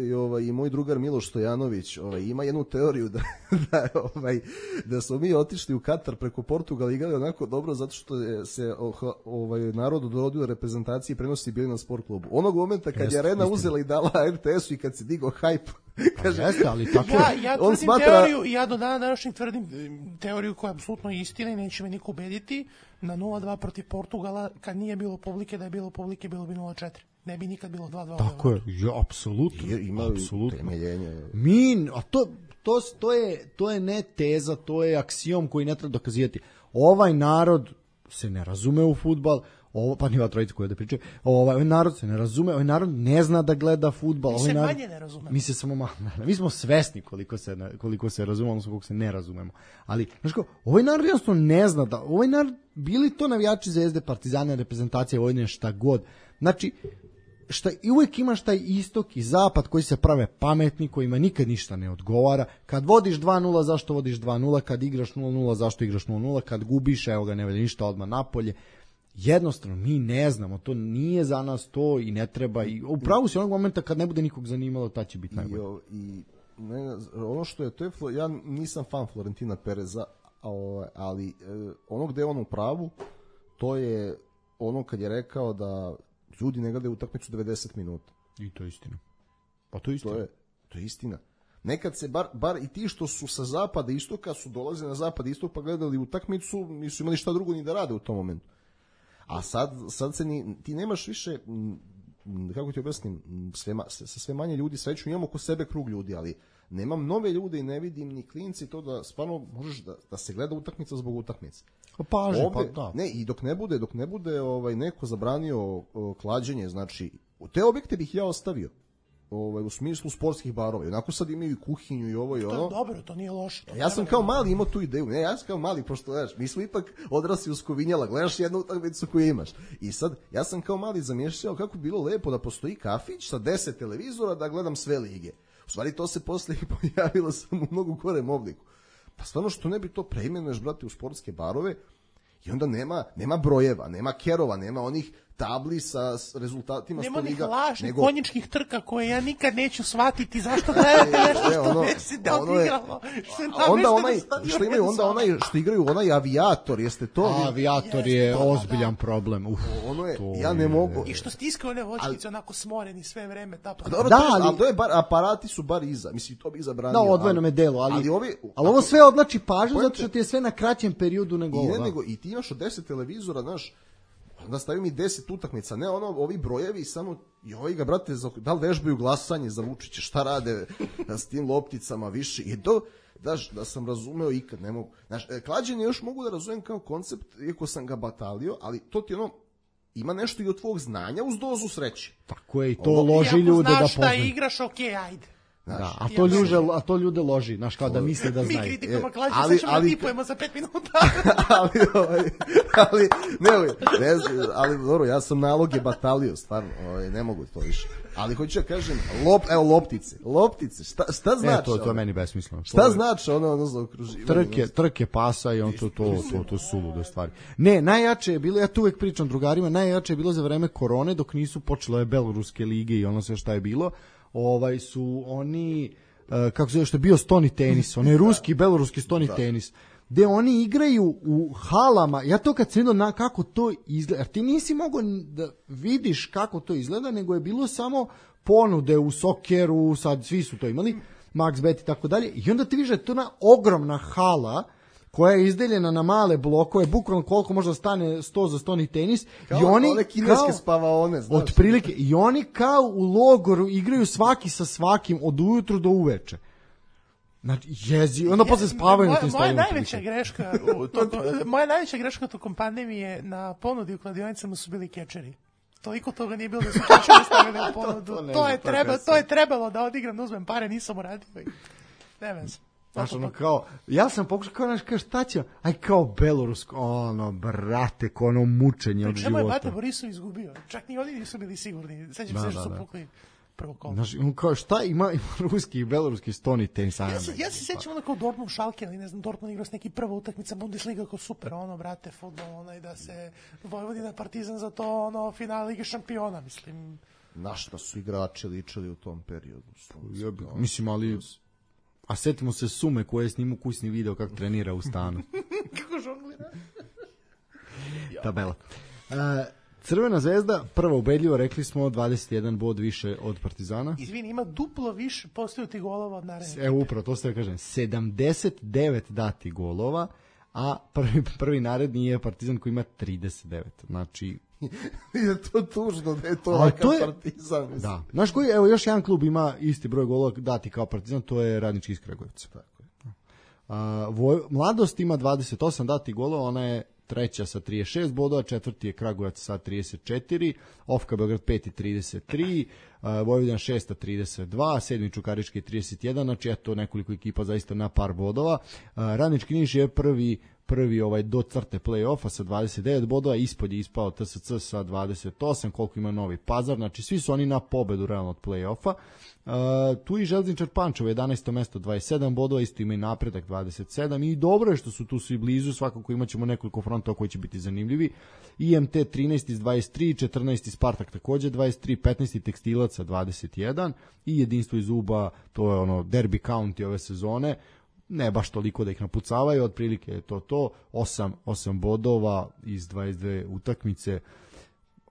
i moj drugar Miloš Stojanović ima jednu teoriju da smo mi otišli u Katar preko Portugala i igrali onako dobro zato što se narodu dorodio reprezentaciji i prenosi bili na sport klubu. Onog momenta kad je Arena uzela i dala RTS-u i kad se digao hajp, kaže, ali tako ja tvrdim teoriju, ja do dana današnjeg tvrdim teoriju koja je apsolutno istina i neće me niko ubediti, na 0-2 protiv Portugala, kad nije bilo publike, da je bilo publike, bilo bi 0-4. Ne bi nikad bilo 2-2. Tako je, apsolutno. Ima temeljenje. A to je ne teza, to je aksiom koji ne treba dokazivati. Ovaj narod se ne razume u fudbal, pa niva trojica koja da pričaju, ovaj narod se ne razume, ovaj narod ne zna da gleda fudbal. Mi se manje ne razumemo. Mi smo svesni koliko se razumemo, odnosno koliko se ne razumemo. Ali, znaš kao, ovaj narod jednostavno ne zna da, ovaj narod, bili to navijači Zvezde, Partizana, reprezentacija Vojvodine, šta god. Znači, i uvijek imaš taj istok i zapad koji se prave pametni, kojima nikad ništa ne odgovara. Kad vodiš 2-0, zašto vodiš 2-0? Kad igraš 0-0, zašto igraš 0-0? Kad gubiš, evo ga, ne valja ništa, odmah napolje. Jednostavno, mi ne znamo, to nije za nas to i ne treba. I upravo si onog momenta kad ne bude nikog zanimalo, ta će biti najbolje. Ono što je, ja nisam fan Florentina Pereza, ali ono gde je on u pravu, to je ono kad je rekao da ljudi ne gledaju utakmicu 90 minuta. I to je istina. Pa to je istina. To je istina. nekad se bar i ti što su sa zapada i istoka su dolazili na zapad i istok pa gledali utakmicu, nisu imali šta drugo ni da rade u tom momentu. A sad se ti nemaš više, kako ti objasnim, sa sve manje ljudi sreću, imamo oko sebe krug ljudi, ali nemam nove ljude i ne vidim ni klinci to da stvarno možeš da se gleda utakmica zbog utakmice. Da. Ne, i dok ne bude neko zabranio klađenje, znači u te objekte bih ja ostavio. U smislu sportskih barova. Onako sad imaju i kuhinju i ovo i ono. To je dobro, to nije loše. Ja sam kao mali imao tu ideju. Ne, ja sam kao mali, pošto gledaš, mi smo ipak odrasli uz Kovinjala, gledaš jednu utakmicu koju imaš. I sad, ja sam kao mali zamišljao kako bi bilo lepo da postoji kafić sa 10 televizora da gledam sve lige. U stvari to se posle pojavilo samo u mnogo gorem obliku. Pa stvarno što ne bi to preimenuješ, brate, u sportske barove i onda nema brojeva, nema kerova, nema onih tabli sa rezultatima nema liga. Nema onih lažnih konjičkih trka koje ja nikad neću shvatiti zašto gledate nešto što desi da odigralo. Onda onaj što igraju onaj avijator, jeste to? Avijator je ozbiljan problem. Ono je, ja ne mogu. I što stiskaju one voćkice onako smoreni sve vreme. Ali to je bar, aparati su bar iza. Mislim, to bi zabranio. Da, odvojenome delu, ali ovo sve odlači pažnju zato što ti je sve na kraćem periodu nego ovo. I ti imaš od 10 televizora, znaš, onda stavim i 10 utakmica, ne ovi brojevi samo, joj ga brate, da li vežbaju glasanje za Vučića, šta rade s tim lopticama više, i to, da sam razumeo ikad, ne mogu. Znaš, klađenje još mogu da razumem kao koncept, iako sam ga batalio, ali to ti ima nešto i od tvog znanja uz dozu sreće. Tako je, i to loži ljude da poznaju. Iako znaš šta igraš, okej, ajde. Da, a to ljude loži, znaš, kao da misle da znaju. Mi kritikujemo klađenje, sad ćemo da tipujemo za 5 minuta. ali dobro, ja sam naloge batalio, stvarno, ne mogu to više. Ali hoću da kažem, loptice, šta znači? To je meni besmisleno. Šta znači ono za okruživanje? Trke pasa i on to su lude stvari. Ne, najjače je bilo, ja tu uvek pričam drugarima, najjače je bilo za vreme korone, dok nisu počele beloruske lige i ono sve šta je bilo. Su oni, kako se zove, što je bio stoni tenis, onaj ruski i beloruski stoni tenis, gde oni igraju u halama. Ja to kad sam vidio kako to izgleda, jer ti nisi mogao da vidiš kako to izgleda, nego je bilo samo ponude u Sokeru, sad svi su to imali, MaxBet i tako dalje, i onda ti vidiš da je to ona ogromna hala koja je izdeljena na male blokove, bukvalno koliko može da stane 100 za stoni tenis. Kao i oni one kineske spavaone, znaš. Otprilike, i oni kao u logoru igraju svaki sa svakim od ujutru do uveče. Znači, onda posle spavaju na tim stadionima. Moja najveća greška tokom pandemije na ponudi u kladionicama su bili kečeri. Toliko toga nije bilo da su kečeri stavili u ponudu. To je trebalo da odigram, da uzmem pare, nisam uradio. Ne veze. Znaš, ja sam pokušao, kao šta će, kao belorusko, brate, mučenje od života. Čemu je Bata Borisov izgubio? Čak ni oni nisu bili sigurni. Sećam se što su pukli prvo kolo. Znaš, kao šta ima ruski i beloruski stoni tenis. Ja se sećam kao Dortmund Schalke, ali ne znam, Dortmund igrao s neki prva utakmica Bundesliga kao super, brate, fudbal, da se Vojvodina Partizan za to, finale Lige šampiona, mislim. Na šta su igrači ličili u tom periodu? Mislim, ali... A setimo se Sume koje je snimu kućni video kako trenira u stanu. Kako žonglira. Tabela. Crvena zvezda, prva ubedljivo, rekli smo 21 bod više od Partizana. Izvini, ima duplo više postignuti golova od naredne. Evo upravo, to ste da kažem. 79 dati golova, a prvi naredni je Partizan koji ima 39. Znači... je to tužno da je to ovakav Partizan. Mislim. Da. Znaš koji, evo još jedan klub ima isti broj golova dati kao Partizan, to je Radnički iz Kragujevca. Tako je. Mladost ima 28 dati golova, ona je treća sa 36 bodova, četvrti je Kragujevac sa 34, Ofka Beograd 5 i 33, Vojvodina 6 32, sedmi Čukarički 31, znači eto nekoliko ekipa zaista na par bodova. Radnički Niš je prvi do crte play-offa sa 29 bodova, ispod je ispao TSC sa 28, koliko ima Novi Pazar, znači svi su oni na pobedu realno od play-offa. Tu i Železničar Pančevo 11. mesto 27 bodova, isto ima i Napredak 27 i dobro je što su tu svi blizu, svakako imat ćemo nekoliko frontova koji će biti zanimljivi. IMT 13 iz 23, 14 Spartak takođe 23, 15 Tekstilaca 21 i Jedinstvo iz Uba, to je derby county ove sezone, ne baš toliko da ih napucavaju, otprilike je to 8 bodova iz 22 utakmice,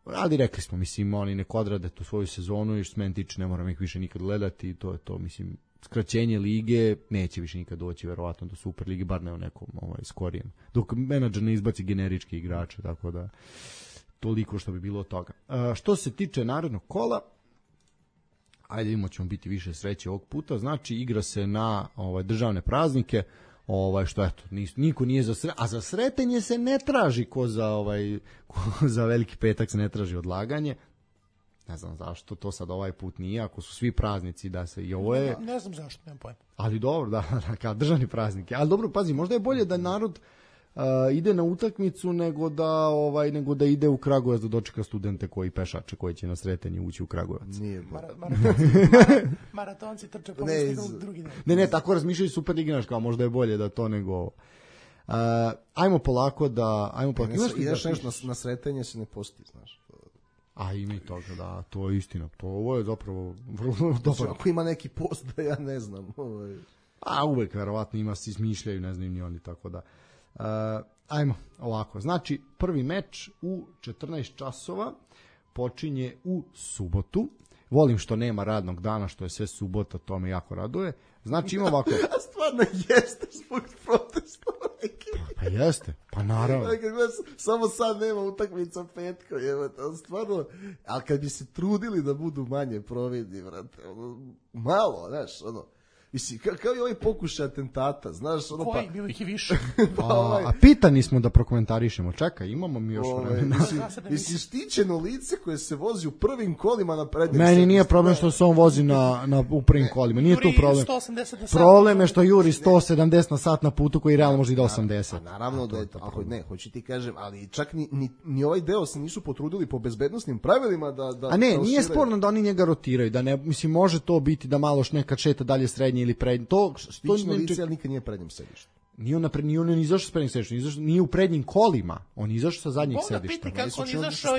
ali rekli smo, mislim, oni nek odrade tu svoju sezonu i što se meni tiče ne moram ih više nikad gledati, to je to, mislim, skraćenje lige, neće više nikad doći verovatno do Super lige, bar ne u nekom skorijem. Dok menadžer ne izbaci generički igrače, tako da toliko što bi bilo od toga. Što se tiče narednog kola, ajde vidimo, ćemo biti više sreće ovog puta, znači igra se na državne praznike, što eto, niko nije za a za sretenje se ne traži ko za Veliki petak se ne traži odlaganje. Ne znam zašto to sad ovaj put nije, ako su svi praznici da se i ovo je... Ne znam zašto, nemam pojma. Ali dobro, da, kao državni praznik. Ali dobro, pazi, možda je bolje da narod ide na utakmicu nego da ide u Kragujevac da dočeka studente koji pešače koji će na sretenje ući u Kragujevac. Nije maratonci trče po listi drugi dan. Ne, tako razmišljaju super liginaš, kao možda je bolje da to nego... ajmo polako da... Ideš nešto na sretenje se ne posti, znaš. A ima i toga, da, to je istina. Ovo je zapravo vrlo dobro. Ako ima neki post da ja ne znam. A uvek verovatno ima, se izmišljaju, ne znam ni oni, tako da. Ajmo ovako. Znači, prvi meč u 14 časova počinje u subotu. Volim što nema radnog dana, što je sve subota, to me jako raduje. Znači ima ovako... A stvarno jeste zbog protesta. Pa jeste, pa naravno. Samo sad nema utakmica petkom, stvarno, ali kad bi se trudili da budu manje providni, vrate, malo, znaš, mislim, kao i ovaj pokušaj atentata, znaš, koji, bilo ih i više. A pitani smo da prokomentarišemo, čekaj, imamo mi još vremena. Mislim, štićeno lice koje se vozi u prvim kolima na prednjem sedištu. Meni nije problem što se on vozi u prvim kolima, nije tu problem. Problem je što juri 170 na sat na putu koji realno može i do 80. Naravno da je to, hoću ti kažem, ali čak ni ovaj deo se nisu potrudili po bezbednosnim pravilima da... A ne, nije sporno da oni njega rotiraju, da ne, mislim, može to biti da malo nekad šeta dalje srednje ili prednji. Štićno lice, ali nikad nije prednjem sedištu. Nije on izašao s prednjim sedištem, nije u prednjim kolima, on izašao sa zadnjih sedišta. Piti kako on izašao,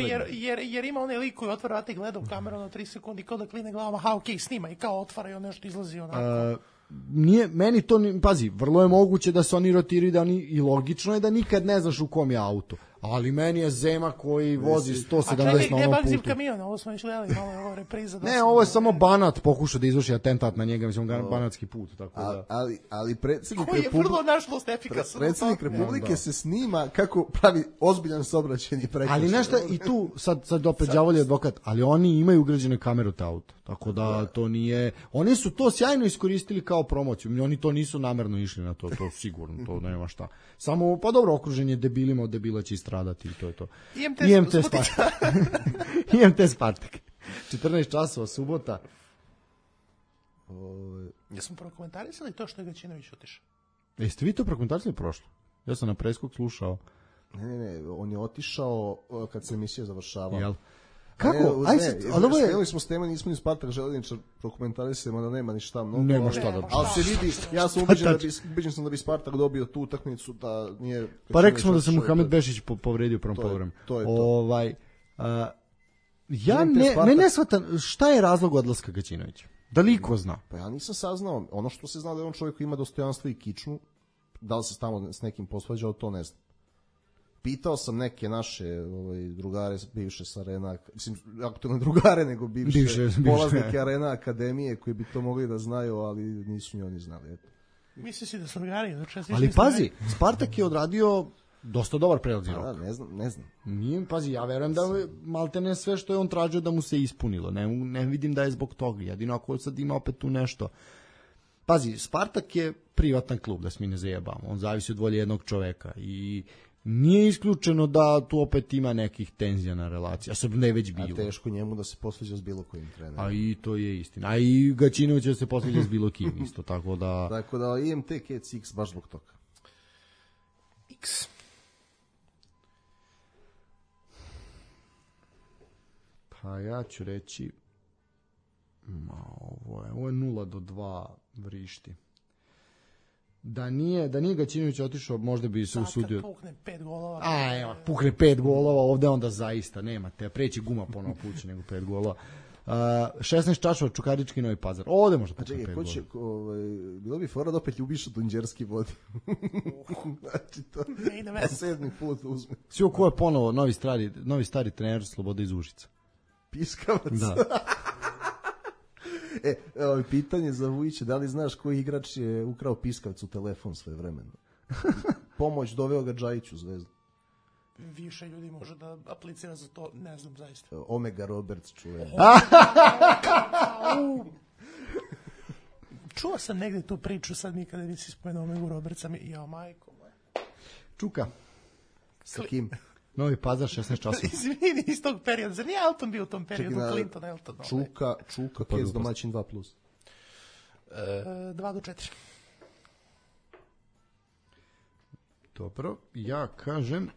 jer ima onaj lik koji otvara vrata i gleda u kameru na 3 sekundi, kao da kline glavama, okej, snima i kao otvara i on nešto izlazi onako. Nije, meni to, pazi, vrlo je moguće da se oni rotiraju i logično je da nikad ne znaš u kom je auto. Ali meni je Zema koji vozi 170 na onom putu. A čekaj, gde kamion? Ovo smo išljeli, malo je ovo repriza. Ne, ovo je samo Banat pokušao da izvrši atentat na njega, mislim, banatski put. Tako da. Ali predsjednik koji je vrlo nažalost efikasan. Predsjednik Republike se snima kako pravi ozbiljan saobraćajni prekršaj. Ali nešto, i tu, sad opet đavolji advokat, ali oni imaju ugrađene kamere u te auto. Tako da to nije... Oni su to sjajno iskoristili kao promociju. Oni to nisu namerno išli na to sigurno, to nema šta. Samo, pa dobro, okruženje debilima, od debila će stradati i to je to. IMT Spartak. 14 časova, subota. Jesmo prokomentarisali to što je Gaćinović otišao? Jeste vi to prokomentarisali prošlo? Ja sam na preskok slušao. Ne, on je otišao kad se emisija završavala. Jel? Kako? Skrenuli smo s tema, nismo ni Spartak Željezničar prokomentarisali, da nema ni šta mnogo. Nema šta da... Ali se vidi, ja sam ubeđen sam da bi Spartak dobio tu utakmicu, da nije... Pa rekli smo da se Muhamed Bešić povredio u prvom poluvremenu. To je to. Ne shvatam, šta je razlog odlaska Gaćinovića? Da li ko zna? Pa ja nisam saznao. Ono što se zna da je on čovjek koji ima dostojanstvo i kičmu, da li se tamo s nekim posvađao, to ne znam. Pitao sam neke naše drugare, bivše sa Arena, mislim, aktualne drugare, nego bivše polaznike Arena Akademije koji bi to mogli da znaju, ali nisu ni oni znali. Eto. Misliš si da su drugari? Ali pazi, Spartak je odradio dosta dobar prelazni rok. Ne znam. Nije, pazi, ja verujem da maltene sve što je on tražio da mu se ispunilo. Ne vidim da je zbog toga. Jedino ako sad ima opet tu nešto. Pazi, Spartak je privatan klub, da se mi ne zajebamo. On zavisi od volje jednog čoveka i nije isključeno da tu opet ima nekih tenzija na relaciji, a sad ne već bilo. A teško njemu da se posveđa s bilo kojim trenerom. A i to je istina. A i Gaćinović da se posveđa s bilo kim isto, tako da... Tako da IMT Cats X baš zbog toga. X. Pa ja ću reći... Ovo je 0-2 vrišti. Da nije Gaćinović otišao, možda bi se usudio. Kad pukne 5 golova. Pukne 5 golova, ovde onda zaista nema te. Preći guma ponovo puće nego 5 golova. 16 časova Čukarički Novi Pazar. Ovde možda pukne 5 golova. Bilo bi fora da opet Ljubiša Dunđerski vodi. Znači to. Na 7. put uzme. Svi ko je ponovo novi stari trener Slobode iz Užica. Piskavac. Da. Pitanje za Vujića, da li znaš koji igrač je ukrao piskavcu telefon svoje vremeno? Pomoć doveo ga Džajić u Zvezdu. Više ljudi može da aplicira za to, ne znam zaista. Omega Roberts čuje. Čuo sam negde tu priču, sad nikada nisi spomenuo Omegu Robertsa, jao majko moja. Čuka. Sa kim? Novi Pazar, 16 časova. Izvini, iz tog perioda. Zar nije Elton bio u tom periodu? Clinton, Elton. Čuka, Kec domaćin 2+. 2-4. Dobro, ja kažem...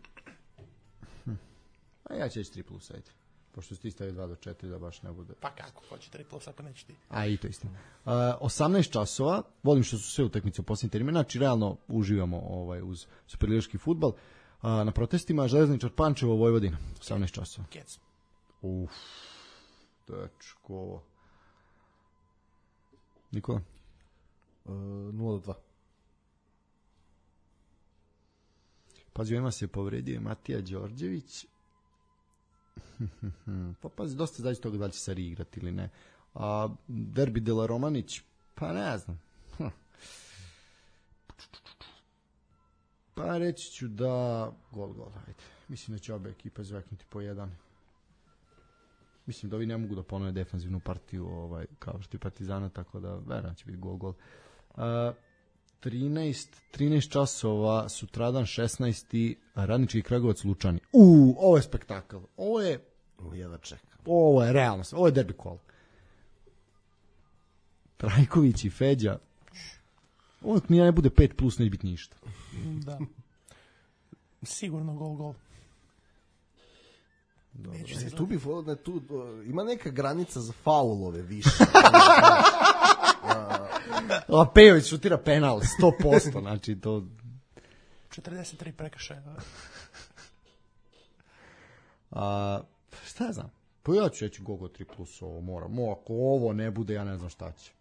A ja ću reći 3+, ajde. Pošto si ti stavio 2-4, da baš ne bude... Pa kako, hoće 3+, ako neće ti. A i to istina. 18 časova, volim što su sve utakmice u posljednjem terminu, znači realno uživamo uz superligaški fudbal. Na protestima Železničar Pančevo, Vojvodina, 18 časova. Kec. Dečko. Nikola? 0-2. Pazi, ovima se povredio Matija Đorđević. Pa pazi, dosta zađe toga da li će Sari igrati ili ne. A Derbi Dela Romanić, pa ne znam. Pa reći ću da gol, ajde. Mislim da će obe ekipe zveknuti po jedan. Mislim da ovi ne mogu da ponove defanzivnu partiju kao što je Partizana, tako da verujem će biti gol. 13 časova, sutradan 16. Radnički Kragujevac Lučani. Ovo je spektakl. Ovo je realno. Ovo je derbi kol. Trajković i Feđa. Ovo nije ne bude 5+, neće biti ništa. Da. Sigurno gol. Ima neka granica za faulove više. Lapejović šutira penal 100%, znači to 43 prekršaja. Šta ja znam? Pa ja ću reći Gogo 3+, ovo moram. Ako ovo ne bude, ja ne znam šta će.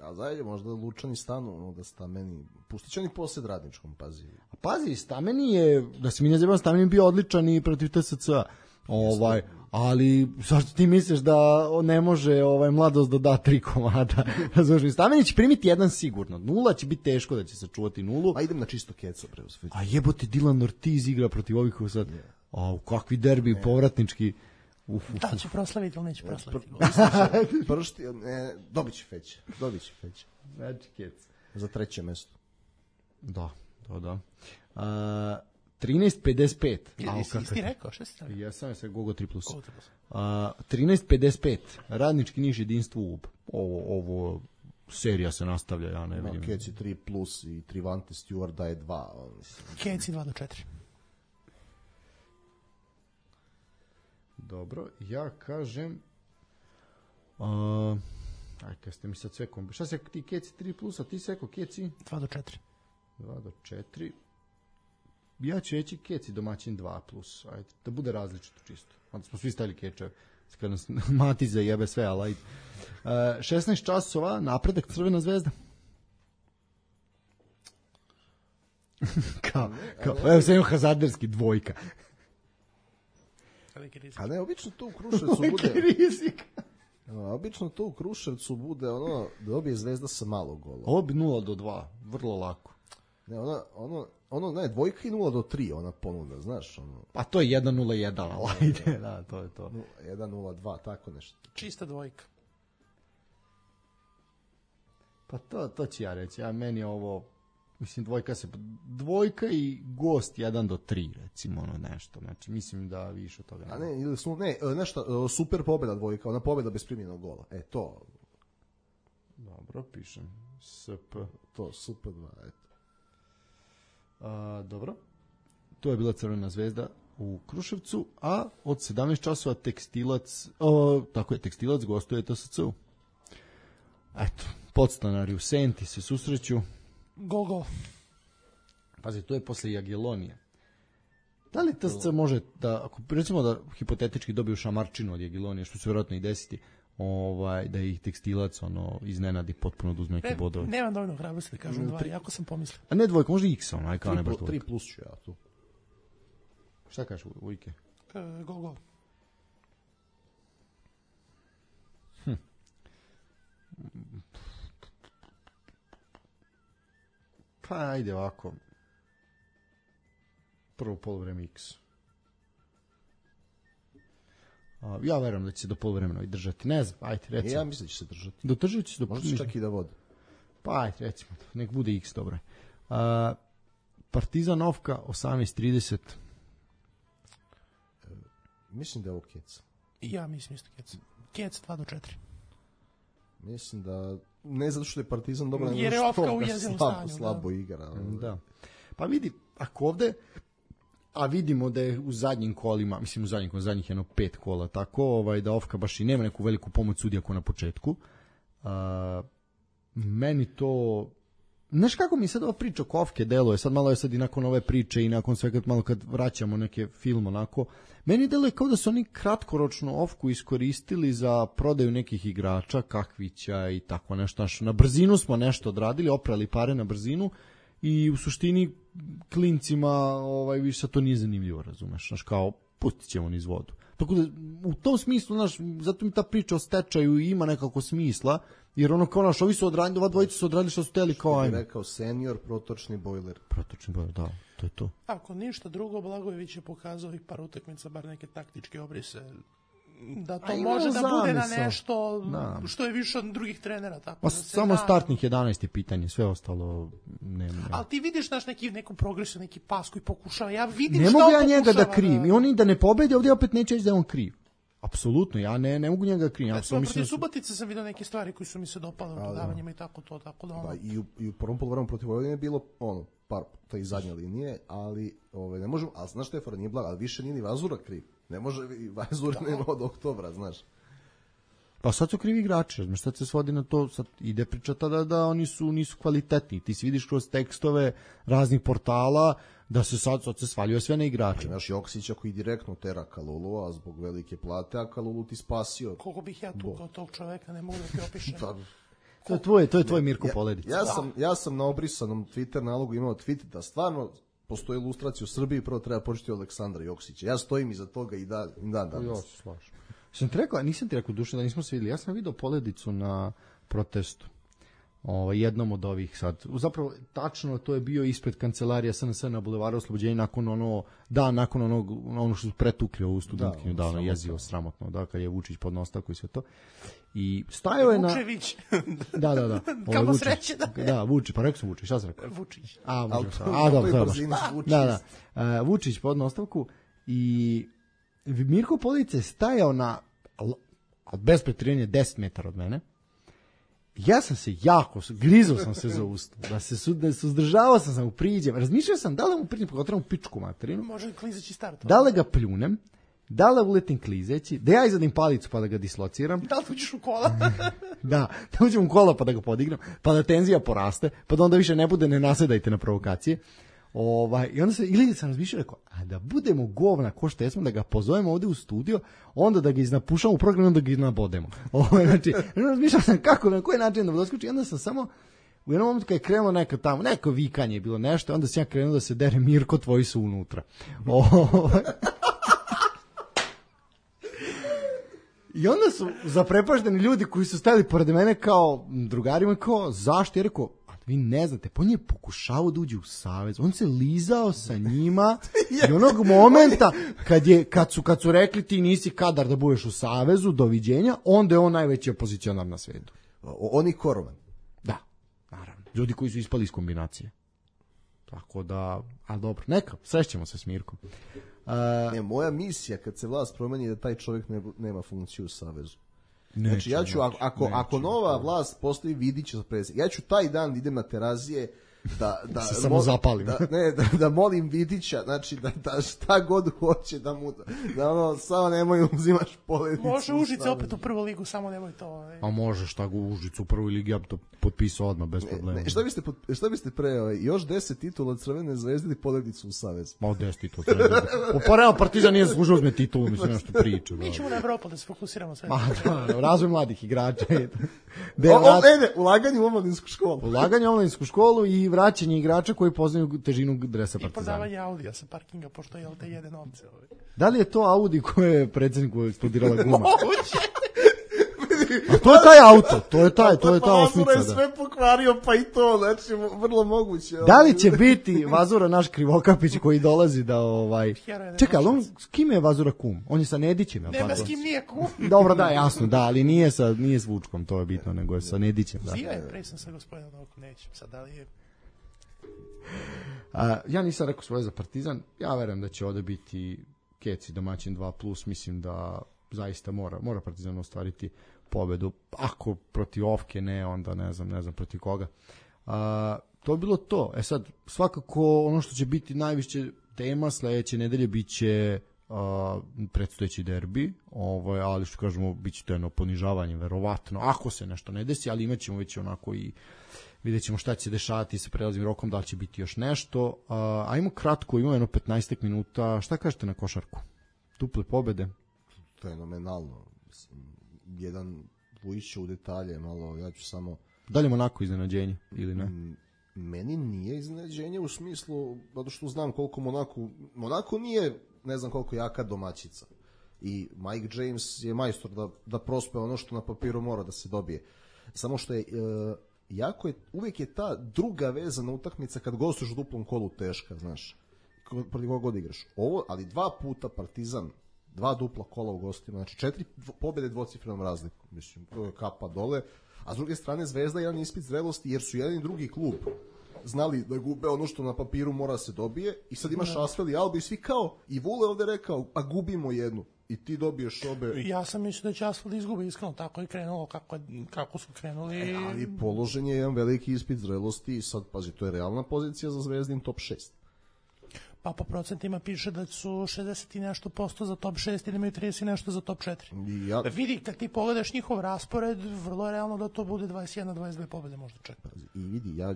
A zajedno možda Lučani stanu, da Stameni, pustit će oni posljed Radničkom, pazi. A pazi, Stameni je, da se mi ne zebam, Stameni je bio odličan i protiv TSC-a. Ali zašto ti misliš da ne može Mladost da da 3 komada? Stameni će primiti jedan sigurno. 0 će biti teško da će se čuvati 0. A idem na čisto keco. A jebote, Dylan Ortiz igra protiv ovih sad. Kakvi derbi povratnički. Da će proslaviti ili neće proslaviti? Dobit će Feć. Znači kec. Za 3. mesto. Da. 13.55. Jesi ti rekao, šta si stavio? Ja sam se Gogo 3+. 13.55. Radnički Niš jedinstvo UB. Ovo serija se nastavlja, ja ne vidim. Keci 3+ i Trivante Stewart daje 2. Keci 2-4. Dobro, ja kažem... kad ste mi sad sve kombi... Šta se ti Keci 3+, a ti seko Keci? 2-4. 2-4. Ja ću reći Keci domaćin 2+. Ajde, da bude različito čisto. Onda smo svi stavili Kečeve. Kad nas Matiza jebe sve, ali ajde. 16 časova, Napredak Crvena zvezda. Evo se jedno hazarderski 2. A ne, obično to u Kruševcu bude... rizik. Obično to u Kruševcu bude da dobije Zvezda sa malo gola. Ovo bi 0-2, vrlo lako. Ne, ne, 2 i 0-3 ona ponuda, znaš. Pa to je 1-0-1, ali ajde, da, to je to. 1-0-2, tako nešto. Čista 2. Pa to ću ja reći, meni je ovo... Mislim, 2 i gost 1-3, recimo, nešto. Znači, mislim da više od toga ne. A ne, nešto, super pobjeda 2, ona pobjeda bez primljenog gola. To. Dobro, pišem. SP. To, super 2, eto. Dobro. To je bila Crvena zvezda u Kruševcu, a od 17 časova Tekstilac gostuje TSC-u. Eto, podstanari u Senti se susreću. Gol. Pazi, to je posle Jagiellonije. Da li TSC može da, ako recimo da hipotetički dobiju šamarčinu od Jagiellonije, što će vjerojatno i desiti, da ih Tekstilac iznenadi potpuno da uzme neke bodove. Nemam dovoljno hrabrosti da kažem 2, jako sam pomislio. A ne 2, možda X, kao ne baš 2. 3+ ću ja tu. Šta kažeš, Vujke? Gol. Pa ajde ovako. Prvo poluvreme X. Ja verujem da će se do poluvremena držati. Ne znam, ajde, recimo. Ja mislim da će se držati. Dodržat će se do Možda čak i da vode. Pa ajde, recimo, nek bude X, dobro je. Partizan Ofka, 18:30. Mislim da je ovo Kec. Ja mislim isto Kec. Kec 2-4. Mislim da, ne zato što je Partizan dobro, jer je Ofka u jezivom stanju. Slabo igra. Da. Pa vidi, ako ovde, a vidimo da je u zadnjim kolima, mislim u zadnjih jedno 5 kola, tako da Ofka baš i nema neku veliku pomoć sudija ko na početku. Meni to, znaš kako mi sad ova priča oko Ofke deluje, sad malo je sad i nakon ove priče i nakon svega malo kad vraćamo neke film onako, meni deluje kao da su oni kratkoročno Ofku iskoristili za prodaju nekih igrača, Kakvića i tako nešto, na brzinu smo nešto odradili, oprali pare na brzinu i u suštini klincima više sad to nije zanimljivo, razumeš, znaš, kao pustit ćemo niz vodu. Tako da u tom smislu, znaš, zato mi ta priča o stečaju ima nekako smisla, jer ono kao naš, ovi su odradili, ova dvojica su odradili što su teli kao ajme. Što bi rekao senior, protočni bojler. Protočni bojler, da, to je to. Ako ništa drugo, Blagojević je pokazao ovih par utakmica, bar neke taktičke obrise, da to može da bude na nešto što je više od drugih trenera. Tako da samo startnih 11 je pitanje, sve ostalo nema. Ali ti vidiš neku progresu, neki pas koji pokušava, ja vidim ne što mogu on ja njega pokušava. Da krivim, i oni da ne pobede, ovdje opet neće reći da je on kriv. Apsolutno, ja ne mogu njega krivim. Recimo, protiv Subotice sam vidio neke stvari koji su mi se dopale u dodavanjima i tako da ono. I u prvom poluvremenu protiv Vojvodine je bilo par te zadnje linije, ali ne možemo, ali znaš Štefan, nije blago, ali više nije ni Vazura kriv. Ne može i Vazura nema od oktobra, znaš. Pa sad su krivi igrači, znaš, sad se svodi na to, sad ide priča tada da oni nisu kvalitetni. Ti si vidiš kroz tekstove raznih portala da se sad se svaljuje sve na igrače. Imaš Joksića koji direktno tera Kalulu, a zbog velike plate, a Kalulu ti spasio. Koliko bih ja tu kao tog čoveka, ne mogu da ti opišem. To je tvoj Mirko Poledić. Ja sam na obrisanom Twitter nalogu imao tweet da stvarno postoji ilustracija u Srbiji, prvo treba početi od Aleksandra Joksića. Ja stojim iza toga i dan danas. Ja se slažem. Nisam ti rekao duše da nismo se vidjeli. Ja sam vidio Poledicu na protestu. Jednom od ovih sad. Zapravo, tačno to je bio ispred kancelarija SNS na Bulevaru Oslobođenja nakon onog što su pretukli ovu studentkinju, jezivo, sramotno, kad je Vučić podneo ostavku i sve to. I stajao je na... Vučević. Da. Kamo sreće da je. Da, Vučić, pa rekao sam Vučić, šta sam rekao? Vučić. Da. Vučić podneo ostavku i Mirko Poledica je stajao na, bez pretjerivanja, 10 metara od mene. Ja sam se grizao sam se za usta, suzdržavao sam u priđem, razmišljao sam da li mu priđem, pogotovo u pičku materinu, može klizeći start, da li ga pljunem, da li uletim klizeći, da ja izadim palicu pa da ga dislociram, da li uđeš u kola, da uđem u kola pa da ga podigram, pa da tenzija poraste, pa da onda više ne bude, ne nasedajte na provokacije. I onda sam razmišljao, rekao, a da budemo govna ko što jesmo, da ga pozovemo ovde u studio, onda da ga iznapušamo u program, onda ga iznabodemo. Znači, razmišljao sam kako, na koji način da doskoči, i onda sam samo u jednom momentu kad je krenulo neko vikanje je bilo nešto, onda sam ja krenuo da se dere Mirko, tvoji su unutra. I onda su zaprepašteni ljudi koji su stajali pored mene kao drugarima, kao zašto? Ja rekao, vi ne znate, pa on je pokušavao da uđe u savez, on se lizao sa njima i onog momenta kad su rekli ti nisi kadar da budeš u savezu, doviđenja, onda je on najveći opozicionar na svetu. On i Korovan. Da, naravno. Ljudi koji su ispali iz kombinacije. Tako da, ali dobro, neka, srećemo se s Mirkom. Moja misija kad se vlast promeni je da taj čovjek nema funkciju u savezu. Znači ja ću, ako nova vlast postoji, vidit ću za predsjednik. Ja ću taj dan idem na Terazije da se samo zapalim. Da molim Vidića, znači da šta god hoće da mu samo nemoj uzimaš Poledicu. Može Užice opet u prvu ligu, samo nemoj to. A može šta go Užicu u prvoj ligi, ja bi to potpisao odmah bez problema. Šta biste pre još 10 titula od Crvene zvezde ili Poledicu u savez? Ma 10 titula. Uporeo Partizan nije zaslužio uzme titulu, mislim nešto priča. Mi ćemo na Evropu da se fokusiramo sve. Razvoj mladih igrača. Ulaganje u omladinsku školu. Ulaganje u omladinsku školu i vraćanje igrača koji poznaju težinu dresa Partizana. I prodavanje Audija sa parkinga, pošto je te jede novce. Da li je to Audi koje je predsjedniku eksplodirala guma? Moguće. A to je taj auto, to je ta osmica. Je sve pokvario, pa i to, znači, vrlo moguće. Da li će biti Vazura naš Krivokapić koji dolazi da Čekaj, ali on, s kim je Vazura kum? On je sa Nedićem, je li Nema tako? s kim nije kum. Dobro, da, jasno, da, ali nije s Vučkom, to je bitno, nego je sa Nedićem, da. Zio je, pre sam sa gospodinom Novkom, nećem sad, da li je... Ja nisam rekao svoje za Partizan, ja verujem da će ovde biti Keci domaćin 2+, mislim da zaista mora Partizan ostvariti pobedu. Ako protiv Ofke ne, onda ne znam protiv koga. To je bilo to. Sad, svakako ono što će biti najviše tema sledeće nedelje biće predstojeći derbi, ali što kažemo, biće to jedno ponižavanje, verovatno, ako se nešto ne desi, ali imat ćemo već onako i vidjet ćemo šta će se dešavati sa prelaznim rokom, da li će biti još nešto. Ajmo kratko, imamo jedno 15 minuta. Šta kažete na košarku? Duple pobede? Fenomenalno. Jedan Vujić u detalje, malo, ja ću samo... Da li je Monako iznenađenje ili ne? Meni nije iznenađenje u smislu, zato što znam koliko Monako nije, ne znam koliko jaka domaćica. I Mike James je majstor da prospe ono što na papiru mora da se dobije. Samo što je... uvijek je ta druga vezana utakmica kad gostuješ u duplom kolu teška, znaš, protiv koga god igraš. Ali 2 puta Partizan, 2 dupla kola u gostima, znači 4 pobjede dvocifrenom razlikom, mislim, to je kapa dole, a s druge strane Zvezda jedan ispit zrelosti, jer su jedan i drugi klub znali da gube ono što na papiru mora se dobije, i sad imaš Asvel i Alba i svi kao, i Vule ovde rekao, a gubimo jednu. I ti dobiješ obe... Ja sam mislio da će Asfalt izgubi, iskreno, tako je krenulo kako su krenuli. Ali položen je jedan veliki ispit zrelosti i sad, pazi, to je realna pozicija za Zvezdin top 6. Pa po procentima piše da su 60 i nešto posto za top 6 i da imaju 30 i nešto za top 4. Vidi, kad ti pogledaš njihov raspored, vrlo je realno da to bude 21-22 pobjede možda čak. I vidi, ja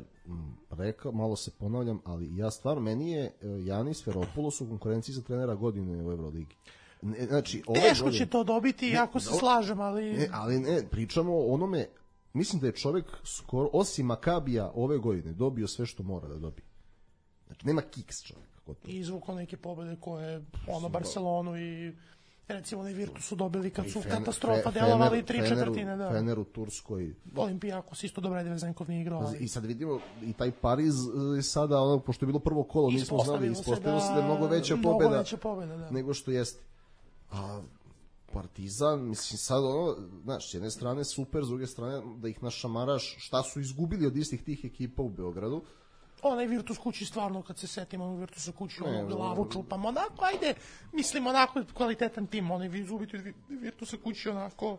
rekao, malo se ponavljam, ali ja stvarno, meni je Janis Veropoulos u konkurenciji za trenera godine u Euroligi. Znači, teško će to dobiti, ako se slažem, ali... Ali pričamo o onome, mislim da je čovjek skoro, osim Makabija ove godine, dobio sve što mora da dobije. Znači, nema kiks čovjek. I izvukao neke pobjede koje, Barcelonu i recimo onaj Virtus su dobili kad su katastrofa delovali 3/4. Da. Fener u Turskoj. Olimpijakos isto dobro, Vezenkov nije igrao. I sad vidimo, i taj Pariz sada, pošto je bilo prvo kolo, nismo znali, ispostavilo se da je mnogo veća pobjeda nego što jeste. A Partizan, mislim sad znaš, s jedne strane super, s druge strane da ih našamaraš šta su izgubili od istih tih ekipa u Beogradu. Onaj Virtus kući stvarno, kad se setimo onog Virtusa kući, glavu čupamo, onako, ajde, mislim, onako kvalitetan tim, onaj izgubiti Virtusa kući, onako,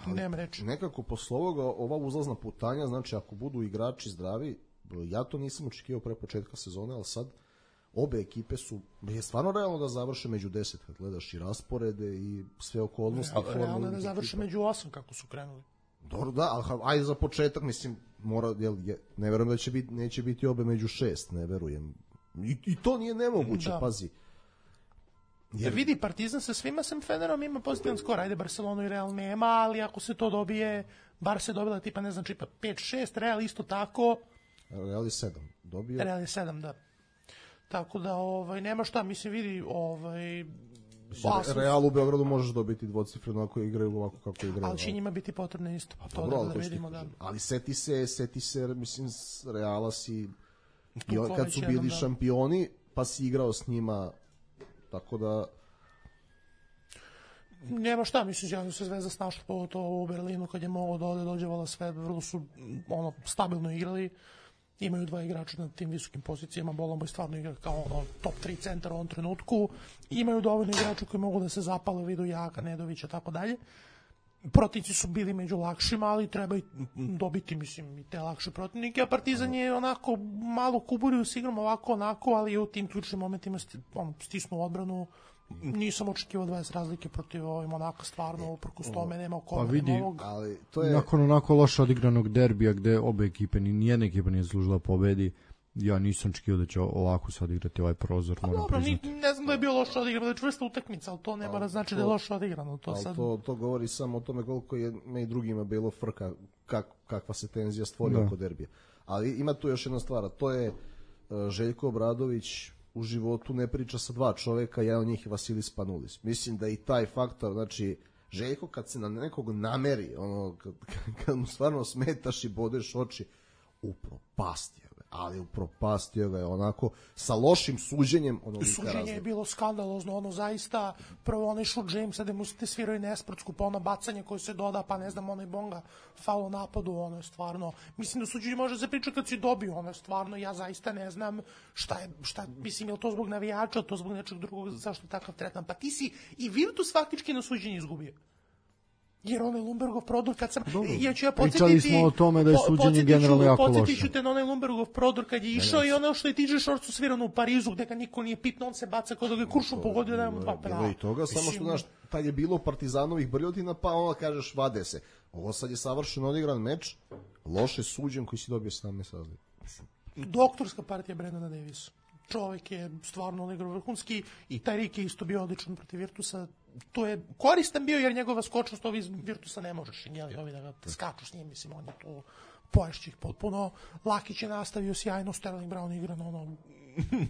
nemam reći. Nekako posle ovoga, ova uzlazna putanja, znači ako budu igrači zdravi, ja to nisam očekivao pre početka sezone, ali sad obe ekipe je stvarno realno da završe među 10 kad gledaš i rasporede i sve okolnosti. Realno da završe među 8 kako su krenuli. Dobro, da, ali ajde za početak, mislim, ne verujem da neće biti obe među 6, ne verujem. I to nije nemoguće, pazi. Jer vidi, Partizan sa svima sem Fenerom ima pozitivan skor, ajde Barcelonu i Real nema, ali ako se to dobije, bar se dobila tipa, ne znam, 5-6, Real isto tako. Real je 7 dobio. Real je 7, da. Tako da, nema šta, mislim, vidi, Real u Beogradu možeš dobiti dvocifreno ako igraju ovako kako igraju. Ali će njima biti potrebno isto. To da vidimo, da. Ali seti se, mislim, Reala si, kad su bili šampioni, pa si igrao s njima, tako da... Nema šta, mislim, ja se Zvezda snašla to u Berlinu kad je moglo da dođevala sve, vrlo su stabilno igrali. Imaju 2 igrača na tim visokim pozicijama, Bolombo stvarno igra kao top 3 centar u ovom trenutku. Imaju dovoljno igrača koji mogu da se zapale u vidu Jaka, Nedovića, tako dalje. Protivnici su bili među lakšima, ali treba i dobiti, mislim, i te lakše protivnike, a Partizan je onako malo kuburio s igrom, ovako, onako, ali u tim ključnim momentima stisnu odbranu. Nisam očekivao 20 razlike protiv Monaka, stvarno, uprkos tome nema oko novog. Ali to je... Nakon onako loše odigranog derbija gde obe ekipe, nijedna ekipa nije zaslužila pobedi, ja nisam očekivao da će ovako sad igrati ovaj prozor, moram priznati. Ne znam da je bio loše odigrano, da je čvrsta utakmica, ali to ne mora znači da je loše odigrano. To govori samo o tome koliko je i drugima bilo frka, kakva se tenzija stvori oko derbija. Ali ima tu još jedna stvar, to je Željko Obradović u životu ne priča sa 2 čoveka, jedan od njih je Vasilis Panulis. Mislim da i taj faktor, znači, Željko kad se na nekog nameri, ono, kad mu stvarno smetaš i bodeš oči, upropastio ga, ali upropastio ga je onako sa lošim suđenjem. Suđenje je bilo skandalozno, ono zaista, prvo onaj šut Jamesa da mu ste svirao i nesportsku, pa ono bacanje koje se doda, pa ne znam, onaj Bonga faul napadu, ono je stvarno, mislim da suđenje može se pričati kad si dobio, ono je stvarno, ja zaista ne znam šta, mislim, je li to zbog navijača, to zbog nečeg drugog, zašto takav tretman, pa ti si i Virtus faktički na suđenje izgubio. Jer onaj Lumbergov prodor kad sam pričali smo o tome da je suđenje generalno jako loše. Podsjetiću te na onaj Lumbergov prodor kad je išao i ono što je TJ Shortsu svirano u Parizu gde ga niko nije pitno, on se baca kao da ga kuršu pogodio da je mu dva prava. I toga, samo što znaš, tad je bilo Partizanovih brljotina, pa onda kažeš vade se. Ovo sad je savršeno odigran meč, loše suđen koji si dobio 17 razlika. Doktorska partija Brendana Davisa. Čovjek je stvarno odigrao vrhunski i taj Rik je isto bio odličan protiv Virtusa. To je koristan bio jer njegova skočnost ovi iz Virtusa ne možeš, jeli, ovi da ga skaču s njim, mislim, on je to poješće ih potpuno. Lakić je nastavio sjajno, Sterling Brown igra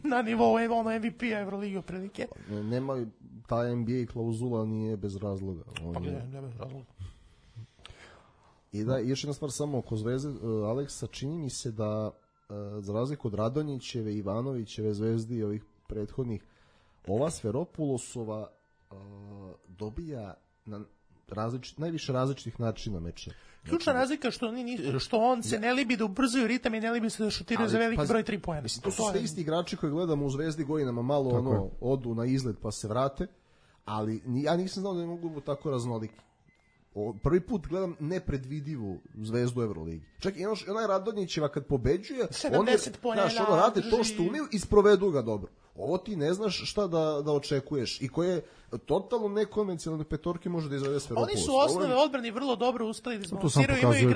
na nivou ono MVP-a Euroligi otprilike. Nema, ta NBA klauzula nije bez razloga. Pa ne bez razloga. I da, još jedna stvar samo oko Zvezde, Aleksa, čini mi se da za razliku od Radonjićeve, Ivanovićeve Zvezdi i ovih prethodnih, ova Sferopulosova dobija na najviše različitih načina meče. Ključna razlika što on se ne libi da ubrzaju ritam i ne libi se da šutiraju za veliki broj 3 poena. To su sve isti igrači koji gledamo u Zvezdi godinama, malo odu na izlet pa se vrate, ali ja nisam znao da ne mogu tako raznoliki. Prvi put gledam nepredvidivu Zvezdu Evroligi. Čak i onaj Radonjićeva kad pobeđuje, oni rade to što umiju i sprovedu ga dobro. Ovo ti ne znaš šta da očekuješ i koje totalno nekonvencionalne petorke može da izvede Sferopoulos. Oni su osnove odbrane vrlo dobro uspeli da izbalansiraju.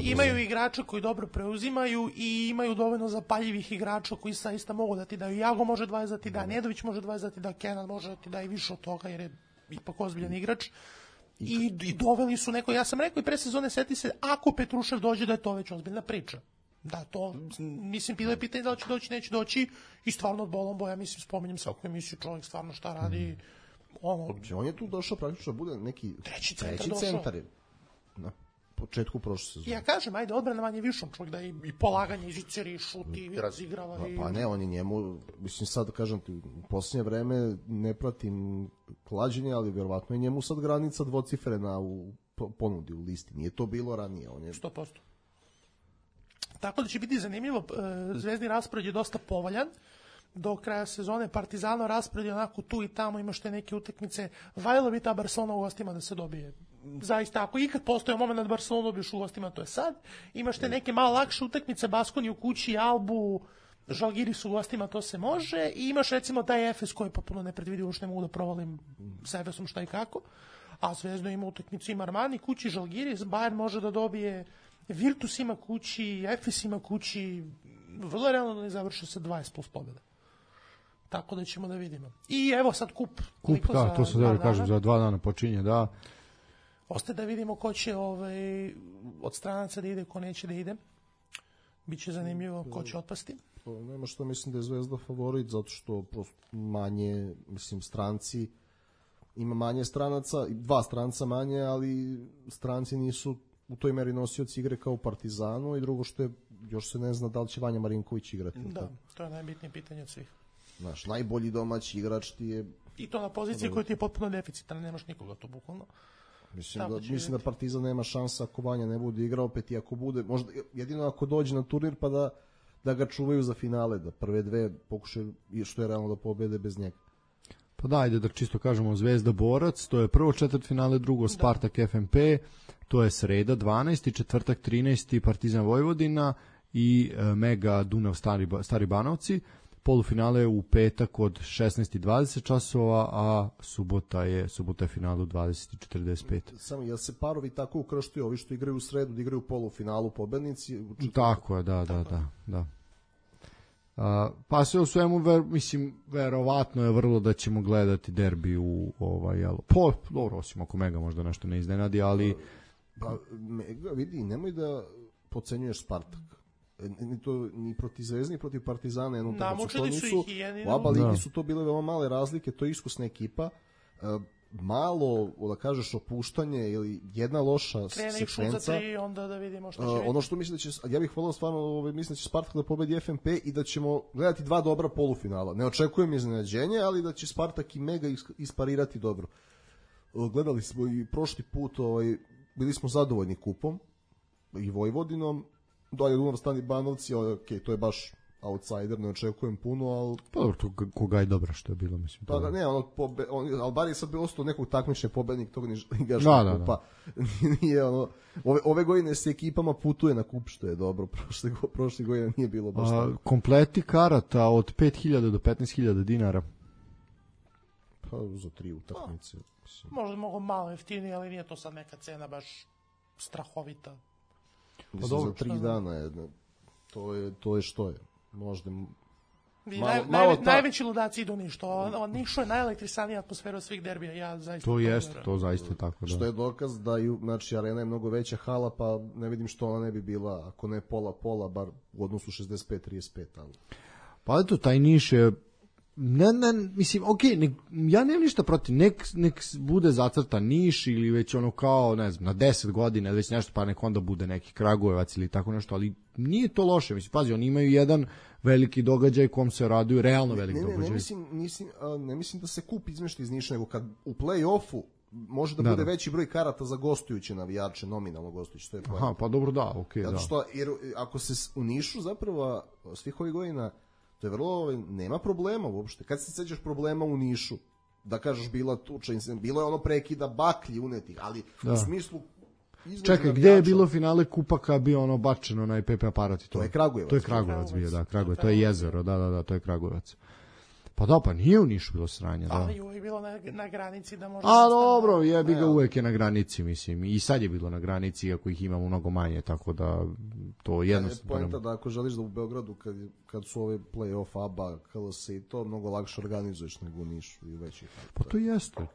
Imaju igrača koji dobro preuzimaju i imaju dovoljno zapaljivih igrača koji zaista mogu da ti daju. Jago može 20 da ti da, Nedović može 20 da ti da, Kenan može da ti da i više od toga jer je ipak ozbiljan igrač. I doveli su neko, ja sam rekao i pre sezone, seti se, ako Petrušev dođe da je to već ozbiljna priča. Da, to, mislim, bilo je pitanje da li će doći, neće doći i stvarno od Bolombo, ja mislim, spominjem svaku emisiju, čovjek stvarno šta radi, On je tu došao praktično da bude neki treći centar na početku prošle sezone. Ja kažem, ajde, odbrana manje višom, čovjek da i polaganje iziceri, šuti, i razigrava. Pa ne, on je njemu, mislim sad kažem ti, u posljednje vreme ne pratim klađenje, ali vjerovatno je njemu sad granica dvocifrena u ponudi u listi. Nije to bilo ranije. 100%. Tako da će biti zanimljivo, zvezdni raspored je dosta povoljan. Do kraja sezone Partizano raspored je onako tu i tamo, imaš te neke utakmice, valjalo bi ta Barcelona u gostima da se dobije. Zaista, ako ikad postoje moment da Barcelona dobiješ u gostima, to je sad. Imaš te neke malo lakše utakmice, Baskoni u kući, Albu, Žalgiris u gostima, to se može. I imaš recimo taj Efes koji je potpuno nepredvidivo, što ne mogu da provalim sa Efesom šta i kako. A Zvezda ima utakmicu, ima Armani kući, Žalgiris, Bayern može da dobije, Virtus ima kući, Efes ima kući, vrlo realno da ne završi sa 20 plus pobjeda. Tako da ćemo da vidimo. I evo sad kup. Kup, da, to se da kažem, za 2 dana počinje, da. Ostaje da vidimo ko će od stranaca da ide, ko neće da ide. Biće zanimljivo ko će otpasti. Nema što, mislim da je Zvezda favorit, zato što prosto manje, mislim, stranci, ima manje stranaca, 2 stranca manje, ali stranci nisu u toj meri nosioci igre kao u Partizanu, i drugo što je, još se ne zna da li će Vanja Marinković igrati. Da, to je najbitnije pitanje od svih. Znaš, najbolji domaći igrač ti je... I to na poziciji koja ti je potpuno deficitarna, nemaš nikoga to bukvalno. Mislim da Partizan nema šansa ako Vanja ne bude igrao, opet i ako bude, možda jedino ako dođe na turnir pa da ga čuvaju za finale, da prve 2 pokušaju što je realno da pobede bez njega. Pa da, ajde da čisto kažemo, Zvezda Borac, to je prvo četvrtfinale, drugo Spartak FNP, to je sreda 12. četvrtak 13. Partizan Vojvodina i Mega Dunav Stari Banovci. Polufinale u petak od 16:20 časova, a subota je finale u 20:45. Samo, jel se parovi tako ukrštuju, ovi što igraju u sredu, da igraju u polufinalu pobednici? Tako je, da. Pa sve u svemu, mislim, verovatno je vrlo da ćemo gledati derbi u dobro, osim ako Mega možda nešto ne iznenadi, ali... Pa, Mega, vidi, nemoj da podcenjuješ Spartak. Ni protiv Zvezde, ni protiv Partizana namučili su ih i jedino. U ABA ligi su to bile veoma male razlike, to je iskusna ekipa. malo, da kažeš, opuštanje ili jedna loša krene i šut za sekvenca. 3, onda da vidimo šta će biti. Ono što mislim da će, ja bih volao stvarno, mislim da će Spartak da pobedi FNP i da ćemo gledati 2 dobra polufinala. Ne očekujem iznenađenje, ali da će Spartak i Mega isparirati dobro. Gledali smo i prošli put, bili smo zadovoljni kupom i Vojvodinom, dolje Dunav Stani Banovci, okay, to je baš outsider, ne očekujem puno, ali... Pa dobro, to koga je dobro što je bilo, mislim. Pa da, ne, Albar je sad bilo ostao nekog takmične pobednik tog ligaškog kupa. Nije ove godine se ekipama putuje na kup, što je dobro, prošle godine nije bilo baš tako. Kompleti karata od 5.000 do 15.000 dinara. Pa za 3 utakmice. Možda mogu malo jeftinije, ali nije to sad neka cena baš strahovita. Pa dobro, za 3 dana je, to je što je. Možda najveći ludaci idu Niš. Nišu je najelektrisanija atmosfera od svih derbija. Ja zaista to jeste, to zaista tako. Da. Što je dokaz da znači, arena je mnogo veća hala, pa ne vidim što ona ne bi bila, ako ne pola, bar u odnosu 65-35. Ali... Pa eto, taj Niš je mislim, okej, ja nemam ništa protiv, nek bude zacrtan Niš ili već ono kao, ne znam, na 10 godina, već nešto, pa nek onda bude neki Kragujevac ili tako nešto, ali nije to loše, mislim, pazi, oni imaju jedan veliki događaj kom se raduju, realno veliki događaj. Ne mislim da se kup izmešta iz Niša, nego kad u play-offu može da bude veći broj karata za gostujuće navijače, nominalno gostujuće, to je Aha, pa dobro, da, okej, da. Zato što, jer ako se u Nišu zapravo svih ovih godina to je vrlo, nema problema uopšte. Kad se sećaš problema u Nišu, da kažeš bila tuča, bilo je ono prekida baklji unetih, ali u smislu... Čekaj, gde je bilo finale kupaka bio ono bačeno na PP aparat? To je Kragujevac. To je Kragujevac bio, da, Kragujevac, to je jezero, da, to je Kragujevac. Pa da, pa nije u Nišu bilo sranja, da. Ali uvijek bilo na granici da može... A dobro, jebi ga, uvijek je na granici, mislim. I sad je bilo na granici, iako ih imamo mnogo manje, tako da to jednostavno... Je poenta da ako želiš da u Beogradu, kad su ove play-off, ABA, KLS i to, mnogo lakše organizuješ nego u Nišu i većih. Pa to jeste,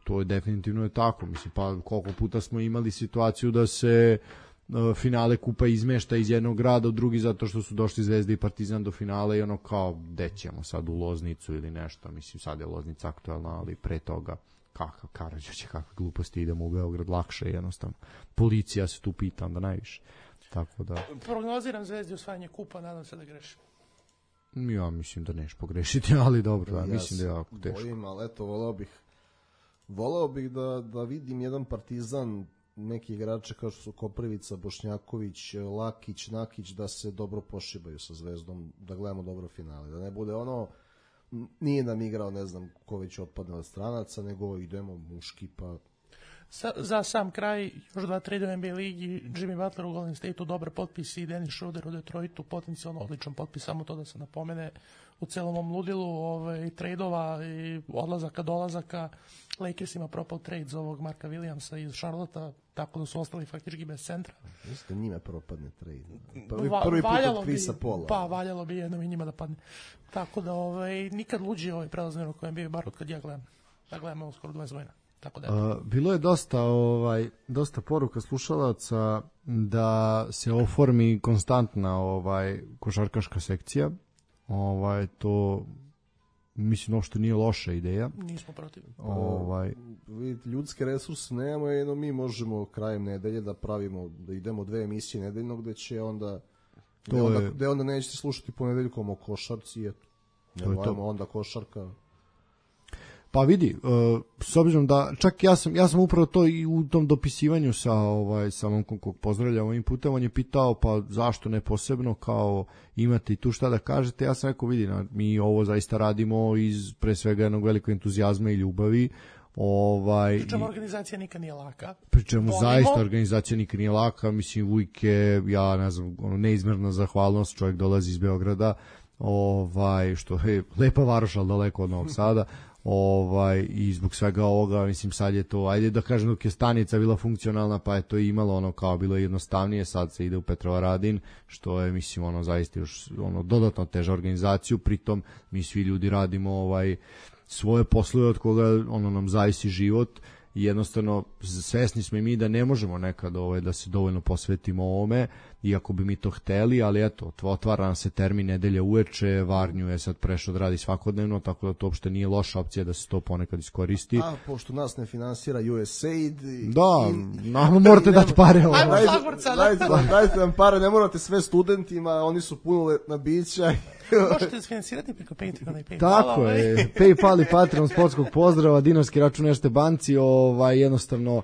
to je definitivno je tako, mislim, pa koliko puta smo imali situaciju da se... finale kupa izmešta iz jednog grada u drugi zato što su došli Zvezda i Partizan do finala i ono kao, gde ćemo sad u Loznicu ili nešto, mislim sad je Loznica aktualna, ali pre toga kakav Karađorđe, kakve gluposti, idemo u Beograd, lakše jednostavno, policija se tu pita onda najviše, tako da prognoziram Zvezdi osvajanje kupa, nadam se da grešim. Ja mislim da neš pogrešiti, ali dobro, ja mislim da je jako teško. Bojim, ali eto, volao bih da vidim jedan Partizan, neki igrače kao što su Koprivica, Bošnjaković, Lakić, Nakić, da se dobro pošibaju sa Zvezdom, da gledamo dobro finale, da ne bude ono, nije nam igrao, ne znam ko već otpadne od stranaca, nego idemo muški, pa... Za sam kraj, još 2 trade u NBA ligi, Jimmy Butler u Golden State-u, dobar potpis, i Dennis Schroeder u Detroitu, potencijalno odličan potpis, samo to da se napomene u celom ovom ludilu tradeova i odlazaka, dolazaka. Lakersima propao trade za ovog Marka Williamsa iz Charlotta, tako da su ostali faktički bez centra. Jeste, njima propadne trade. Prvi put od Chrisa Paula. Pa, valjalo bi jednom i njima da padne. Tako da nikad luđi prelazni rok koji bio bar od kad ja gledam. Da gledam ovo skoro 20 godina. Tako da bilo je dosta poruka slušalaca da se oformi konstantna košarkaška sekcija. To mislim uopšte nije loša ideja. Nismo protiv. Vidite, ljudske resurse nemamo, jedno mi možemo krajem nedelje da pravimo, da idemo 2 emisije nedeljno gde će onda gde onda nećete slušati ponedeljkom o košarci, eto. Nemojmo onda košarka. Pa vidi, s obzirom da čak ja sam upravo to i u tom dopisivanju sa momkom kog pozdravljam ovim putem, on je pitao pa zašto ne posebno, kao imate i tu šta da kažete. Ja sam rekao, vidi, mi ovo zaista radimo iz pre svega jednog velikog entuzijazma i ljubavi. Pričemu organizacija nikad nije laka. Pričemu zaista organizacija nikad nije laka, mislim uvijek je, ja ne znam, neizmjerna zahvalnost, čovjek dolazi iz Beograda, što je lepa varoš, ali daleko od Novog Sada. I zbog svega ovoga, mislim, sad je to, ajde da kažem, dok je stanica bila funkcionalna, pa je to imalo kao bilo jednostavnije, sad se ide u Petrovaradin, što je, mislim, zaista još dodatno teža organizaciju, pritom mi svi ljudi radimo svoje poslove od koga nam zavisi život i jednostavno svesni smo i mi da ne možemo nekad da se dovoljno posvetimo ovome, iako bi mi to hteli, ali eto, otvara nam se termin nedelja uveče, Varnju je sad prešao da radi svakodnevno, tako da to uopšte nije loša opcija da se to ponekad iskoristi. A, pošto nas ne finansira USAID... Morate dati pare. Ajmo Zagorca, Dajte nam pare, ne morate sve studentima, oni su punoletna bića. Možete sfinansirati preko Patreona i PayPala. Tako je, PayPal i Patreon, sportskog pozdrava, dinarski račun Erste banci, jednostavno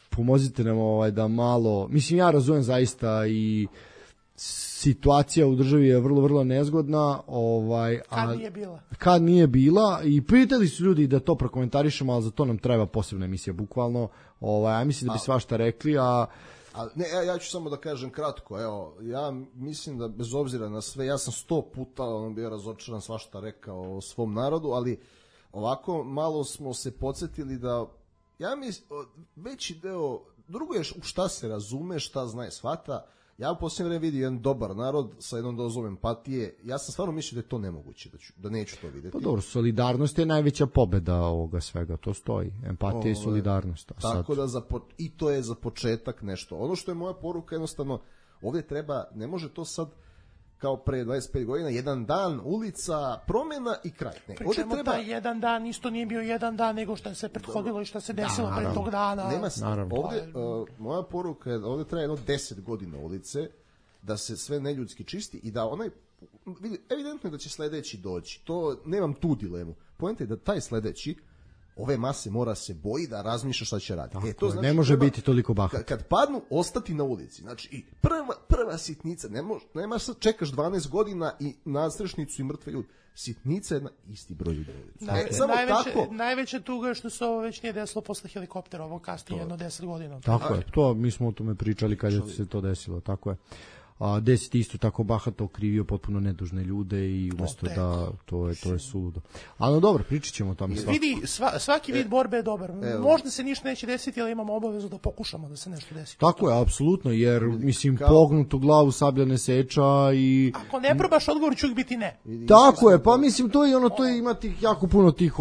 pomozite nam da malo, mislim ja razumem zaista i situacija u državi je vrlo, vrlo nezgodna. Kad nije bila i pitali su ljudi da to prokomentarišemo, ali za to nam treba posebna emisija, bukvalno. Ja mislim da bi svašta rekli, ja ću samo da kažem kratko, ja mislim da bez obzira na sve, ja sam 100 puta bio razočaran, svašta rekao o svom narodu, ali ovako malo smo se podsjetili da, ja mislim, veći deo, drugo je u šta se razume, šta zna i shvata. Ja u posljednje vreme vidim jedan dobar narod sa jednom dozom empatije. Ja sam stvarno mislio da je to nemoguće, da neću to vidjeti. Pa dobro, solidarnost je najveća pobeda ovoga svega, to stoji. Empatija i solidarnost. Tako da i to je za početak nešto. Ono što je moja poruka, jednostavno, ovdje treba, ne može to sad kao pre 25 godina, jedan dan, ulica, promjena i kraj. Pričemo taj jedan dan, isto nije bio jedan dan, nego što se prethodilo i što se desilo pre tog dana. Ovdje, moja poruka je da ovdje treba jedno 10 godina ulice, da se sve neljudski čisti i da evidentno je da će sledeći doći. To, nemam tu dilemu. Poenta je da taj sledeći ove mase mora se boji da razmišlja šta će raditi. To znači, ne može biti toliko bahat. Kad padnu, ostati na ulici. Znači, i prva sitnica, nemaš sad čekaš 12 godina i nadstrešnicu i mrtve ljudi. Sitnica je isti broj ljudi. Najveća tuga je što se ovo već nije desilo posle helikoptera, ovo kasnije jedno 10 godina. Tako je, mi smo o tome pričali kad je se to desilo, tako je. Desit isto tako bahato okrivio potpuno nedužne ljude i umesto da to je suludo. Ali dobro, pričat ćemo o tome. Vidi, svaki vid borbe je dobar. Možda se ništa neće desiti, ali imamo obavezu da pokušamo da se nešto desi. Tako je, apsolutno, jer mislim pognutu glavu sablja ne seča i... Ako ne probaš, odgovor će uvijek biti ne. Tako je, pa mislim to je ima tih jako puno tih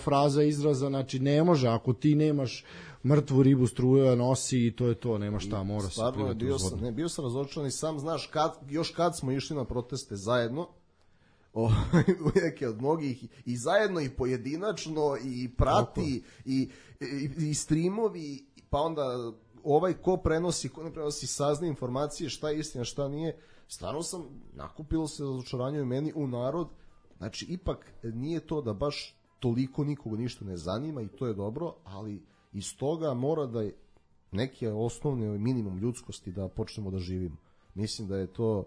fraza, izraza, znači ne može, ako ti nemaš mrtvu ribu struja nosi i to je to, nema šta, mora se plivati uz vodu. Bio sam razočaran i sam znaš, kad smo išli na proteste zajedno, neke od mnogih, i zajedno i pojedinačno, i prati, i streamovi, pa onda ko prenosi, ko ne prenosi, sazne informacije, šta je istina, šta nije. Stvarno nakupilo se razočaranje u meni, u narod. Znači, ipak nije to da baš toliko nikoga ništa ne zanima i to je dobro, ali iz toga mora da je neki osnovni minimum ljudskosti da počnemo da živimo. Mislim da je to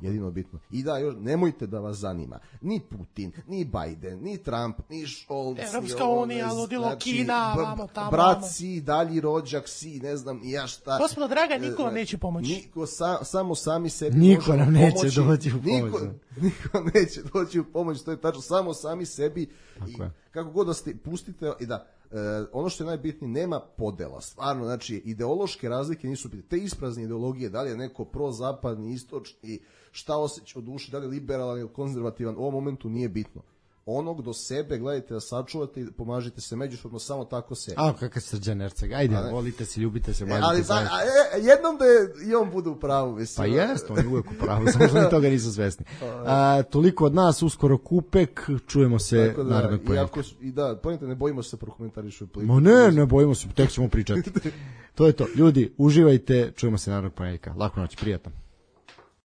jedino bitno. I da, još nemojte da vas zanima ni Putin, ni Biden, ni Trump, ni Scholz, Evropska unija, ludilo, Kina, vamo tamo. Brat si, dalji rođak si, ne znam ni ja šta. Gospodo draga, niko vam neće pomoći. Niko, samo sami sebi niko nam neće doći u pomoć. Niko neće doći u pomoć, to je tačno, samo sami sebi. I kako god da ste, pustite i da ono što je najbitnije, nema podela, stvarno, znači ideološke razlike nisu bitne, te isprazne ideologije, da li je neko prozapadni, istočni, šta osjeća u duši, da li je liberalan ili konzervativan, u ovom momentu nije bitno. Onog do sebe, gledajte da sačuvate i pomažite se međusobno, samo tako se. Kakav Srđan Erceg, ajde, volite se, ljubite se, ali jednom da je i on bude u pravu. Pa jest, on je uvijek u pravu, samo što mi toga nisu svesni. Toliko od nas, uskoro Kupek, čujemo se narednog ponedjeljka. I da, ponedjeljka, ne bojimo se prokomentarišu. Ma ne bojimo se, tek ćemo pričati. To je to, ljudi, uživajte, čujemo se narednog ponedjeljka. Laku noć, prijatno.